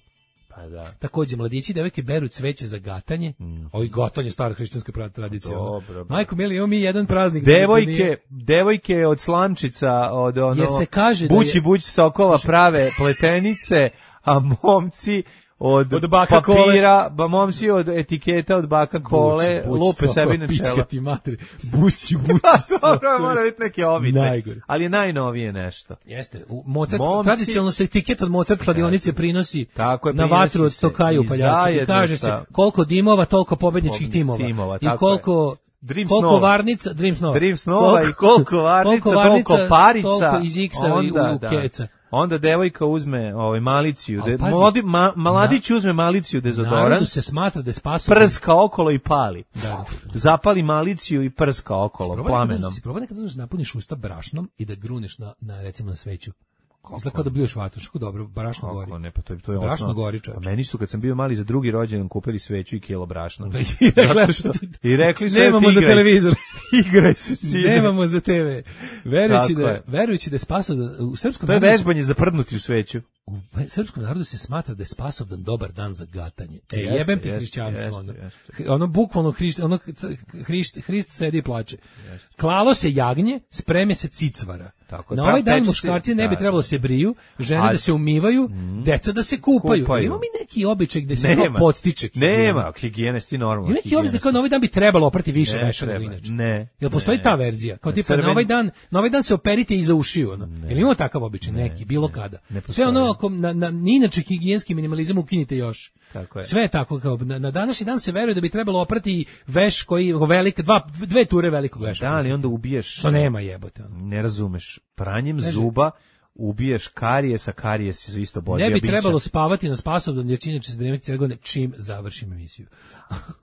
Pa da. Takođe, mladići i devojke beru cveće za gatanje. Mm. Ovi gatanje stara hrišćanska tradicija. Dobro. Majko mili, imamo mi jedan praznik. Devojke, nije... devojke od slamčica, od ono... Jer se kaže da bući, je... bući sokova prave pletenice, a momci... Od, od baka papira, ba momci od etiketa od baka kole, buć, buć, lupe sebi na čela. Pička ti materi, bući, bući. Dobro, mora biti neki običaj. Ali je najnovije nešto. Jeste, u Mozart, momci, tradicionalno se etiket od Mozart kladionice prinosi tako je, na vatru od Tokaju upaljača i kaže se koliko dimova, toliko pobedničkih timova. timova I koliko... Dream koliko snova. varnica, Dream snova. Dream snova koliko, i koliko varnica, koliko, varnica, toliko parica. Toliko iz X-a i u keca. Onda devojka uzme ovaj maliciju, de, mladi, ma, mladić na, uzme maliciju dezodorans. Narodu se smatra da je spasoban. Prska okolo i pali. Da. Zapali maliciju i prska okolo si plamenom. Si probaj nekad uzmeš napuniš usta brašnom i da gruneš na, na recimo na sveću. Izgleda kao da bljuješ vatru, što dobro, brašno Kako, gori. Ne, pa to je, to je brašno osnovno. Gori, čovječ. A meni su, kad sam bio mali za drugi rođendan, kupili sveću i kilo brašna. I rekli, što, I rekli su nemamo za televizor. Igraj se, sine. Nemamo za te ve. Verujući da, verujući da je spasao da, u srpskom... To je vežbanje za prdnuti u sveću. u srpskom narodu se smatra da je Spasovdan dobar dan za gatanje. E, jeste, jebem ti hrišćanstvo. Ono, ono bukvalno Hrist, ono, Hrist, Hrist sedi i plače. Jeste. Klalo se jagnje, spreme se cicvara. Tako, na ovaj dan muškarci ne bi trebalo da se briju, žene a, da se umivaju, mm, deca da se kupaju. kupaju. Imamo mi neki običaj gde se to podstiče. Nema, higijenisti normalno. I neki običaj kao na ovaj dan bi trebalo oprati više veša nego inače. Ne. Jel postoji ne, ta verzija? Kao tipa na ovaj dan, na ovaj dan se operite iza ušiju, ono. Jel imamo takav običaj neki bilo ne, kada? Ne sve ono ako na, na inače higijenski minimalizam ukinite još. Tako je. Sve je tako kao na, na današnji dan se veruje da bi trebalo oprati veš koji velik dva dve ture velikog veša. Da, ali onda ubiješ. To nema jebote. Ono. Ne razumeš. Pranjem Neže. zuba ubiješ karijesa, karijesi su isto bolje. Ne bi trebalo spavati na Spasovdan jer će inače se dremeti cijele godine čim završim emisiju.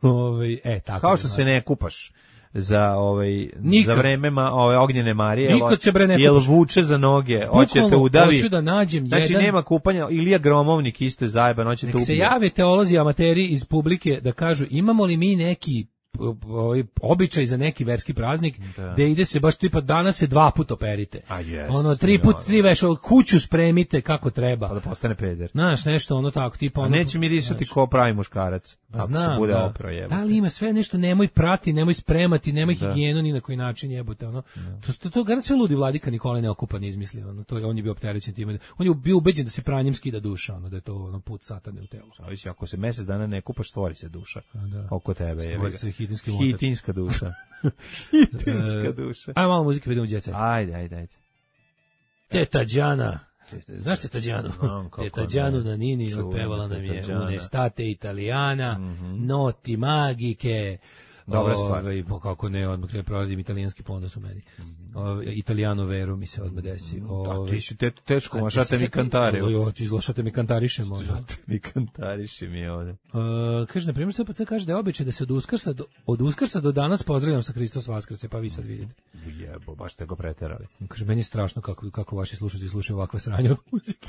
Ove, e, tako kao što je, se ne kupaš za ovaj nikad. Za vreme ma, ove ognjene Marije, nikad se bre ne jel vuče za noge, hoćete udavi. Hoću da nađem znači jedan. Nema kupanja, Ilija Gromovnik isto je zajeban, hoćete ubiti. Se jave teolozi amateri iz publike da kažu imamo li mi neki ovaj običaj za neki verski praznik da. Da ide se baš tipa danas se dva puta operite. A jest, ono tri put tri veš kuću spremite kako treba. Pa da postane peder. Znaš nešto ono tako tipa ono. A neće mirisati ko pravi muškarac. Pa znam, se bude da. opro jebote. Da li ima sve nešto nemoj prati, nemoj spremati, nemoj da. Higijenu ni na koji način jebote ono. Da. To to, to garant sve ludi vladika Nikola Neokupan izmislio ono. To je on je bio opterećen time. On je bio ubeđen da se pranjem skida duša, ono da je to ono put satane u telu. Zavisi ako se mesec dana ne kupaš stvori se duša. Da. Oko tebe je. Stvori se hitinski hitinska duša. hitinska duša. Ajde malo muzike vidimo djeca. Ajde, ajde, ajde. Teta Đana. Znaš Teta Đanu? Teta Đanu na Nini otpevala nam je Unestate Italijana, mm-hmm. Noti magike. Dobra stvar. Ove, kako ne, odmah ne proradim italijanski ponos u meni. Ove, Italijano veru mi se odmah desi. Ove, a ti si te, tečko, a šate mi kantare. Jo, ti izlašate mi kantariše možda. Šate mi kantariše mi je ovde. Uh, kaže, na primjer, S P C kaže da je običaj da se od Uskrsa do, od Uskrsa do danas pozdravljam sa Hristos Vaskrse, pa vi sad vidite. Jebo, baš te go preterali. Kaže, meni je strašno kako, kako vaši slušatelji slušaju ovakve sranje od muzike.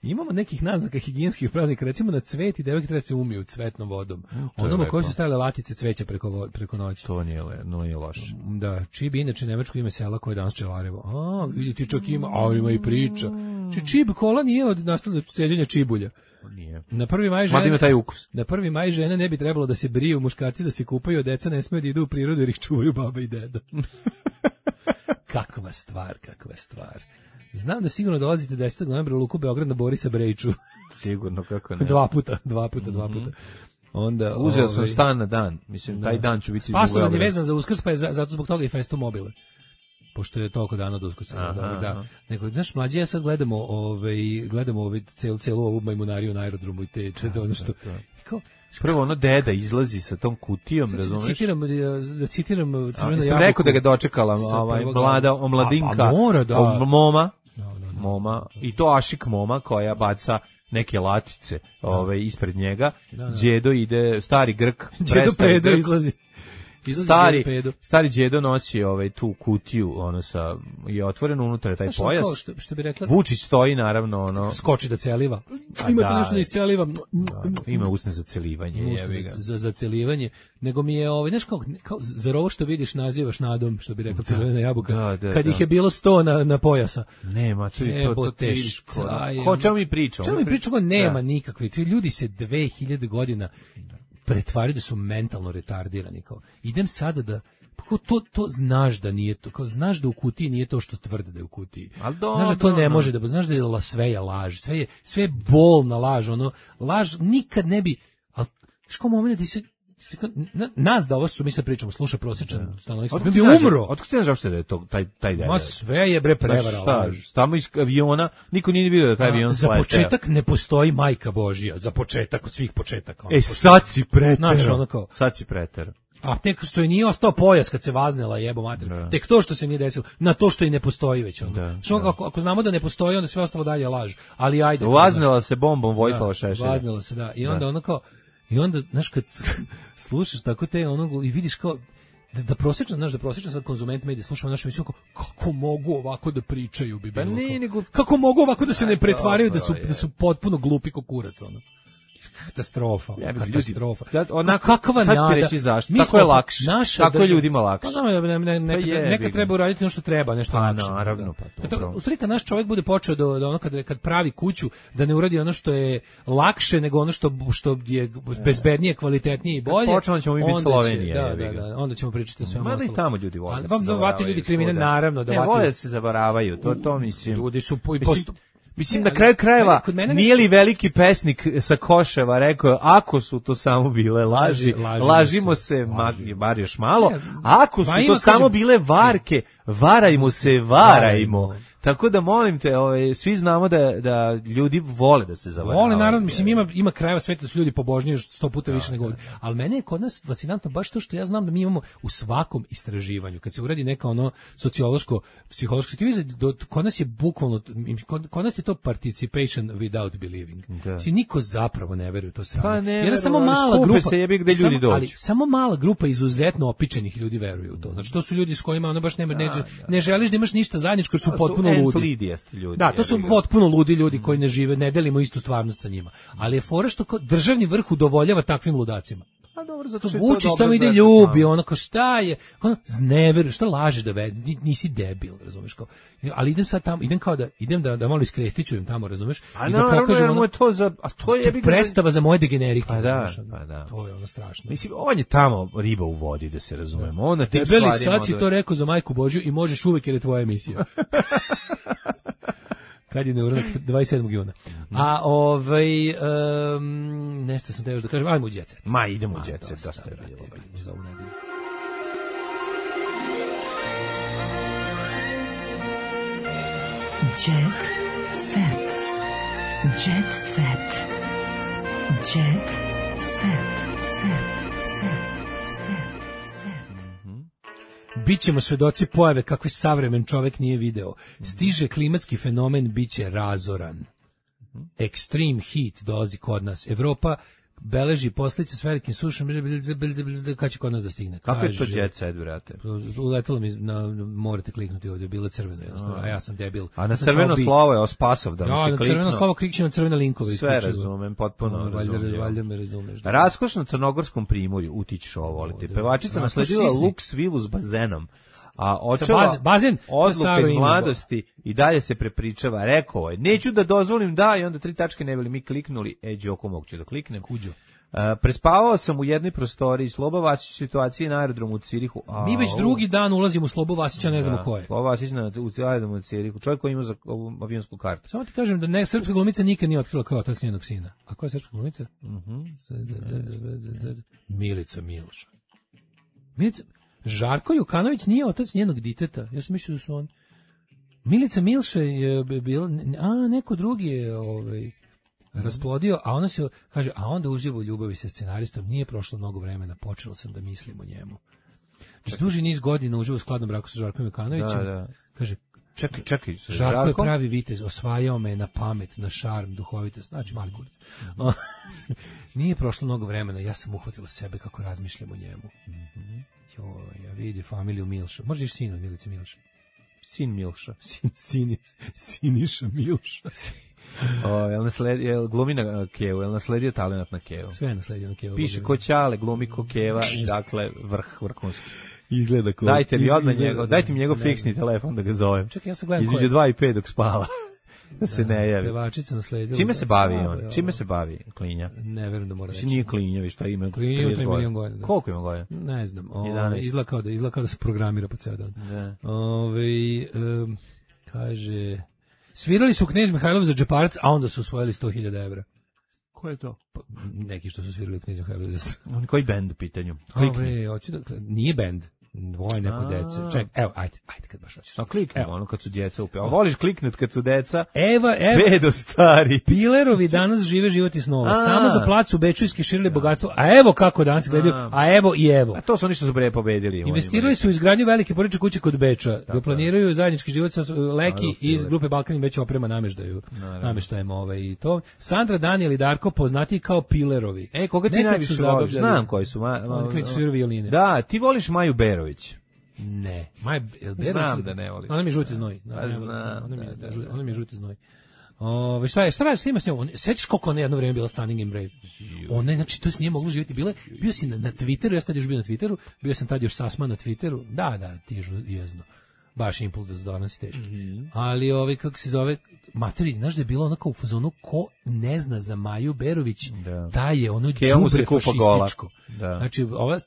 Imamo nekih naznaka higijenskih praznika, recimo na cvet i devojke treba se umiju cvetnom vodom. Onome koji su stajale latice cveća preko, preko noći. To nije, no, nije loš. Da, Čib inače nemačko ime sela koje je danas Čelarevo. A, vidi ti čak ima, a ima i priča. Či Čib kola nije od nastavnog sjeđenja čibulja. Nije. Na prvi maj žene, ima taj ukus. Na prvi maj žene ne bi trebalo da se briju, muškarci da se kupaju, deca ne smiju da idu u prirodu jer ih čuvaju baba i deda. Kakva stvar, kakva stvar. Znam da sigurno dolazite desetog novembra u Luku Beograd na Borisa Brejču. Sigurno, kako ne. Dva puta, dva puta, dva puta. Onda uzeo ovaj, sam stan na dan. Mislim, da. Taj dan ću biti u Beogradu. Spasovan je vezan za Uskrs, pa je za, zato zbog toga i Festo mobile. Pošto je toliko dana od Uskrsa. Da, da. Nego, znaš, mlađe, ja sad gledamo, ovaj, gledamo ovaj, celu, celu ovu majmunariju na aerodromu i te, te ono što... Kao, prvo ono deda izlazi sa tom kutijom, razumeš? Citiram, da citiram Crvenu jabuku. Sam rekao da ga dočekala ovaj, mlada omladinka, a, a mora, da. Om, moma, no, no, no. moma, i to Ašik moma koja baca neke latice da. Ove, ispred njega. Da, da. Đedo ide, stari Grk. Đedo pedo izlazi. Stari, stari đedo nosi ovaj tu kutiju, ono sa je otvoreno unutra taj znaš, pojas. Kao što, što bi rekla, Vučić stoji naravno ono skoči da celiva. Imate da, nešto da isceliva. Da, ima usne za celivanje, jebi ga. Za za celivanje, nego mi je ovaj znaš kao, kao zar ovo što vidiš nazivaš nadom, što bi rekla Crvena jabuka. Da, da, kad da. Ih je bilo sto na na pojasa. Nema, to je to, to teško. Ko čemu mi pričamo? Čemu mi pričamo? Nema da. Nikakve. Ti ljudi se dve hiljade godina pretvaraju da su mentalno retardirani kao. Idem sada da kao to to znaš da nije to, kao znaš da u kutiji nije to što tvrde da je u kutiji. Do, znaš da to do, ne do. Može da, znaš da je la sve je laž, sve je sve je bolna laž, ono laž nikad ne bi, al što moment da se Na, nas da ovo su mi sad pričamo, sluša prosječan stanovnik, bi bi umro. Otkud ti znaš da je to taj taj deda? Ma sve je bre prevara. Šta, tamo iz aviona, niko nije vidio da taj avion slete. Za početak ne postoji majka Božja, za početak od svih početaka. E sad si preter. Onako. Sad si preter. A tek što je nije ostao pojas kad se vaznela jebo mater. Da. Tek to što se nije desilo, na to što i ne postoji već onda. Da, što da. Ako, ako znamo da ne postoji, onda sve ostalo dalje laž. Ali ajde. Vaznela se bombom Vojislava Šešelja. Vaznela se, da. I onda da. Ono kao i onda, znaš, kad slušaš tako te onog i vidiš kao, da, da prosječan, znaš, da prosječan sad konzument medija slušao našu emisiju, kako mogu ovako da pričaju bi bilo, ne, kao, nego, kako mogu ovako da se ne pretvaraju da su, da su potpuno glupi ko kurac, ono. katastrofa, ja katastrofa. Ljudi, onako, kakva sad nada. Ti reći zašto, tako je lakše, tako je ljudima lakše. Pa ne, ne, ne, neka, je, neka treba uraditi ono što treba, nešto pa, lakše. Naravno, pa to. U stvari kad naš čovjek bude počeo do, do ono kad, kad pravi kuću, da ne uradi ono što je lakše nego ono što, što je bezbednije, kvalitetnije i bolje. Kad počnemo ćemo mi biti Slovenija. Da, da, da, onda ćemo pričati o svemu ostalo. ostalo. Mada i tamo ljudi vole. Ali vam vati ljudi kriminal, naravno. Da ne, vole se zaboravaju, to, to mislim. Ljudi su po, mislim, Mislim, na kraju krajeva, nije li veliki pesnik sa Koševa rekao, ako su to samo bile laži, lažimo, lažimo se, laži. bar još malo, ako su to kažem, samo bile varke, varajmo se, varajmo. Tako da molim te, ovaj, svi znamo da, da ljudi vole da se zavaravaju. Vole, naravno, mislim, ima, ima krajeva sveta da su ljudi pobožniji sto puta više nego ovdje. Ali mene je kod nas fascinantno baš to što ja znam da mi imamo u svakom istraživanju, kad se uradi neka ono sociološko, psihološko istraživanje, kod nas je bukvalno, kod, kod nas je to participation without believing. Znači, niko zapravo ne veruje u to sranje. Pa ne, jer samo mala grupa, se jebi gde ljudi dođu. Ali samo mala grupa izuzetno opičenih ljudi veruje u to. Znači, to su ljudi s kojima ono baš nema, ne, ne želiš da imaš ništa zajedničko, jer su potpuno ludi. Ljudi, da, to su potpuno ludi ljudi koji ne žive, ne delimo istu stvarnost sa njima. Ali je fora što kao državni vrh udovoljava takvim ludacima. A dobro, zato što Vučić tamo ide ljubi, ono kao šta je, ono znever, šta lažeš da vedi, nisi debil, razumeš kao. Ali idem sad tamo, idem kao da idem da da malo iskrestičujem tamo, razumeš? I da pokažem ono to za, a to je predstava za moje degenerike. Pa da, pa da. To je ono strašno. Mislim, on je tamo riba u vodi, da se razumemo. On na tim stvarima. Sad si to rekao za Majku Božju i možeš uvek jer je tvoja emisija. Kad je neuranak dvadeset sedmog juna. A ovaj um, nešto sam te još da kažem, ajmo u Jet Set. Ma idemo u Jet Set, dosta je bilo. Za ovu nedelju. Jet Set. Jet Set. Jet Set. Set. Set. Bićemo svedoci pojave kakve savremen čovjek nije video. Stiže klimatski fenomen, biće razoran. Extreme heat dolazi kod nas. Evropa beleži posljedice s velikim sušom, kad će kod nas da stigne. Kako je to Jet Set, brate? Uletelo mi, na, morate kliknuti ovdje, bilo crveno, jednostavno, a ja sam debil. A na crveno slovo je ospasov da mi se kliknuo. Ja, na crveno slovo klikće na crvene linkove. Sve razumem, potpuno razumem. Valjda me razumeš. Raskošno crnogorskom primorju, utičiš ovo, volite. Pevačica nasledila luks vilu s bazenom. A očeva bazen, odluka iz mladosti i dalje se prepričava, rekao je, neću da dozvolim da, i onda tri tačke ne bili mi kliknuli, e, Đoko mogu ću da kliknem. Kuđo. Uh, prespavao sam u jednoj prostoriji, Sloba Vasić u situaciji na aerodromu u Cirihu. A, mi već drugi dan ulazimo u Slobu Vasića, ne znamo ko je. Sloba Vasić na, u aerodromu u Cirihu, čovjek koji ima za avionsku kartu. Samo ti kažem da ne, srpska glumica nikad nije otkrila kao otac njenog sina. A ko je srpska glumica? Uh-huh. Milica Milša. Milica... Žarko Jokanović nije otac njenog diteta. Ja sam mislio da su on... Milica Milša je bila... A, neko drugi je ovaj, rasplodio, a ona se kaže, a onda uživo u ljubavi sa scenaristom. Nije prošlo mnogo vremena, počela sam da mislim o njemu. Znači, duži niz godina uživo u skladnom braku sa Žarkom Jokanovićem. Da, da. Kaže, čekaj, čekaj. Žarko Žarkom? Je pravi vitez, osvajao me na pamet, na šarm, duhovitost, znači mali kurac. Mm-hmm. Nije prošlo mnogo vremena, ja sam uhvatila sebe kako razmišljam o njemu. Mhm. Jo, ja vidi familiju Milša. Možda iš sin od Milice Milša. Sin Milša. Sin, sin, Siniša Milša. O, jel nasledio, jel glumi na Kevu, jel nasledio talenat na Kevu? Sve je nasledio na Kevu. Piše ko Ćale, glumi ko Keva, dakle vrh, vrhunski. Izgleda ko. Dajte mi odmah njegov, dajte mi njegov fiksni telefon da ga zovem. Čekaj, ja sam gledam između dva i pet dok spava. Da se ne javi. Pevačica nasledila. Čime se bavi on? Čime se bavi Klinja? Ne verujem da mora reći. Nije Klinja, vi šta ima? Klinja ima tri milion godina. Koliko ima godina? Ne znam. Izgleda kao da, izgleda kao da se programira po ceo dan. Da. Ove, um, kaže, svirali su Knez Mihajlov za džeparac, a onda su osvojili sto hiljada evra. Ko je to? Pa, neki što su svirali Knez Mihajlov za... On koji bend u pitanju? Ove, hoće da... Nije bend. Dvoje neko dece. Ček, evo, ajde, ajde kad baš hoćeš. A klikni ono kad su djeca upe. A voliš kliknut kad su deca? Eva, evo. Pedo stari. Pilerovi danas žive život i snova. A. Samo za plac u Beču iskiširili bogatstvo. A evo kako danas gledaju. A evo i evo. A to su oni što su bre pobedili. Investirali su u izgradnju velike porodične kuće kod Beča. Da planiraju zajednički život sa Leki iz grupe Balkan već oprema nameštaju. Nameštajem ovaj i to. Sandra, Daniel i Darko poznati kao Pilerovi. E, koga ti najviše voliš? Znam koji su. Oni su violine. Da, ti voliš Maju Berović. Ne, Maj Berović. Znam da ne voliš. Ona mi je žuti znoj. Ona mi je žuti znoj. Ove, šta je, šta radi, snima s njom? Sećaš koliko ona jedno vreme bila Stunning and Brave? Ona je, znači, to se nije moglo živjeti. Bile, bio si na, na Twitteru, ja sam tad još bio na Twitteru, bio sam tad još sasma na Twitteru, da, da, ti je jezno. Baš impuls da se donosi teški. Mm-hmm. Ali ovaj, kako se zove, materi, znaš da je bilo ono kao u fazonu, ko ne zna za Maju Berović, da. taj je ono đubre fašističko. Da. Znači, ova,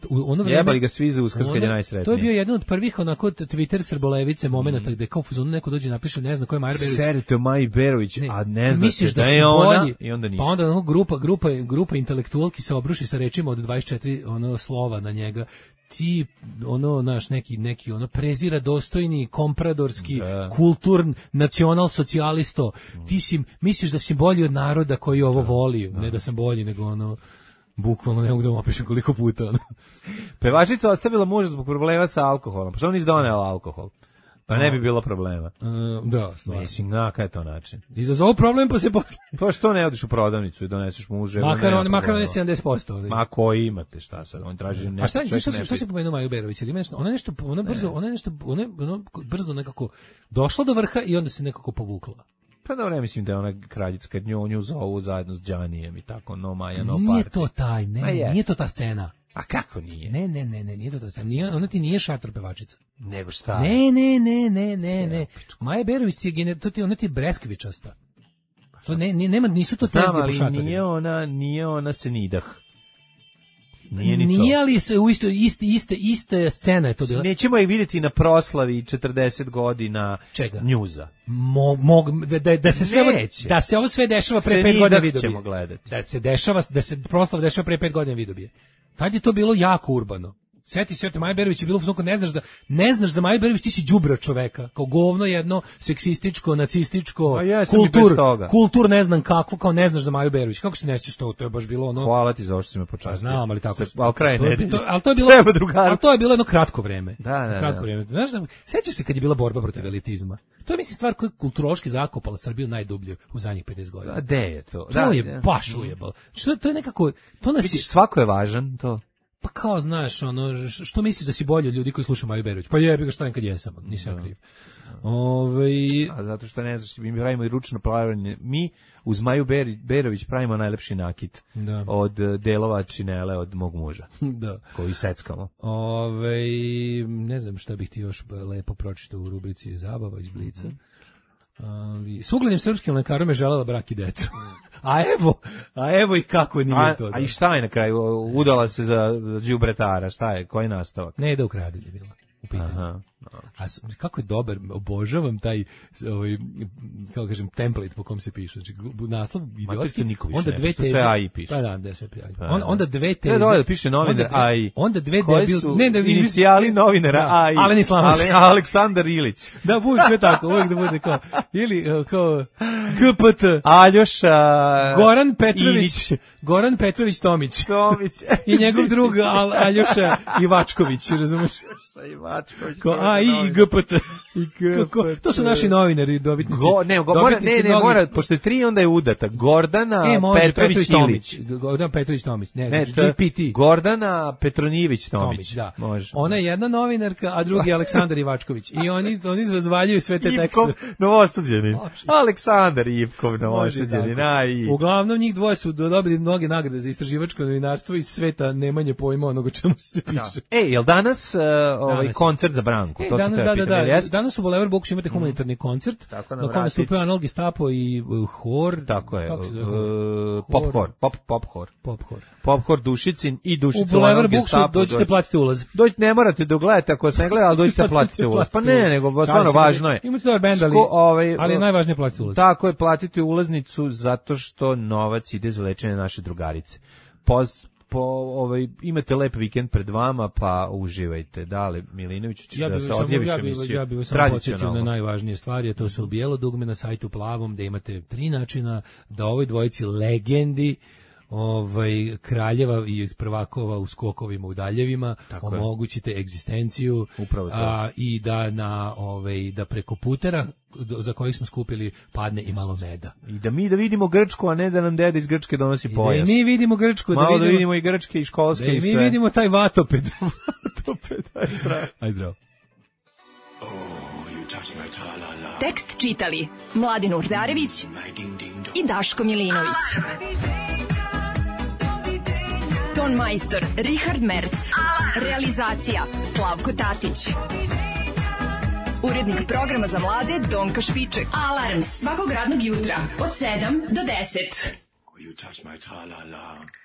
ono vreme... Jebali ga svi za Uskrs kad je najsretniji. To je bio jedan od prvih onako Twitter srbolevice momenata mm. gde kao u fazonu neko dođe i napiše, ne zna ko je Maja Berović. Serite o Maji Berović, ne, a ne znate da, da je ona bolji, i onda ništa. Pa onda ono, grupa, grupa, grupa intelektualki se obruši sa rečima od dvadeset četiri ono, slova na njega. Ti ono naš neki neki ono prezira dostojni kompradorski da. kulturn nacional socijalisto ti si misliš da si bolji od naroda koji ovo da. voli da. ne da sam bolji nego ono bukvalno ne mogu da mu opišem koliko puta ono. Pevačica ostavila muža zbog problema sa alkoholom pa što on izdonela alkohol pa ne bi bilo problema. Uh, da, stvarno. Mislim, na kaj je to način? Izazov problem pa se posle. Pa što ne odiš u prodavnicu i doneseš muže? Makar on, makar on je sedamdeset posto. Ovdje. Ma koji imate, šta sad? On traži nešto. A šta, šta, šta, šta se pomenuo Maju Berović? Ima nešto, ona nešto, ona brzo, ona nešto, ona, ona brzo nekako došla do vrha i onda se nekako povukla. Pa dobro, ja mislim da je ona kraljica kad nju, nju zovu zajedno s Đanijem i tako, no Maja, no Nije party. to taj, ne, nije, nije to ta scena. A kako nije? Ne, ne, ne, ne, nije to to sam. Nije, ona ti nije šator pevačica. Nego šta? Ne, ne, ne, ne, ne, ne. Maja Berović je gene, to ti ona ti breskvičasta. To ne, ne, nema, nisu to tezge po šatorima. Nije ona, nije ona Senidah. Nije ni nije to. Ali se u isto iste iste iste scena je to bila. Nećemo ih vidjeti na proslavi četrdeset godina Čega? Njuza. Mo, mog, da, da se sve Neće. da se ovo sve dešava pre pet godina video. Ćemo gledati. Da se dešava da se proslava dešava pre pet godina video bi. Tad je to bilo jako urbano. Seti se, Maja Berović je bilo u ne znaš za ne znaš za Maju Berović, ti si đubre čoveka, kao govno jedno seksističko, nacističko, kultur, kultur ne znam kakvo, kao ne znaš za Maju Berović. Kako se ne sjećaš to? To je baš bilo ono. Hvala ti za ovo što si me počastio. Znam, ali tako. Al kraj nedelje. Al to je bilo, al to je bilo jedno kratko vreme. Da, da, kratko da. vreme. Znaš, sećaš se kad je bila borba protiv elitizma? To je mislim stvar koja je kulturološki zakopala Srbiju najdublje u zadnjih pedeset godina. A gde je to? To da, je da. baš ujebalo. Što to je nekako to nas vidiš, svako je važan, to. Pa kao, znaš, ono, što misliš da si bolji od ljudi koji slušaju Maju Berović? Pa jebi ga šta nekad jesam, nisam ja kriv. Ove... A zato što ne znaš, mi pravimo i ručno plavanje. Mi uz Maju Berović pravimo najlepši nakit da. od delova činele od mog muža. Da. Koji seckamo. Ove, ne znam šta bih ti još lepo pročitao u rubrici Zabava iz Blica. Mm-hmm. Ali, s uglednim srpskim lekarom je želela brak i decu. A evo, a evo i kako nije a, to. Da. A i šta je na kraju? Udala se za đubretara, šta je? Koji nastavak? Ne, da ukradenje bila u pitanju. Aha. A kako je dobar, obožavam taj ovaj kako kažem template po kom se piše. Znači naslov idiotski, onda dve teze. Sve A I piše. Pa da, da sve A I. On, onda dve teze. Ne, dole piše novinar A I. Onda dve debil, ne da inicijali novinara A I. Alen Islamović. Aleksandar Ilić. Da, bude sve tako, uvijek da bude kao ili kao G P T. Aljoša Goran Petrović, Goran Petrović Tomić. Tomić. I njegov drug Al, Aljoša Ivačković, razumeš? Aljoša Ivačković. A i G P T. To su naši novinari, dobitnici. Go, ne, go, mora, ne, ne, mora, pošto je tri, onda je udata. Gordana e, može, Petrović Ilić. Gordana Petrović Tomić. Ne, ne G P T. Gordana Petronjević Tomić. Tomić, da. Može. Ona je jedna novinarka, a drugi je Aleksandar Ivačković. I oni, oni razvaljuju sve te tekste. Ivkov Novosađanin. Aleksandar Ivkov Novosađanin. Aj. Uglavnom njih dvoje su dobili mnoge nagrade za istraživačko novinarstvo iz sveta nemanje pojma onoga čemu se piše. Da. E, jel danas uh, ovaj danas koncert za Branku? E, to danas, se da, da, da. Danas u Boulevard Bokušu imate humanitarni mm. koncert. Tako, na kojem nastupaju Anal Gestapo i uh, hor. Tako je. Uh, pop hor. Pop, pop hor. Pop hor. Pop hor Dušicin i Dušica u Boulevard Bokušu dođete platiti ulaz. Dođite, ne morate da gledate ako se ne gleda, ali dođite platiti ulaz. Pa ne, nego stvarno važno je. Imate dobar bend, ali, ovaj, ali je najvažnije platiti ulaz. Tako je, platiti ulaznicu zato što novac ide za lečenje naše drugarice. Poz po ovaj imate lep vikend pred vama, pa uživajte. Dale Milinović, ćeš ja da se odjaviš ja emisiju. Ja bih vas samo podsjetio na najvažnije stvari, a to su bijelo dugme na sajtu plavom, gde imate tri načina da ovoj dvojici legendi ovaj kraljeva i prvakova u skokovima u daljevima tako omogućite je. egzistenciju a, i da na ovaj da preko putera do, za kojih smo skupili padne i malo meda. I da mi da vidimo Grčku, a ne da nam deda iz Grčke donosi I pojas. Da mi vidimo Grčku, malo da vidimo, da vidimo i grčke i školske da i sve. Mi vidimo taj vatoped. Vatoped, aj zdravo. Aj zdravo. Oh, you Tekst čitali Mladin Urdarević i Daško Milinović. Ton majstor Richard Merc. Realizacija Slavko Tatić. Urednik programa za mlade Donka Špiček. Alarms svakog radnog jutra od sedam do deset. You touch my tra-la-la.